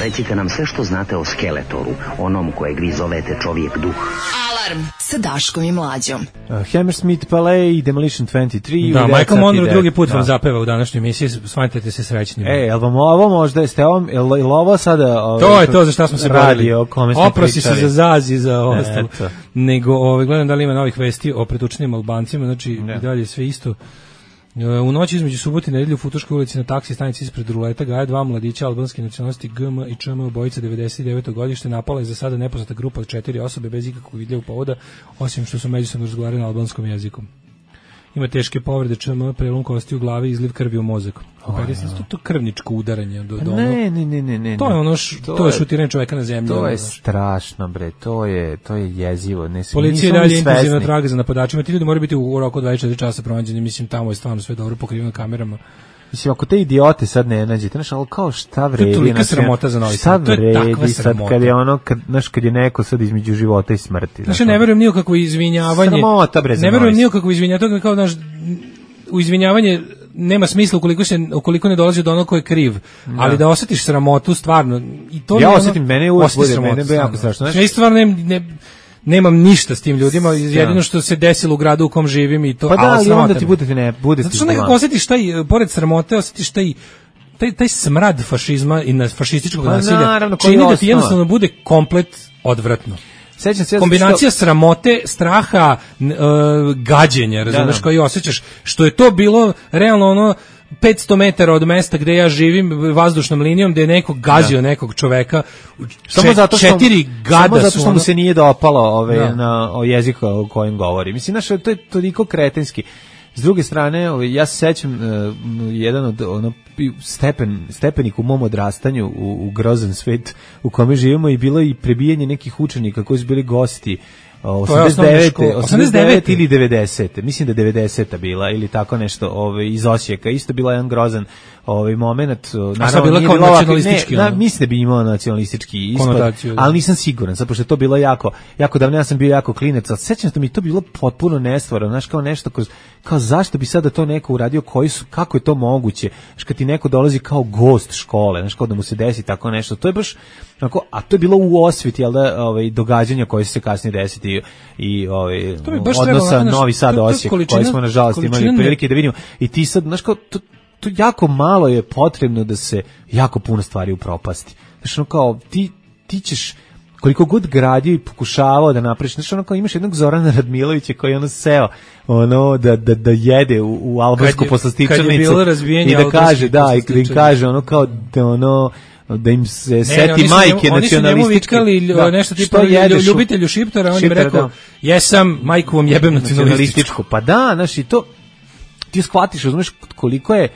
Recite nam sve što znate o Skeletoru, onom kojeg vi zovete čovjek duh. Alarm sa Daškom i Mlađom. Uh, Hammersmith Palais i Demolition dvadeset tri. Da, Michael Monroe drugi put vam zapeva u današnjoj emisiji, smanjite se srećni. E, jel vam ovo možda, jeste ovo, jel ovo sada... Ove, to je to za šta smo se borili. Oprosi se za Zaz i za ostalo. Nego, ove, gledam da li ima novih vesti o pretučenim Albancima, znači ne. I dalje sve isto. U noći između subote i nedelje u Futoškoj ulici na taksi stanici ispred ruleta gaje dva mladića albanske nacionalnosti G M i Č M, obojica devedeset deveto godište, napala je za sada nepoznata grupa od četiri osobe bez ikakvog vidljivog povoda, osim što su međusobno razgovarali na albanskom jeziku. Ima teške povrede Č M, prelom kosti u glavi i izliv krvi u mozak. Operi se to, to krvničko udaranje do do. Ne, ne, ne, ne, ne. To je ono š, to, to je šutiranje čoveka na zemlju. To je strašno, bre. To je to je jezivo. Ne, policija dalje intenzivno traga za napadačima. Ti ljudi moraju biti u roku dvadeset četiri časa pronađeni. Mislim tamo je stvarno sve dobro pokriveno kamerama. Mislim, ako te idiote sad ne nađete, znaš, ali kao šta vredi? To je tolika sramota za Novi Sad. Šta vredi sad kad je ono, kad, znaš, kad je neko sad između života i smrti. Znaš, ne verujem nije kako izvinjavanje. Sramota, bre, za ne verujem nije kako izvinjavanje. Kao, znaš, u izvinjavanje nema smisla ukoliko se ukoliko ne dolazi do onog ko je kriv, da. Ali da osjetiš sramotu stvarno i to ja ono, osjetim mene uvijek bude mene be jako strašno. Ja stvarno ne, ne nemam ništa s tim ljudima, jedino što se desilo u gradu u kom živim i to. Pa da, ali onda ti bude ne bude. Zato što nekako osjetiš taj pored sramote, osjetiš taj taj taj smrad fašizma i na fašističkog pa, nasilja. Naravno, čini da ti jednostavno bude komplet odvratno. Sećam se kombinacija što... sramote, straha, uh, gađenja, razumeš, da, da. Koji osjećaš, što je to bilo realno ono petsto metara od mesta gde ja živim vazdušnom linijom, gde je neko gazio da. Nekog čoveka, samo zato što, četiri gada samo zato što ono... mu se nije dopalo ove, da. Na o jeziku o kojem govori. Mislim, znaš, to je toliko kretenski. S druge strane, ove, ja se sećam uh, jedan od ono, stepen, stepenik u mom odrastanju u, u grozan svet u kome živimo i bilo i prebijanje nekih učenika koji su bili gosti osamdeset devete, osamdeset devete ili devedesete. Mislim da devedeseta bila ili tako nešto, ovaj iz Osijeka. Isto bila jedan grozan ovaj momenat, naravno bila kao nacionalistički. Ne, na, mislim da bi imao nacionalistički ispod, ali nisam siguran, zato što je to bilo jako jako davno, ja sam bio jako klinac, al sećam se da mi to bilo potpuno nestvarno, znaš, kao nešto kao, kao zašto bi sada to neko uradio, koji su, kako je to moguće? Znaš, kad ti neko dolazi kao gost škole, znaš, kao da mu se desi tako nešto. To je baš onako, a to je bilo u osveti, jel da, ovaj događanja koje su se kasnije desiti i, i ovaj odnosa Novi Sad Osijek, koji smo nažalost imali prilike da vidimo. I ti sad, znaš, kao to, to jako malo je potrebno da se jako puno stvari upropasti. Znaš, ono kao, ti, ti ćeš koliko god gradio i pokušavao da napraviš, znaš, ono kao imaš jednog Zorana Radmilovića koji je ono seo ono da, da, da jede u, u albansku poslastičarnicu i da kaže, da, i da im kaže ono kao da ono da im se ne, seti ne, majke nacionalističke. Oni su njemu nešto tipa ljubitelju šiptara, on im rekao, jesam, majku vam jebem nacionalističku. Pa da, znaš, i to ti shvatiš, znaš, koliko je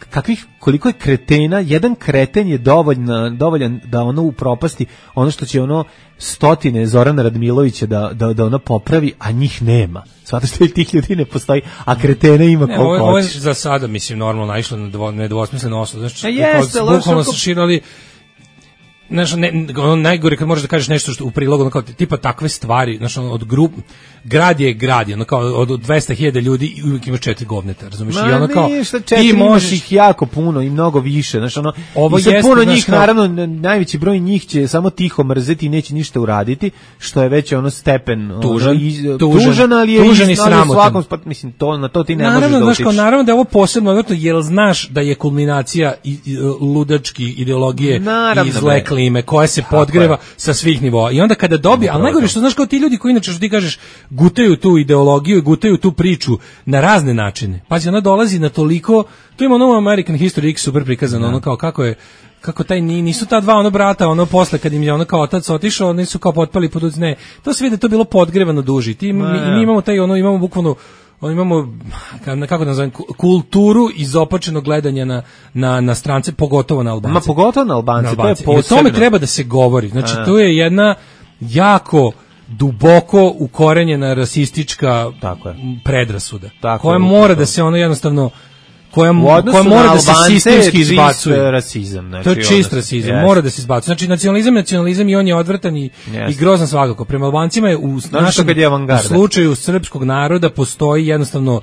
kakvih, koliko je kretena, jedan kreten je dovoljan, dovoljan da ono upropasti ono što će ono stotine Zorana Radmilovića da, da, da ono popravi, a njih nema. Zato što tih ljudi ne postoji, a kretena ima koliko hoće. Ovo je za sada, mislim, normalno naišlo na dvo, nedvosmisleno osud. Znači, bukvalno su širali znaš, ne, ono najgore kad možeš da kažeš nešto što u prilogu, ono kao tipa takve stvari, znaš, ono, od grup, grad je grad, ono kao od dvesta hiljada ljudi i uvijek imaš četiri govneta, razumiješ? I ono kao, ništa, četiri, ti možeš ih jako puno i mnogo više, znaš, ono, ovo i sad jeste, puno znaš, njih, kao, naravno, najveći broj njih će samo tiho mrzeti i neće ništa uraditi, što je već ono stepen, tužan, ono, iz, tužan, tužan, ali je tužan i iz, ali u sramotan. svakom, pa, mislim, to, na to ti ne naravno, možeš da znaš, utičeš. kao, naravno da je ovo posebno, odvrtno, jer znaš da je kulminacija i, i, ludački ideologije Naravno, i zle bre. klime, koja se podgreva sa svih nivoa. I onda kada dobije, ali najgore što znaš kao ti ljudi koji inače što ti kažeš gutaju tu ideologiju i gutaju tu priču na razne načine. Pazi, ona dolazi na toliko, tu ima ono American History X super prikazano, ono kao kako je kako taj nisu ta dva ono brata, ono posle kad im je ono kao otac otišao, oni su kao potpali pod uzne. To se vidi da to bilo podgrevano duži. Ti mi, mi imamo taj ono imamo bukvalno on imamo kako da nazovem kulturu izopačenog gledanja na na na strance, pogotovo na Albance. Ma pogotovo na Albance, na Albance. To je posebno. I o tome treba da se govori. Znači A. to je jedna jako duboko ukorenjena rasistička tako je. predrasuda Tako koja je, mora tako. da se ono jednostavno koja, koja koja mora da se sistemski izbacuje. Rasizam, znači, to je čist rasizam, yes. Mora da se izbacuje. Znači nacionalizam, nacionalizam i on je odvrtan i, yes. i grozan svakako. Prema Albancima je u našem u slučaju srpskog naroda postoji jednostavno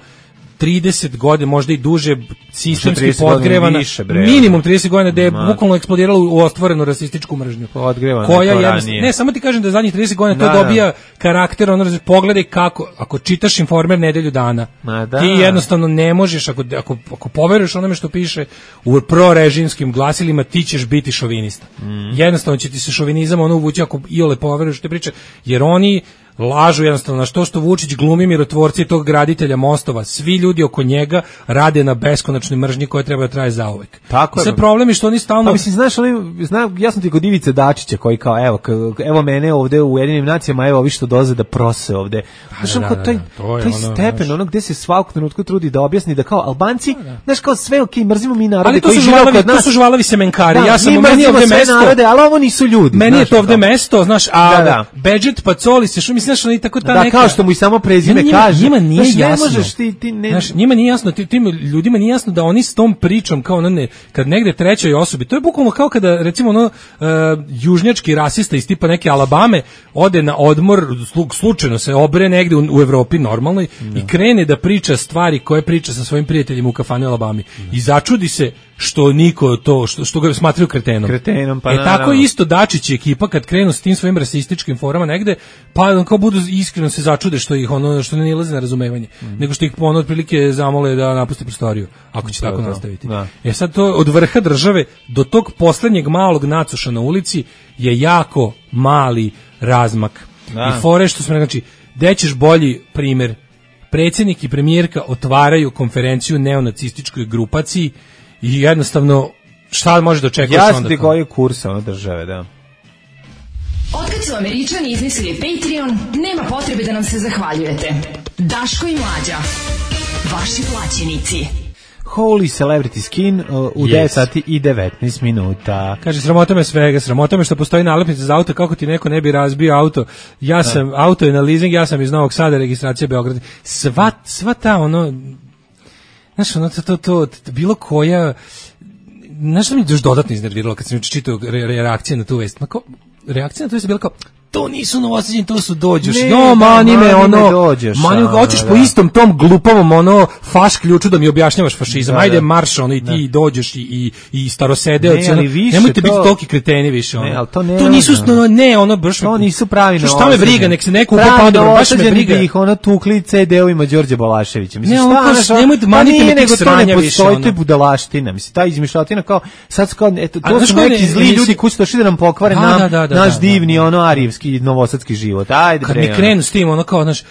trideset godina, možda i duže, sistemski podgrevana, više, minimum trideset godina da je Ma. bukvalno eksplodiralo u ostvorenu rasističku mržnju. Podgrevana koja je, ne, samo ti kažem da zadnjih trideset godina da, to dobija da. karakter, ono, pogledaj kako, ako čitaš Informer nedelju dana, da. ti jednostavno ne možeš, ako, ako, ako poveruješ onome što piše u prorežimskim glasilima, ti ćeš biti šovinista. Mm. Jednostavno će ti se šovinizam ono uvući ako iole poveruješ te priče, jer oni lažu jednostavno na što što Vučić glumi mirotvorci tog graditelja mostova. Svi ljudi oko njega rade na beskonačnoj mržnji koja treba da traje zauvek. Tako je. Sve problem je što oni stalno... Pa mislim, znaš, oni, znam, ja sam ti kod Ivice Dačića koji kao, evo, evo mene ovde u Ujedinjenim nacijama, evo ovi što dolaze da prose ovde. Znaš, da, da, da, taj, da, taj ono, stepen, znaš, ono gde se svakog trenutku trudi da objasni da kao Albanci, da, da. znaš, kao sve okej, okay, mrzimo mi narode koji žive kod nas. To su žvalavi semenkari. Da, ja sam u meni ovde mesto. Narode, ali ovo nisu ljudi. Meni je to ovde mesto, znaš, a da, da. Bedžet Pacoli se što mislim, znaš, oni tako ta neka kao što mu i samo prezime njima, kaže. Njima nije znaš, jasno. Ne možeš ti, ti ne... Znaš, njima nije jasno, tim ljudima nije jasno da oni s tom pričom kao ono ne, kad negde trećoj osobi, to je bukvalno kao kada recimo ono uh, južnjački rasista iz tipa neke Alabame ode na odmor, slučajno se obre negde u, u Evropi normalno no. i krene da priča stvari koje priča sa svojim prijateljima u kafani u Alabami no. i začudi se što niko to, što, što ga smatraju kretenom. Kretenom, pa e naravno. tako isto Dačić i ekipa kad krenu s tim svojim rasističkim forama negde, pa kao budu iskreno se začude što ih ono što ne nailaze na razumevanje, mm. nego što ih ono otprilike zamole da napuste prostoriju, ako će to, tako to. nastaviti. Da. E sad to od vrha države do tog poslednjeg malog nacuša na ulici je jako mali razmak. Da. I fore što smo, znači, gde ćeš bolji primer? Predsjednik i premijerka otvaraju konferenciju neonacističkoj grupaciji i jednostavno šta može da očekuješ onda? Jasno ti koji je kurs ono države, da. Otkad su Američani izmislili Patreon, nema potrebe da nam se zahvaljujete. Daško i Mlađa, vaši plaćenici. Holy Celebrity Skin uh, u yes. devet sati i devetnaest minuta. Kaže, sramota me svega, sramota me što postoji nalepnica za auto, kako ti neko ne bi razbio auto. Ja sam, da. auto je na leasing, ja sam iz Novog Sada, registracija Beograd. Sva, sva ta ono, znaš, ono, to, to, to, to bilo koja, znaš što mi još dodatno iznerviralo kad sam čitao re, reakcije na tu vest? Mako, reakcija na tu vest je bila kao, to nisu novosađeni, to su dođoš. Ne, jo, mani me, ono, dođeš, mani, hoćeš po istom tom glupovom, ono, faš ključu da mi objašnjavaš fašizam. Da, Ajde, da. marš, ono, i ti da. dođeš i, i, i starosedeoci, ne, ono, nemojte to, biti toliki kreteni više, ono. Ne, ali to ne, to nisu, no, ne, ono, baš, to nisu pravi šta me briga, nek se neko upa dobro, baš me briga. Ih, ono, tukli ce de-ovima Đorđe Balaševića. Mislim, ne, ono, šta, nemojte, manite me tih sranja više, ono. To je budalaština, mislim, ta izmišljotina kao, sad kao, eto, to su neki zli ljudi koji su došli da nam pokvare naš divni, ono, arijevski, novosadski život. Ajde, kad mi krenu s tim, ono kao, znaš,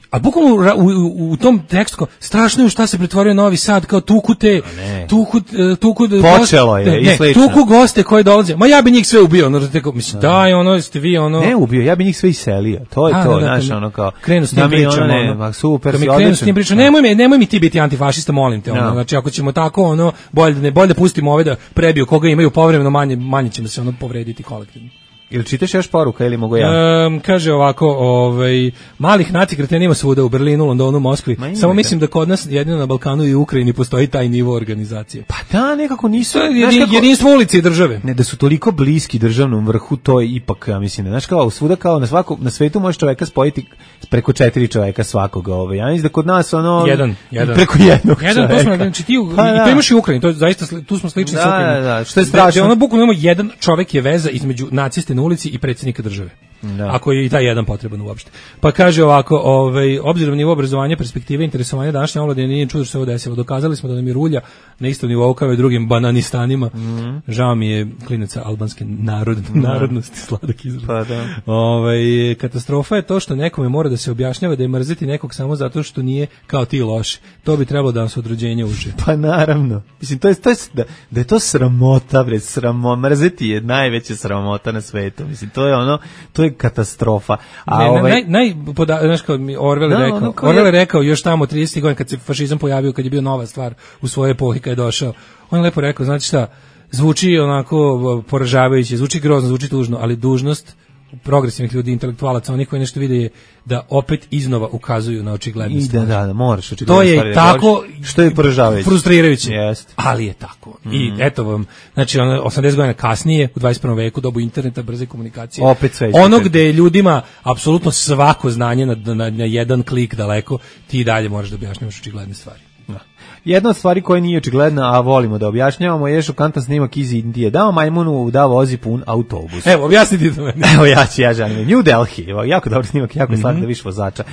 a bukvalno u, u, u tom tekstu kao, strašno je šta se pretvorio Novi Sad, kao tuku te, tuku, tuku, počelo je, ne, i slično. Tuku goste koji dolaze, ma ja bi njih sve ubio, ono, tako, mislim, daj, ono, ste vi, ono... Ne ubio, ja bi njih sve iselio, to je a, to, znaš, ono kao... Krenu s tim pričom, ono, ono, super, si krenu s tim pričom, nemoj, me, nemoj mi ti biti antifašista, molim te, ono, no. znači, ako ćemo tako, ono, bolje, ne, bolje da pustimo ove da prebiju koga imaju povremeno, manje, manje ćemo se, ono, povrediti kolektivno. Ili čitaš još poruka ili mogu ja? Um, kaže ovako, ovaj, malih naci kretena ima svuda u Berlinu, Londonu, Moskvi. Samo mislim da kod nas jedino na Balkanu i Ukrajini postoji taj nivo organizacije. Pa da, nekako nisu. To je jedin, kako, jedinstvo ulice i države. Ne, da su toliko bliski državnom vrhu, to je ipak, ja mislim, znaš kao svuda kao na svako, na svetu može čoveka spojiti preko četiri čoveka svakoga. Ovaj. Ja mislim da kod nas ono jedan, jedan. preko jednog jedan, čoveka. To smo, znači, ti, pa, i to imaš i u Ukrajini, to je zaista, tu smo slični da, s Ukrajinom. Da, da, što je strašno. Da, ono bukvalno imamo jedan čovek je veza između naciste na ulici i predsjednika države. Da. Ako je i taj jedan potreban uopšte. Pa kaže ovako, ovaj, obzirom na nivo obrazovanja, perspektive, interesovanja današnje omladine, nije čudo što se ovo desilo. Dokazali smo da nam je rulja na istom nivou kao i drugim bananistanima. Mm-hmm. Žao mi je klinaca albanske narod, mm-hmm. narodnosti, sladak izraz. Pa da. Ovaj, katastrofa je to što nekome mora da se objašnjava da je mrziti nekog samo zato što nije kao ti loš. To bi trebalo da vam se od rođenja uči. Pa naravno. Mislim, to je, to je, da, da je to sramota, bre, sramota. Mrziti je najveća sramota na svetu. Mislim, to je ono, to je katastrofa. A ne, ovaj naj naj poda, znaš kao mi Orwell no, rekao, no, Orwell je rekao još tamo tridesetih godina kad se fašizam pojavio, kad je bio nova stvar u svojoj epohi kad je došao. On je lepo rekao, znači šta, zvuči onako poražavajuće, zvuči grozno, zvuči tužno, ali dužnost progresivnih ljudi, intelektualaca, onih koji nešto vide je da opet iznova ukazuju na očigledne I stvari. Da, da, da, moraš očigledne to je stvari tako, da što je poražavajuće. Frustrirajuće, Jest. ali je tako. Mm. I eto vam, znači ono, osamdeset godina kasnije, u dvadeset prvom veku, dobu interneta, brze komunikacije, opet sve ono gde je ljudima apsolutno svako znanje na, na, na jedan klik daleko, ti dalje moraš da objašnjavaš očigledne stvari. Da. Jedna od stvari koja nije očigledna, a volimo da objašnjavamo, je šokantan snimak iz Indije. Dao majmunu da vozi pun autobus. Evo, objasniti to meni. Evo ja ću, ja želim. New Delhi, evo, jako dobar snimak, jako mm-hmm. slatko da viš vozača.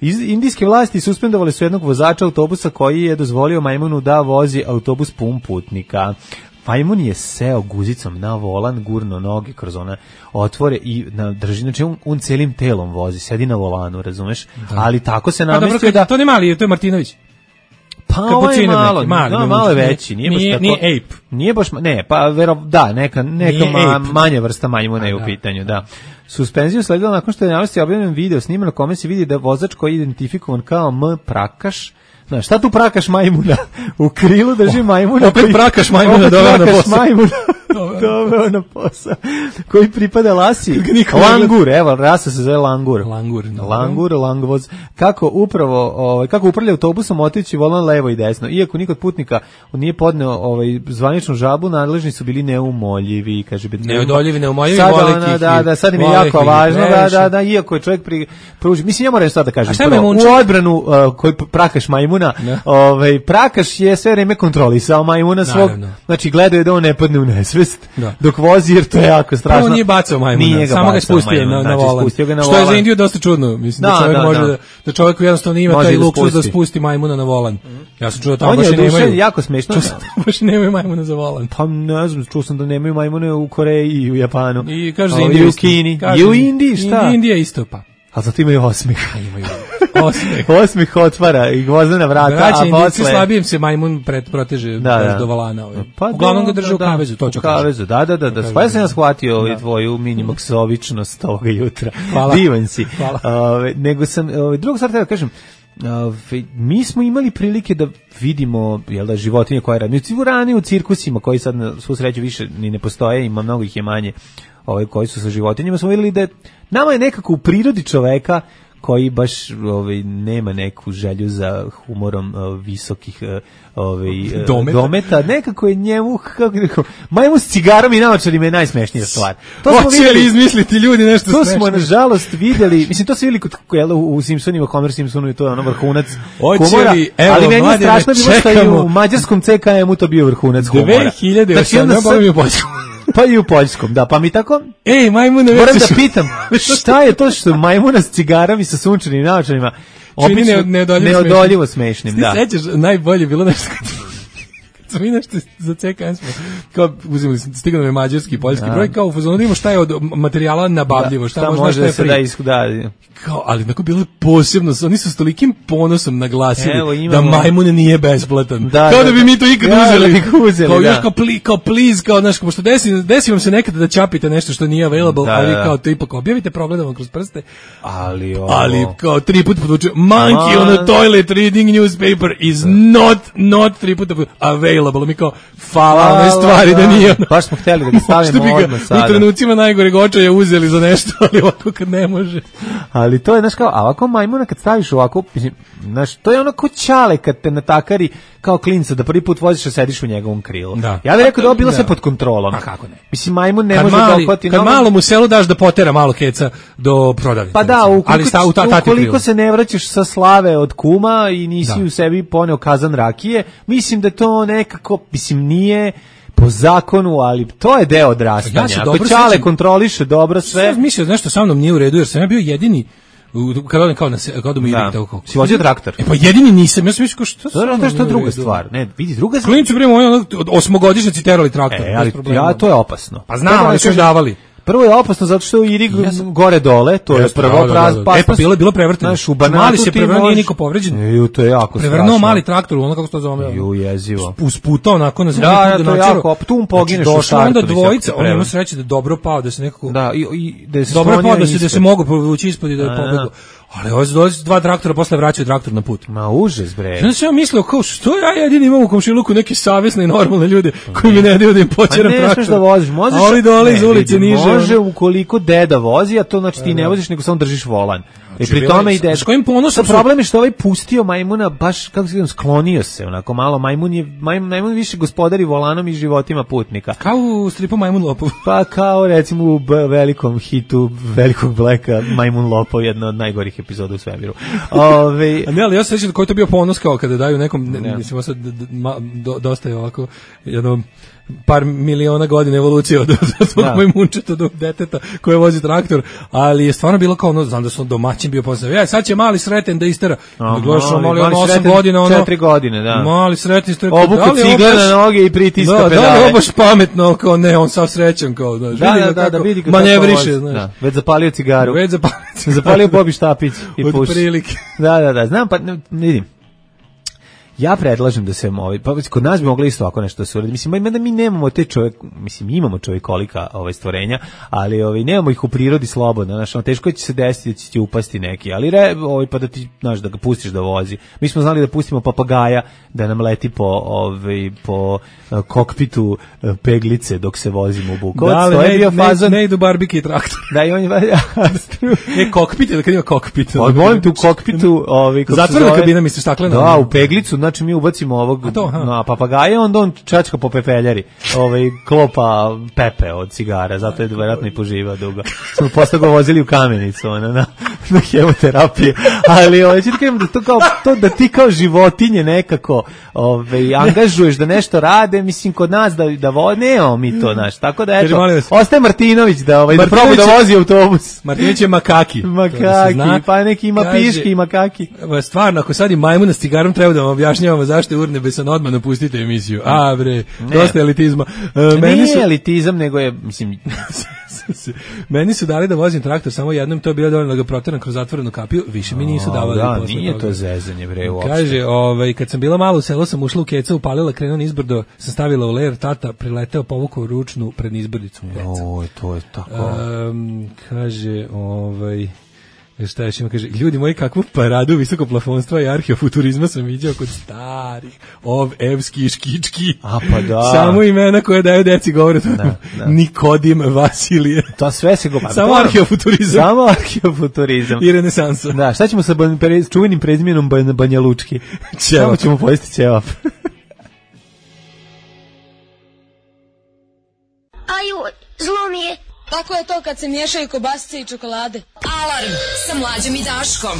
Iz, indijske vlasti suspendovali su jednog vozača autobusa koji je dozvolio majmunu da vozi autobus pun putnika. Majmun je seo guzicom na volan, gurno noge kroz one otvore i na drži, znači on, on celim telom vozi, sedi na volanu, razumeš? Da. Ali tako se namestio da... To ne mali, to je Martinović. Pa ovo je malo, mali, no, malo je veći, nije, nije baš tako, nije ape. Nije baš, ne, pa vero, da, neka, neka ma, manja vrsta majmuna je u pitanju, da. Suspenziju sledila nakon što je navesti objavljen video snima na kome se vidi da vozač koji je identifikovan kao M. Prakaš, znaš, šta tu prakaš majmuna? U krilu drži majmuna. Opet koji, prakaš majmuna doveo na posao. Majmuna doveo na posao. Koji pripada Lasi. Langur, evo, rasa se zove Langur. Langur. No. Langur, Langvoz. Kako upravo, ovaj, kako upravlja autobusom otići volan levo i desno. Iako nikod putnika nije podneo ovaj, zvaničnu žabu, nadležni su bili neumoljivi. Kaže, neodoljivi, neumoljivi, sad vole ona, kihir. Da, da, sad im je jako važno, da, da, da, iako je čovjek pri, pruži. Mislim, ja moram sad da kažem, prvo, u odbranu uh, koji prakaš majmuna, ovaj, prakaš je sve vreme kontrolisao majmuna svog, naravno. Znači gledao je da on ne padne u nesvest, da. Dok vozi, jer to je jako strašno. Prvo nije bacao majmuna, nije ga samo ga spustio majmuna, na, na znači, volan. Spustio ga na što volan. Je za Indiju dosta čudno, mislim da, da čovjek da, može da, da čovjek jednostavno ima taj luksuz da spusti majmuna na volan. Ja sam čuo tamo baš nemaju. Jako smešno. Čuo sam baš nemaju majmuna za volan. Pa ne znam, čuo sam da nemaju majmune u Koreji i u Japanu. I kaže za Indiju, i u Kini, i u Indiji, šta? Indija isto pa. A zato imaju osmih. A imaju osmih. Osmih otvara i gvozdena vrata, Braći, a posle... slabijem se majmun pred proteže da, da. Do valana. Ovaj. Pa uglavnom ga drže u kavezu, to ću kavezu, da, da, da. da. Pa ja sam ja shvatio ovaj tvoju minimoksovičnost ovoga jutra. Hvala. Divan si. Hvala. Ove, nego sam, ove, drugo stvar treba da kažem, ove, mi smo imali prilike da vidimo, jel da, životinje koje radi. U rani u cirkusima, koji sad na svu sreću više ni ne postoje, ima mnogo ih je manje, ovaj, koji su sa životinjama, smo vidjeli da nama je nekako u prirodi čoveka koji baš ovaj, nema neku želju za humorom uh, visokih uh, ovaj, uh, dometa. dometa, nekako je njemu, kako rekao, majmu s cigarom i naočarima je najsmešnija stvar. To smo vidjeli izmisliti ljudi nešto to smešno. To smo nažalost vidjeli, mislim to se vidjeli kod, jel, u Simpsonima, Homer Simpsonu i to je ono vrhunac humora, evo, ali meni je strašno bilo što je u mađarskom C K M-u to bio vrhunac humora. dve hiljade osam Pa i u poljskom, da, pa mi tako... Ej, majmune, moram da pitam, šta je to što majmuna s cigarom i sa sunčanim naočarima obično neodoljivo smešnim, da. Ti sećaš, najbolje bilo nešto kad mi nešto za C K M smo, kao uzimali, stigao nam je mađarski i poljski broj, kao u fazonu da imamo šta je od materijala nabavljivo, šta, šta može, može da se da iskuda. Kao, ali tako bilo posebno, oni su s tolikim ponosom naglasili evo, da majmun nije besplatan. Da, kao da, da bi mi to ikad ja, uzeli. uzeli. Kao da. Još kao, pli, kao please, kao, znaš, pošto desi, desi vam se nekada da čapite nešto što nije available, da, ali kao to ipak objavite, progledamo kroz prste. Ali ovo. Ali kao tri puta podvuče, monkey on a toilet reading newspaper is not, not tri puta available. available, mi kao fala onoj stvari da nije. Baš smo hteli da ga stavimo odmah sada. U trenucima najgore očaja uzeli za nešto, ali ovako kad ne može. Ali to je, znaš, kao, a ovako majmuna kad staviš ovako, mislim, znaš, to je ono ko ćale kad te natakari kao klinca da prvi put voziš a sediš u njegovom krilu. Da. Ja bih rekao da je ovo bilo Da. sve pod kontrolom. A kako ne? Mislim, majmun ne Kad može mali, da opati. kad malom u selu daš da potera malo keca do prodavnice. Pa da, recimo. ukoliko, ali sta, u ta, tati ukoliko krilu. se ne vraćaš sa slave od kuma i nisi Da. u sebi poneo kazan rakije, mislim da to nekako, mislim, nije po zakonu, ali to je deo odrastanja. Ja se Ako dobro ćale sećam- kontroliše dobro sve. Sve mislio da nešto sa mnom nije u redu, jer sam ja bio jedini u- kad odem kao na se, kad odem u Da. Irig, tako kako. Si vozio traktor? E pa jedini nisam, ja sam mislio kao što To je to je druga stvar. Ne, vidi, druga stvar. Klinci prema ono osmogodišnjaci terali traktor. E, bez ali problema. ja, to je opasno. Pa znam, Prvo ali da su još kažem, davali. Prvo je opasno zato što je u Irig gore dole, to je Jeste, prvo da, da, praz, da, da. E, pa bilo je bilo prevrteno. Znaš, u Banatu Mali se ti prevrnuo, nije možeš- niko povređen. Ju, to je jako Prevrnuo strašno. mali traktor, ono kako se to zove. Ju, jezivo. Usputao onako na zemlji. Da, tu da, to je načelo. jako, op- tu mu pogineš Znači, u došla onda startu, dvojica, visoko on ima prevrnu. sreće da je dobro pao, da se nekako... Da, i, i da se Dobro je sklonio pao, da se, da se ispod. mogu povući ispod i da je A, pobegao. Ali ovo dođe dva traktora, posle vraćaju traktor na put. Ma užas, bre. Ja sam ja mislio, kao, što ja jedini imam u komšiluku neke savjesne i normalne ljude koji mi ne daju da im Pa počeram ne traktor. smeš da voziš, možeš. A ovi dole iz Ne, ulice vidi, niže. Može ono. ukoliko deda vozi, a to znači ti ne voziš nego samo držiš volan. I pri bila tome je- i deda. s kojim ponosom Sa su- problem je što ovaj pustio majmuna baš kako se kaže, sklonio se onako malo, majmun je majmun, majmun više gospodari volanom i životima putnika. Kao u stripu Majmun Lopov. Pa kao recimo u b- velikom hitu Velikog Bleka Majmun Lopov, jedna od najgorih epizoda u svemiru. Ove, A ne, ali ja se sjećam koji je to bio ponos kao kada daju nekom, ne, mislim, ovo sad d- d- ma- do, dosta je ovako, jedno par miliona godina evolucije od, od tog Da. majmunčetog deteta koje vozi traktor, ali je stvarno bilo kao ono, znam da sam domaćin bio posle, ja, sad će mali sreten da istera, A, da gledaš ono, mali- mali, mali ono, osam sreten, godina, ono, četiri godine, da. mali sreten istera, Obuku cigle na noge i pritiska da, pedale. Da, da, je ovo baš pametno, kao ne, on sav srećan, kao, znaš, Da, vidi da, ga da, kako da vidi ga manevriše, kako vozi. znaš. Da, već zapalio cigaru. Već zapalio cigaru. Zapalio Bobi štapić i Od puši. prilike. Da, da, da, znam, pa ne, vidim. Ja predlažem da se ovaj pa kod nas bi moglo isto ovako nešto da se uradi. Mislim mada mi nemamo te čovjek, mislim imamo čovjekolika ovaj stvorenja, ali ovaj nemamo ih u prirodi slobodno, znači ono, teško će se desiti da će ti upasti neki, ali re, ovaj pa da ti znaš da ga pustiš da vozi. Mi smo znali da pustimo papagaja da nam leti po ovaj po uh, kokpitu uh, peglice dok se vozimo u Bukovac. Da, ali to je ne, bio ne, fazon. ne idu barbike i traktor. Da, i on je E, kokpit, ili kad ima kokpit. Pa molim te u kokpitu, ovaj kako se Zatvorena zove? kabina, misliš, staklena? Da, u peglicu, znači mi ubacimo ovog A to, aha. na papagaja, onda on čačka po pepeljari, ovaj klopa pepe od cigara, zato je verovatno i poživao dugo. Smo posle ga vozili u Kamenicu, ona na na hemoterapiju. Ali ovaj ću ti kažem da to kao to da ti kao životinje nekako ovaj angažuješ da nešto rade, mislim kod nas da da vo, nemamo mi to, znaš. Tako da Kaže, eto. molim vas. Ostaje Martinović da ovaj da Martinović proba da je- vozi autobus. Martinović je makaki. To da se Makaki, zna. pa neki ima Kaže, piški i makaki. evo, stvarno, ako sad i majmuna s cigarom treba da vam objašnjavamo zašto je urnebesan, odmah napustite emisiju. A bre, dosta elitizma. E, meni Nije su, elitizam, nego je, mislim, meni su dali da vozim traktor samo jednom, to je bilo dovoljno da ga proteram kroz zatvorenu kapiju, više mi nisu davali. da, posle nije toga. to zezanje, bre, uopšte. Kaže, ovaj, kad sam bila malo u selu, sam ušla u keca, upalila krenon izbrdo, sam stavila u ler, tata prileteo, povukao ručnu pred izbrdicu. Oj, to je tako. Um, kaže, ovaj, šta još ima, kaže, ljudi moji, kakvu paradu visokoplafonstva i arheofuturizma sam viđao kod starih, ov, evski, škički. A pa da. Samo imena koje daju deci govore, to Da, da. Nikodim, Vasilije. To sve se go... Samo arheofuturizam. Samo arheofuturizam. I renesansa. Da, šta ćemo sa ban, pre, čuvenim prezimjenom ban, Banja Lučki? Ćevap. Samo ćemo pojesti ćevap. Aju, zlo mi je. Tako je to kad se miješaju kobasice i čokolade. Alarm sa Mlađom i Daškom.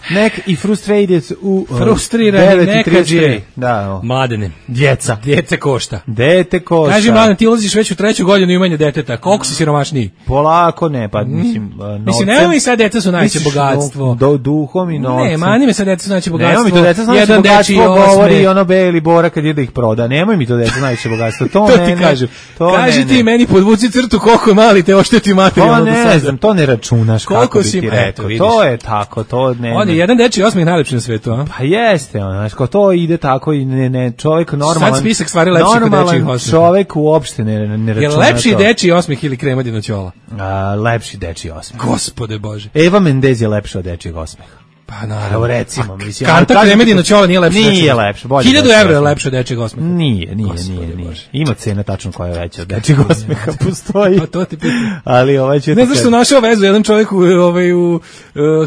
Nek i frustrated u uh, Frustrirani, devet i nekađe. trideset tri. Da, o. Mladene. Djeca. Djece košta. Dete košta. Kaži, Mladen, ti ulaziš već u treću godinu imanja deteta. Koliko si siromašniji? Polako ne, pa mislim... Uh, Mislim, novcem. nema mi sad deca su najveće Misliš, bogatstvo. Do, duhom i novcem. Ne, mani me sad deca su najveće bogatstvo. Nema mi to deca znači Jedan bogatstvo dečiji govori osme. i ono Beli Bora kad ide da ih proda. Nemoj mi to deca najveće bogatstvo. To, To ne, ti ne, kažem. To Kaži ne, ti ne. meni, podvuci crtu koliko je mali te ošteti To materijalno do ne sada. znam, to ne računaš Koliko kako bi si- ti eto, rekao. vidiš. To je tako, to ne. On je ne. jedan dečiji osmeh najlepši na svetu, a? Pa jeste, ono, znaš, kao to ide tako i ne, ne, čovjek normalan. Sad spisak stvari lepših od normalan dečijih osmeha. čovjek uopšte ne, ne Je računa lepši to. dečiji osmeh ili kremadino ćola? A, lepši dečiji osmeh. Gospode Bože. Eva Mendez je lepša od dečijeg osmeha. Pa naravno, recimo, A, mislim. Kanta Kremedina Ćola nije lepše. Nije lepše, bolje. hiljadu evra je lepše od dečijeg osmeha. Nije, nije, nije, nije. Ima cena tačno koja je veća od dečijeg osmeha, postoji. Pa to ti pitam. Ali ovaj će... Ne znaš što našao vezu, jedan čovjek u, ovaj, u, uh,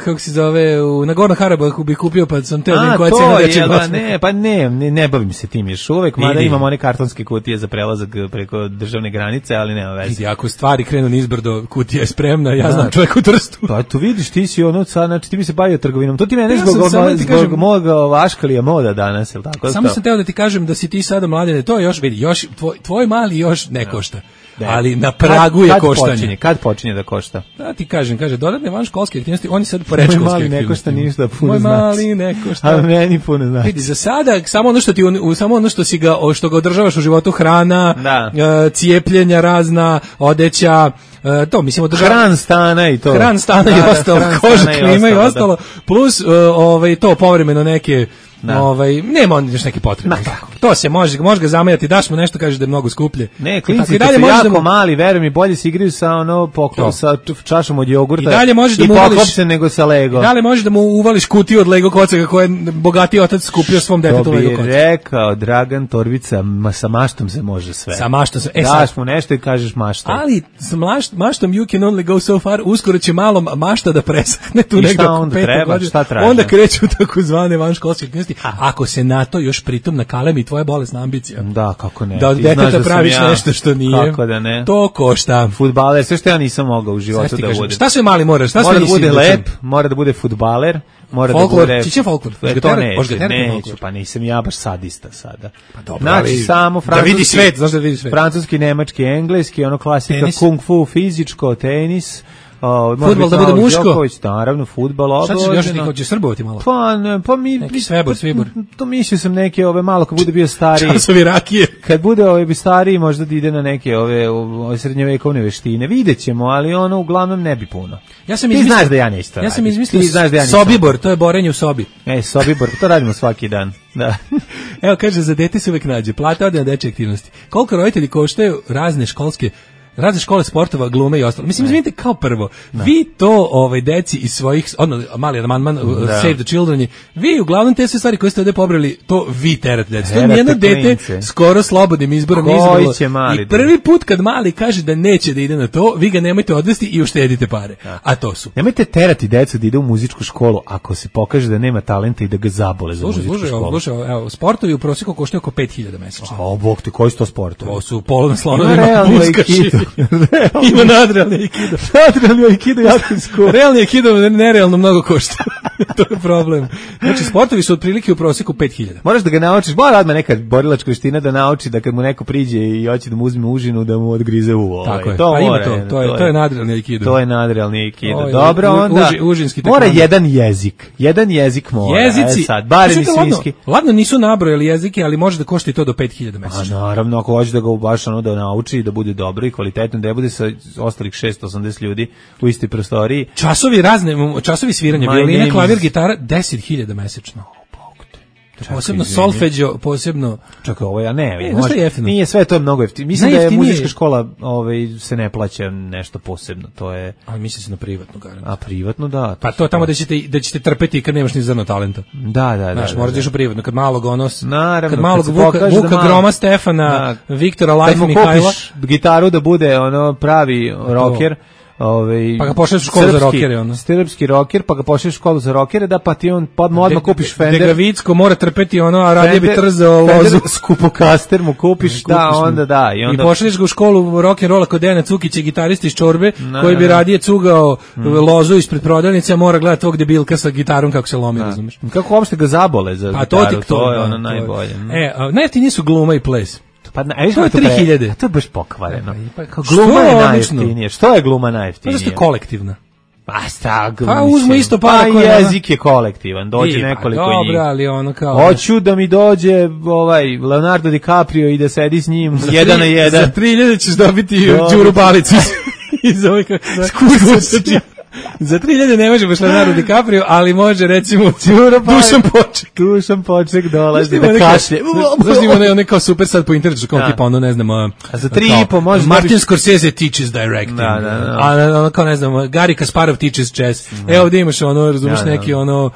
kako se zove, u Nagorno Karabahu bi kupio, pa sam teo da koja cena dečijeg osmeha. Ne, pa ne, ne, ne bavim se tim još uvek, mada imam one kartonske kutije za prelazak preko državne granice, ali nema veze. Vidi, ako stvari krenu nizbrdo, kutija je spremna, ja znam čovjek u Trstu. Pa tu vidiš, ti si ono, sad, znači ti bi se bavio trgovinom, to ti mene zbog, ja zbog kažem, moga vaškalija moda danas, jel tako? Samo sam teo da ti kažem da si ti sada mladene, to još, vidi, još, tvoj, tvoj mali još ne košta. Da. Ali na pragu je kad koštanje. Počinje, kad počinje da košta? Da ti kažem, kaže, dodatne vanškolske aktivnosti, oni sad po rečkolske aktivnosti. Moj mali ne košta ništa, puno znači. Moj mali ne košta. A meni puno znači. Vidi, za sada, samo ono što ti, u, samo ono što si ga, što ga održavaš u životu, hrana, uh, cijepljenja razna, odeća, uh, to, mislim, održava... Hran stana i to. Hran stana da, i ostalo, koža, klima i ostalo, da. Plus, uh, ovaj, to povremeno neke... Da. Ovaj nema on još neki potrebe. To se može, može ga zamajati, daš mu nešto, kažeš da je mnogo skuplje. Ne, klinci dalje su jako da mu... mali, verujem mi, bolje se igraju sa ono poklon sa čašom od jogurta. I dalje možeš da mu uvališ nego sa Lego. I dalje možeš da mu uvališ kutiju od Lego kocaka koje je bogatiji otac skupio svom detetu Lego kocaka. To bi rekao Dragan Torbica, ma sa maštom se može sve. Sa maštom se. E, daš mu nešto i kažeš mašta. Ali sa mašt, maštom you can only go so far. Uskoro će malo mašta da presahne tu negde oko pete godine. Onda kreću takozvane vanškolske aktivnosti. Ako se na to još pritom nakalemi tvoja bolesna ambicija. Da, kako ne. Da od deteta praviš ja, nešto što nije. Kako da ne. To košta. Fudbaler, sve što ja nisam mogao u životu da budem. Šta sve mali moraš? Šta mora sve da bude lep, mora da bude fudbaler, mora folklor, da bude... Čiće folklor. E, to neću, neću, pa nisam ja baš sadista sada. Pa dobro, znači, ali, samo francuski, da vidi svet, znaš da vidi svet. Francuski, nemački, engleski, ono klasika, tenis. Kung fu, fizičko, tenis... Oh, fudbal da bude muško. Đoković, naravno, fudbal obavezno. Šta ćeš još hoćeš srbovati malo? Pa, ne, pa mi... Neki svebor, svibor. To mislio sam neke ove malo, kad bude bio stariji. Časovi rakije. Kad bude ove bi stariji, možda da ide na neke ove, ove srednjevekovne veštine. Vidjet ćemo, ali ono uglavnom ne bi puno. Ja sam Ti izmislio, znaš da ja neću to Ja sam izmislio da ja sobibor, to je borenje u sobi. Ej, sobibor, to radimo svaki dan. Da. Evo, kaže, za dete se uvek nađe. Plata ode na dečje aktivnosti. Koliko roditelji koštaju razne školske razne škole sportova, glume i ostalo. Mislim, izvinite, kao prvo, da. Vi to ovaj, deci iz svojih, ono, mali amandman, da. Save the Children, vi uglavnom te sve stvari koje ste ovdje pobrali, to vi terate deci. To nijedno dete skoro slobodnim izborom izbralo. I prvi put kad mali kaže da neće da ide na to, vi ga nemojte odvesti i uštedite pare. Da. A to su. Nemojte terati decu da ide u muzičku školu ako se pokaže da nema talenta i da ga zabole za služi, muzičku služi, školu. Slušaj, evo, sportovi u prosjeku koštaju oko pet hiljada mesečno. A, bog ti, koji su to sportovi? To su polo na slonovima, muskaši. Ima nadrealni aikido. Nadrealni aikido jako iskuo. Realni aikido nerealno mnogo košta. To je problem. Znači, sportovi su otprilike u prosjeku pet hiljada. Moraš da ga naučiš, mora odmah neka borilačka veština da nauči da kad mu neko priđe i hoće da mu uzme užinu, da mu odgrize uvo. Tako je. To pa mora, ima to. To je, to je nadrealni aikido. To je nadrealni aikido. O, dobro, onda uži, užinski mora jedan jezik. Jedan jezik mora. Jezici. E sad, barem i svinjski. Ladno nisu nabrojali jezike, ali može da košta i to do pet hiljada mesečno. A naravno, ako hoće da ga baš ono da nauči i da bude dobro i kvalitetno, da bude sa ostalih šesto osamdeset ljudi u istoj prostoriji. Časovi razne, časovi sviranja, violina, klavir, gitara, deset hiljada mesečno. Čekaj, posebno solfeđo, posebno... Čekaj, ovo ja ne, e, može, nije sve to mnogo jeftinije. Mislim da je muzička škola ovaj, se ne plaća nešto posebno, to je... Ali misli se na privatnu garantu. A privatno, da. Pa to tamo da ćete, da ćete trpeti kad nemaš ni zrno talenta. Da, da, da. Znaš, da, moraš da. da u privatno, kad malog onos... Naravno, kad malog kad Vuka, Vuka da malo, Groma Stefana, da, Viktora Life Mihajla... Kad mu kupiš gitaru da bude ono pravi rocker... Ove, pa ga pošalješ u školu srpski, za rokere, ono. Srpski roker, pa ga pošalješ u školu za rokere, da pa ti on podmo odmah kupiš Fender. Dega Vicko mora trpeti ono, a radije bi trzao lozu. Skupokaster mu kupiš, da, kupiš onda da. I, onda... I pošalješ ga u školu rock and rolla kod Dejana Cukića, gitarista iz Čorbe, no, koji bi radije cugao mm. lozu ispred prodavnice, a mora gledati tog debilka sa gitarom kako se lomi, razumeš. Kako uopšte ga zabole za pa gitaru, to, to, to je da, ono to najbolje. E, najjeftiniji su gluma i ples. Pa na, to je tri hiljade. To je baš pokvareno. Pa, gluma je najjeftinije. Što je gluma najjeftinije? To je kolektivna. Pa sta, pa uzmu isto para pa koja jezik je kolektivan, dođe I, nekoliko pa, njih. Dobro, ali ono kao... Hoću da mi dođe ovaj Leonardo DiCaprio i da sedi s njim za jedan tri, na jedan. Za tri hiljade ćeš dobiti Đuru Balicu iz ove kako se Za tri hiljade ne može baš Leonardo DiCaprio, ali može recimo Dušan Poček. Dušan Poček dolazi da kašlje. Znaš ima onaj kao super sad po internetu, kao tipa ono, ne znam, a za tri i po može Martin Scorsese teaches directing. Da, da, da. A ono kao ne znam, Gary Kasparov teaches chess. Evo ovdje imaš ono, razumiješ neki ono,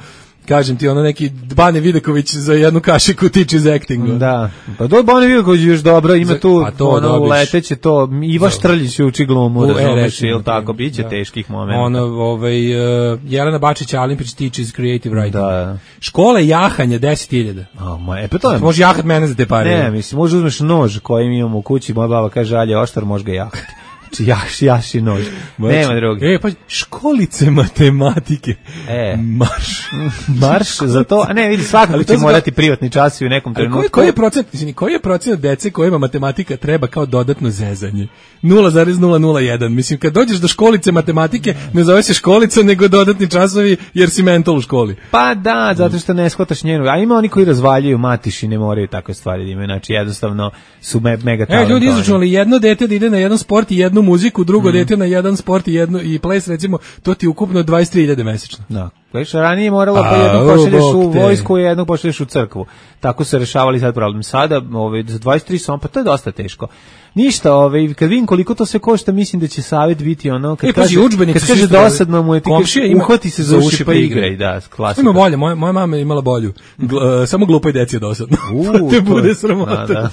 kažem ti, ono neki Bane Vidaković za jednu kašiku tiče iz actinga. Da, pa do Bane Vidaković još dobro, ima tu pa to ono uleteće to, Iva Štrljić uči glumu, razumeš, ili tako, bit će da. Teških momenta. Ono, ovaj, uh, Jelena Bačić-Alimpić teaches creative writing. Da. Škole jahanja, deset hiljada. A, ma, e, pa to je. Može jahat mene za te pare. Ne, mislim, može uzmeš nož koji mi imamo u kući, moja baba kaže, alje oštar, može ga jahati. Jaš, jaši nož. Nema drugi. E, pa školice matematike. E. Marš. Marš za to. A ne, vidi, svakako će morati privatni časovi u nekom trenutku. Koji, koji je procent, izvini, koji je procent dece kojima matematika treba kao dodatno zezanje? nula zarez nula nula jedan. Mislim, kad dođeš do školice matematike, ne zove se školica, nego dodatni časovi, jer si mental u školi. Pa da, zato što ne shvataš njenu. A ima oni koji razvaljuju matiš i ne moraju takve stvari da imaju. Znači, jednostavno su me, mega talentovani. E, ljudi izračunali jedno dete da ide na jedan sport i jednu muziku, drugo mm. dete na jedan sport i jednu i ples, recimo, to ti ukupno dvadeset tri hiljade mesečno. Da. Već ranije moralo pa jednog pošalješ u vojsku i jednog pošalješ u crkvu. Tako se rešavali sad problem. Sada, ovaj, za dvadeset tri samo, pa to je dosta teško. Ništa, ovaj, kad vidim koliko to sve košta, mislim da će savjet biti ono, kad e, kaže, kad kaže dosadno mu je, ti uhvati se za uši pa igraj, da, klasika. Ima bolje, moja, moja mama je imala bolju. Gl, uh, samo glupoj deci je dosadno. Uh, te bude sramota. Da, da.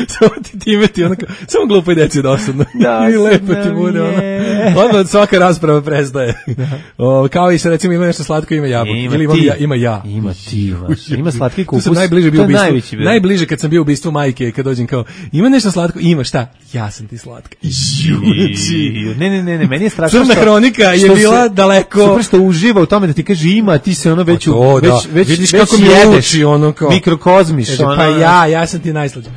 Samo ti time ti onako, samo glupoj deci je dosadno. Da, i lepo ti bude ono. Odmah svaka rasprava prestaje. O, kao i se recimo ima nešto slatko, ima jabuke. Ima ili ti. Ja, ima ja. Ima ti. Ima slatki kupus. To sam najbliže bio ubistvu. Najbliže kad sam bio ubistvu majke, kad dođem kao, ima nešto slatko, ima šta? Ja sam ti slatka. Juči. Ne, ne, ne, ne, meni je strašno. Crna hronika je bila daleko. Super što uživa u tome da ti kaže ima, ti se ono već to, već da. već vidiš već kako mi uči ono kao mikrokozmiš kaže, ono. Pa ja, ja sam ti najslađi.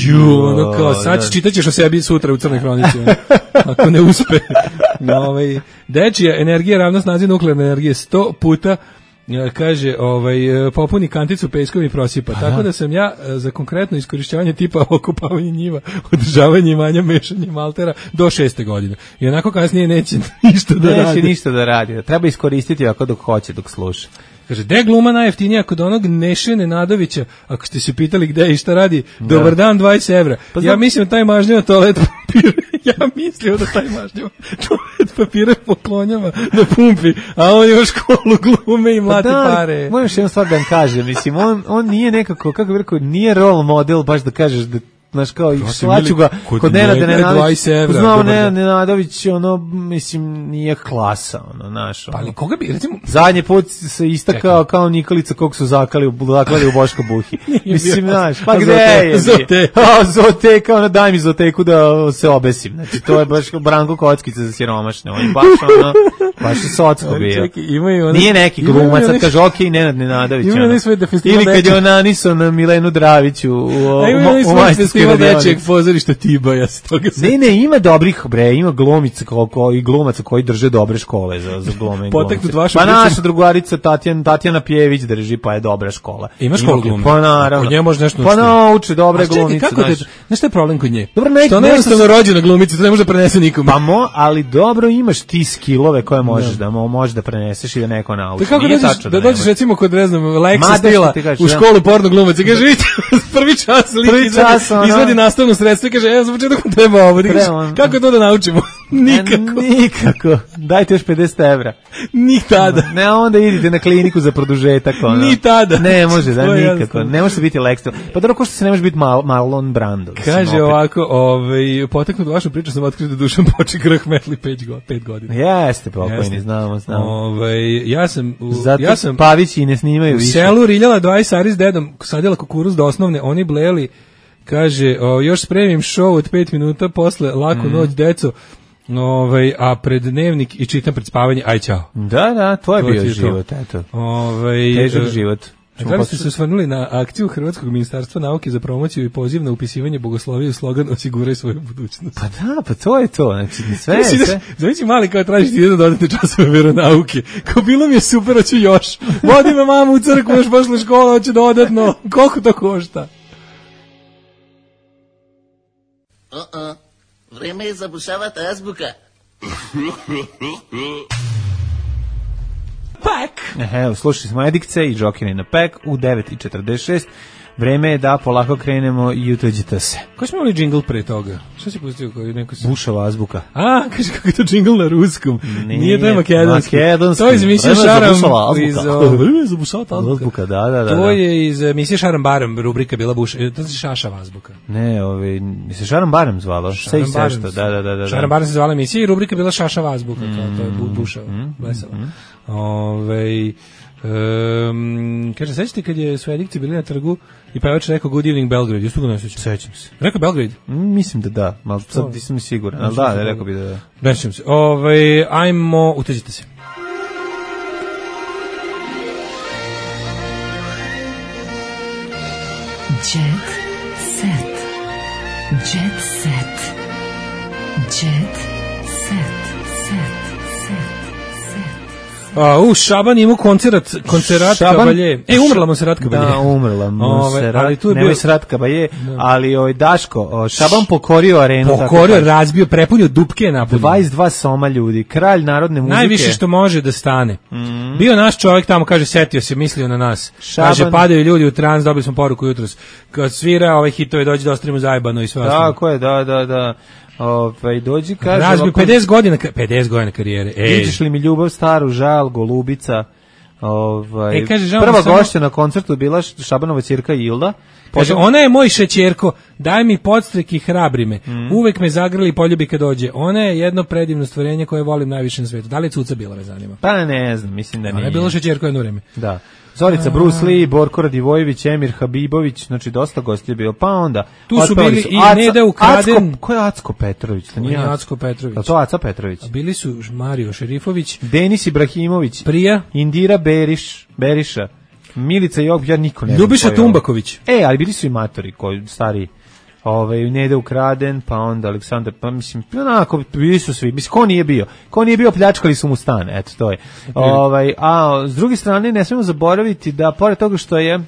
Ju, ono kao sad čitaćeš o sebi sutra u crnoj hronici. Ono. Ako ne uspe. No, ovaj dečija energija ravna snazi nuklearne energije sto puta. Kaže, ovaj, popuni kanticu peskom i prosipa. Tako da. da sam ja za konkretno iskorišćavanje tipa okupavanje njiva, održavanje imanja, mešanje maltera do šeste godine. I onako kasnije neće ništa da neće radi. Neće ništa da radi. Treba iskoristiti ako dok hoće, dok sluša. Kaže, gde gluma najjeftinija kod onog Neše Nenadovića, ako ste se pitali gde i šta radi, da. Dobar dan, dvadeset evra. Pa ja mislim taj mažnjava toalet papir, ja mislio da taj mažnjava toalet papire poklonjava na pumpi, a on ima školu glume i mlate pa da, pare. Moram još jednu stvar da vam kažem, mislim, on, on nije nekako, kako bih rekao, nije role model, baš da kažeš da znaš kao i slaću ga kod Nenada Nenadovića. Znao Nenad Nenadović, ono, mislim, nije klasa, ono, znaš. Pa ali koga bi, recimo... Zadnji put se istakao kao Nikolica kog su zakali, zaklali u Boško Buhi. Mislim, znaš, pa gde je? Zote. A, Zote, kao ono, daj mi Zoteku da se obesim. Znači, to je baš Branko Kockica za siromašne. On je baš, ono, baš je socko bio. Nije neki glumac, sad kaže, okej, Nenad Nenadović. Ili kad je on nanisao na Milenu Draviću u majstorskoj dečijeg pozorišta Tiba, ja se toga ne, ne, ima dobrih, bre, ima glumica ko, i glumaca koji drže dobre škole za, za glume i glumice. Pa naša drugarica Tatjana, Tatjana Pjević drži, pa je dobra škola. Ima školu glume? Pa naravno. Kod nje može nešto pa nauči dobre glumice. Znaš, znaš što je problem kod nje? Dobro, ne, što ona je jednostavno rođena glumica, to ne može da prenese nikome. Pa mo, ali dobro imaš ti skillove koje možeš da, možeš da preneseš i da neko nauči. Kako dođeš, da dođeš recimo kod, ne znam, Lexa Stila u školu porno glumaca i kaže, vidite, prvi čas lik izvedi nastavno sredstvo i kaže, evo za početak treba ovo. Kako to da naučimo? Nikako. Nikako. Dajte još pedeset evra. Ni tada. Ne, onda idite na kliniku za produžetak. Ono. Ni tada. Ne može, da, nikako. Ne može biti Lex. Pa dobro, ko što se ne može biti Marlon Brando. Kaže ovako, ovaj, poteknut vašu priču sam otkrio da Dušan Poček rahmetli pet godina. Jeste, pokojni, znamo, znamo. Ovaj, ja sam... Zato ja sam Pavići i ne snimaju više. U selu riljala dvadeset ari s dedom, sadila kukuruz do osnovne, oni bleli. Kaže, o, još spremim show od pet minuta posle Laku mm. noć, deco, ovaj, a pred dnevnik i čitam pred spavanje, aj čao. Da, da, to je to bio život, to. Eto. Ovaj, težak život. Da li ste se osvrnuli na akciju Hrvatskog ministarstva nauke za promociju i poziv na upisivanje bogoslovije u slogan osiguraj svoju budućnost? Pa da, pa to je to. Znači, sve je sve. Znači, mali kao tražiti jedan dodatne časove veronauke. Kao bilo mi je super, hoću još. Vodi me mama u crkvu, još posle škola, hoće dodatno. Koliko to košta? Uh-uh. Vreme je zabušavati azbuka. Pek! Evo, slušali smo Edikce i Džokine na Pek u devet i četrdeset šest. Vreme je da polako krenemo i utođite se. Ko smo imali džingl pre toga? Što si pustio? Koji neko si... Bušava azbuka. A, kaže kako je to džingl na ruskom. Nije, Nije to je makedonski. makedonski. To je iz emisije Šaram. Iz, Vreme za bušava azbuka, da, da, da. To je iz emisije Šaram Baram, rubrika bila buša. To se Šašava azbuka. Ne, ovaj, se Šaram Baram zvalo. Sve i sve što, da, da, da, da. Šaram Baram se zvala emisija i rubrika bila Šašava azbuka, kao to je bu, bušava, mm, blesava. Mm, Ove, um, kaže, sećate kad je su Edikci bili na trgu i pevač rekao Good Evening Belgrade, jesu ga ne sećam? Sećam se. Rekao Belgrade? Mm, mislim da da, malo sad nisam siguran, ali da, da, rekao bi da da. Ne sećam se. Ove, ajmo, uteđite se. Jet set. Jet set. Jet set. A, u, Šaban imao koncert, koncerat Kabalje. E, umrla Monserrat Kabalje. Da, umrla Monserrat, ali tu je bio Monserrat Kabalje, ali ovaj Daško, Šaban pokorio arenu. Pokorio, razbio, prepunio dupke napunio. dvadeset dva soma ljudi, kralj narodne muzike. Najviše što može da stane. Mm. Bio naš čovjek tamo, kaže, setio se, mislio na nas. Šaban... Kaže, padaju ljudi u trans, dobili smo poruku jutros. Kad svira ove hitove, dođe da ostavimo zajebano i sve ostalo. Tako je, da, da, da. Ovaj dođi kaže razbio pedeset godina pedeset godina karijere. Ej, vidiš li mi ljubav staru, žal, golubica. Ovaj e, kaže, prva gošća na koncertu bila Šabanova ćerka Ilda. Kaže, ona je moj šećerko, daj mi podstrek i hrabri me. Mm. Uvek me zagrli i poljubi kad dođe. Ona je jedno predivno stvorenje koje volim najviše na svetu. Da li je cuca bila, me zanima? Pa ne znam, mislim da nije. Ona je bila šećerko jedno vreme. Da. Zorica Bruce Lee, Borko Radivojević, Emir Habibović, znači dosta gostija bio. Pa onda tu su bili su. I Aca, Neda Ukraden. Acko, ko je Acko Petrović? To nije Acko Petrović. A to Aca Petrović. A bili su Mario Šerifović, Denis Ibrahimović, Prija, Indira Beriš, Beriša, Milica Jog, ja niko ne znam. Ljubiša Tumbaković. E, ali bili su i matori koji stari. Ovaj Neda Ukraden, pa onda Aleksandar, pa mislim, onako bili su svi. Mislim, ko nije bio? Ko nije bio, pljačkali su mu stan, eto to je. Ovaj, a s druge strane ne smemo zaboraviti da pored toga što je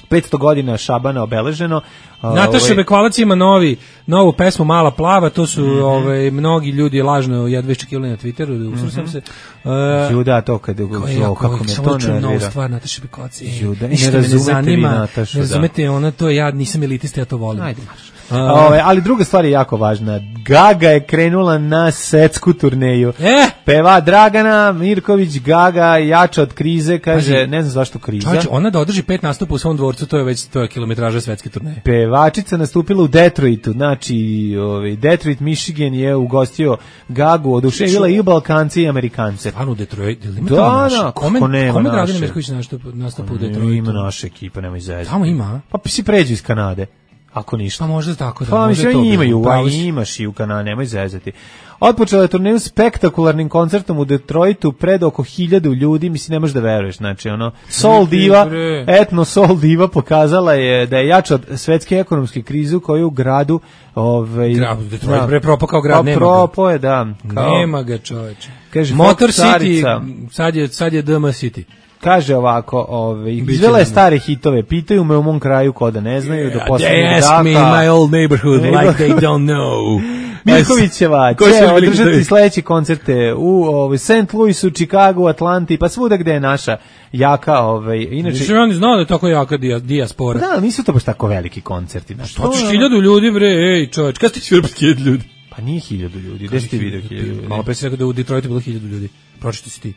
petsto godina Šabana obeleženo. Nataša ovaj, Bekvalac ima novi, novu pesmu Mala plava, to su mm-hmm. ovaj, mnogi ljudi lažno jedva iščekivali na Twitteru, usro sam se. Uh, Juda, to kad je kako, kako me to nervira. Novu stvar Nataša Bekvalac. Juda, ne razumete vi Natašu. Ne razumete, ona to, ja nisam elitista, ja to volim. Ajde, marš. Uh, Ove, ali druga stvar je jako važna. Gaga je krenula na svetsku turneju. Eh? Peva Dragana Mirković, Gaga jača od krize, kaže, Paži, ne znam zašto kriza. Čovječ, ona da održi pet nastupa u svom dvorcu, to je već to je kilometraža svetske turneje. Pevačica nastupila u Detroitu, znači ovaj Detroit, Michigan je ugostio Gagu, oduševila i Balkanci i Amerikance. Stvarno u Detroit, ili ima da, tamo naš? Da, kome, nema kome Dragana Mirković nastupa, nastupa u Detroitu? Ima naša ekipa, nemoj zezati. Tamo ima? Pa si pređu iz Kanade. Ako ništa. Pa možda tako da. Pa mislim i imaju, a imaš i u Kanadi, nemoj zezati. Otpočela je turneju spektakularnim koncertom u Detroitu pred oko hiljadu ljudi, mislim ne možeš da veruješ, znači ono Soul Diva, etno Soul Diva pokazala je da je jača od svetske ekonomske krize koju u gradu, ovaj grad Detroit da, bre propao kao grad, nema. Propao je, da. Kao, nema ga, čoveče. Kaže Motor City, sad je sad je D M City. Kaže ovako, ovaj izvela je stare hitove, pitaju me u mom kraju ko da ne znaju, do poslednjeg dana. Ask me in my old neighborhood like they don't know. Mirkovićeva će održati sledeće koncerte u ovaj Saint Louisu, Chicagu, Atlanti, pa svuda gde je naša jaka, ovaj inače. Znači on zna da je tako jaka dijaspora. Da, nisu to baš tako veliki koncerti, znači. To je hiljadu ljudi bre, ej, čovjek, kad ste svirali pred hiljadu ljudi? Pa nije hiljadu ljudi, gde ste video hiljadu ljudi? Malo pre si rekao da u Detroitu bilo hiljadu ljudi. Pročiti si ti.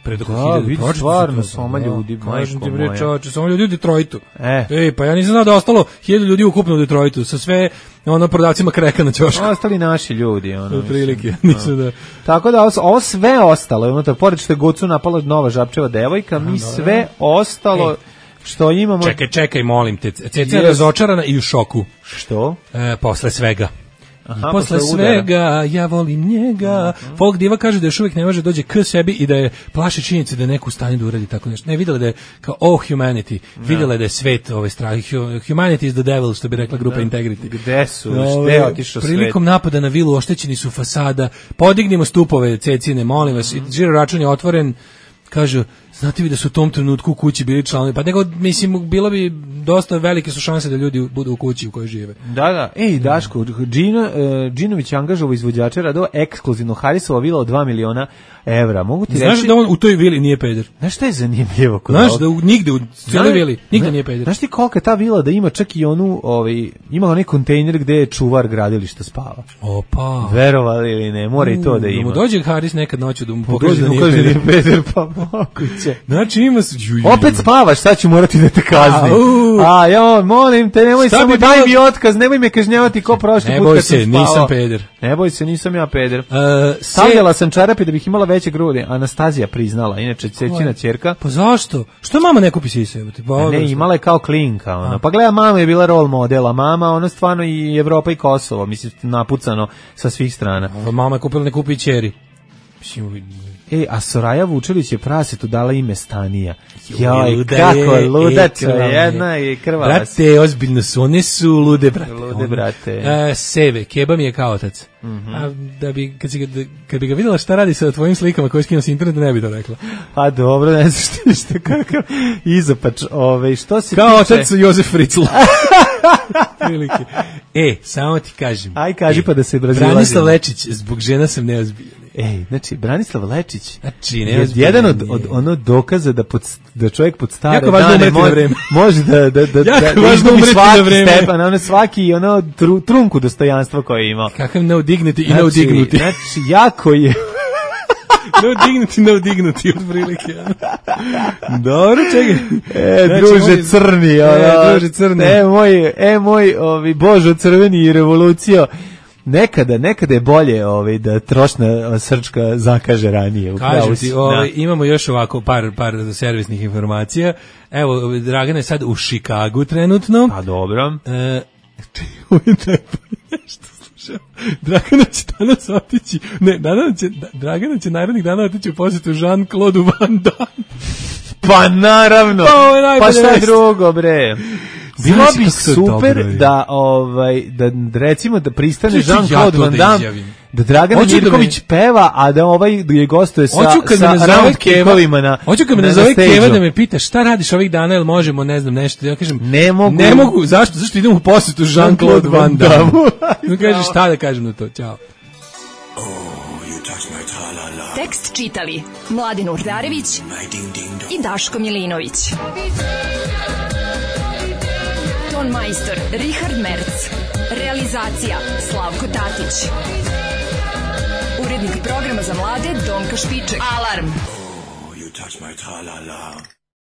Pred oko hiljadu. Vidi stvarno, soma ljudi, majko ti bre, čoveče, soma ljudi u Detroitu. E. Ej, pa ja nisam znao da ostalo hiljadu ljudi ukupno u Detroitu, sa sve ono prodavcima kreka na ćošku. Ostali naši ljudi, ono. U prilike, nisu da. Tako da ovo sve ostalo, unutar, pored što je Gocu napala nova Žabčeva devojka, mi sve ostalo što imamo. Čekaj, čekaj, molim te, Ceca je razočarana i u šoku. Što? E, posle svega. Aha, posle svega, ja volim njega. Uh-huh. Folk diva kaže da još uvijek ne može dođe k sebi i da je plaši činjenice da je neko u stanju da uradi tako nešto. Ne, videla da je kao oh humanity, videla da je svet ovaj strah. Humanity is the devil, što bi rekla grupa da. Integrity. Gde su? Gde je otišao svet? Prilikom napada na vilu oštećeni su fasada. Podignimo stupove Cecine, molim vas. Mm-hmm. Žiro račun je otvoren. Kažu, Znate vi da su u tom trenutku u kući bili članovi, pa nego, mislim, bilo bi dosta velike su šanse da ljudi budu u kući u kojoj žive. Da, da. Ej, Daško, Džino, uh, Džinović angažovao izvođača radova ekskluzivno Harisova vila od dva miliona evra. Mogu ti Znaš reći... da on u toj vili nije peder? Znaš šta je zanimljivo? Kod Znaš ovog? da u, nigde u cijeloj vili, nigde nije peder. Znaš ti kolika ta vila da ima čak i onu, ovaj, ima onaj kontejner gde je čuvar gradilišta spava. Opa. Verovali ili ne, mora i to da ima. Da mu dođe Haris nekad noću da mu Pa pokaže da dođe nije peder. peder, pa moguće. Znači ima... Su, ju, ju, ju. Opet spavaš, sad ću morati da te kaznim. A, ja, molim te, nemoj Šta samo, bi daj bilo- mi otkaz, nemoj me kažnjavati ko prošli Ne put boj kad sam se, spavao. nisam peder. Ne boj se, nisam ja peder. Uh, Stavljala sam čarape da bih imala veće grudi. Anastazija priznala, inače ćerčina ćerka. Pa zašto? Što mama ne kupi sise? Pa, A ne, imala je kao klinka, ona. Pa gleda, mama je bila role modela, mama, ona stvarno i Evropa i Kosovo, mislim, napucano sa svih strana. Mama je kupila, ne kupi ćeri. Mislim, E, a Soraja Vučelić je prasetu dala ime Stanija. Joj, luda kako je, ludača, e, krvava je. jedna i krvava. Brate, ozbiljno su, one su lude, brate. Lude, brate. E, seve, keba mi je kao otac. Mhm. A da bi, kad, si, ga- kad bi ga vidjela šta radi sa tvojim slikama koje skinuo s interneta, ne bi to rekla. A dobro, ne znaš ti šta kakav izopač. Ove, što se Kao tiče... otac Jozef Fritzl. Prilike. E, samo ti kažem. Aj, kaži e, pa da se razilazimo. Branislav Lečić, zbog žena sam neozbiljan. Ej, znači, Branislav Lečić Znači, je neozbiljan jedan od, je. od ono dokaza da, pod, da čovjek pod stare Jako važno dane umreti na vreme. može da, da, da, Jako da, da važno izgubi umreti na svaki vreme. stepan, ono svaki ono tru, trunku dostojanstva koje je imao. Kakav no dignity i Znači, no dignuti. znači, jako je... No dignity, no dignuti, od prilike. Dobro, čekaj. E, Znači, druže moj- crni, ono, E, druže crni. E, moj, e, moj, ovi, Božo crveni i revolucija. Nekada, nekada je bolje ovaj, da trošna srčka zakaže ranije. upravo Kažem si. ti, ovaj, Da. imamo još ovako par, par servisnih informacija. Evo, Dragana je sad u Chicagu trenutno. Pa dobro. E, ovo je najbolje što slušam. Dragana će danas otići, ne, Dragana će, Dragana će narednih dana otići u posjetu Jean-Claude Van Damme. Pa naravno. Pa ovo je najbolja Pa šta vest. drugo, bre? Bilo Znaš bi kako to super dobro je. da ovaj da recimo da pristane Što ću ja Jean-Claude to Van da Damme, izjavim? da Dragana Hoću da me- Mirković peva, a da ovaj je gostuje sa Hoću kad me sa nazove round Keva, kickovima na. hoću kad me na- na nazove stageu. Keva da me pita šta radiš ovih dana, jel možemo, ne znam, nešto. Ja kažem, Ne mogu. ne mogu, zašto? Zašto idem u posjetu Jean-Claude Van Damme? No kaže šta da kažem na to, ćao. Tekst čitali Mladin Urdarević i Daško Milinović. Ton majstor Richard Merc. Realizacija Slavko Tatić. Urednik programa za mlade Donka Špiček. Alarm! You touch my tra-la-la.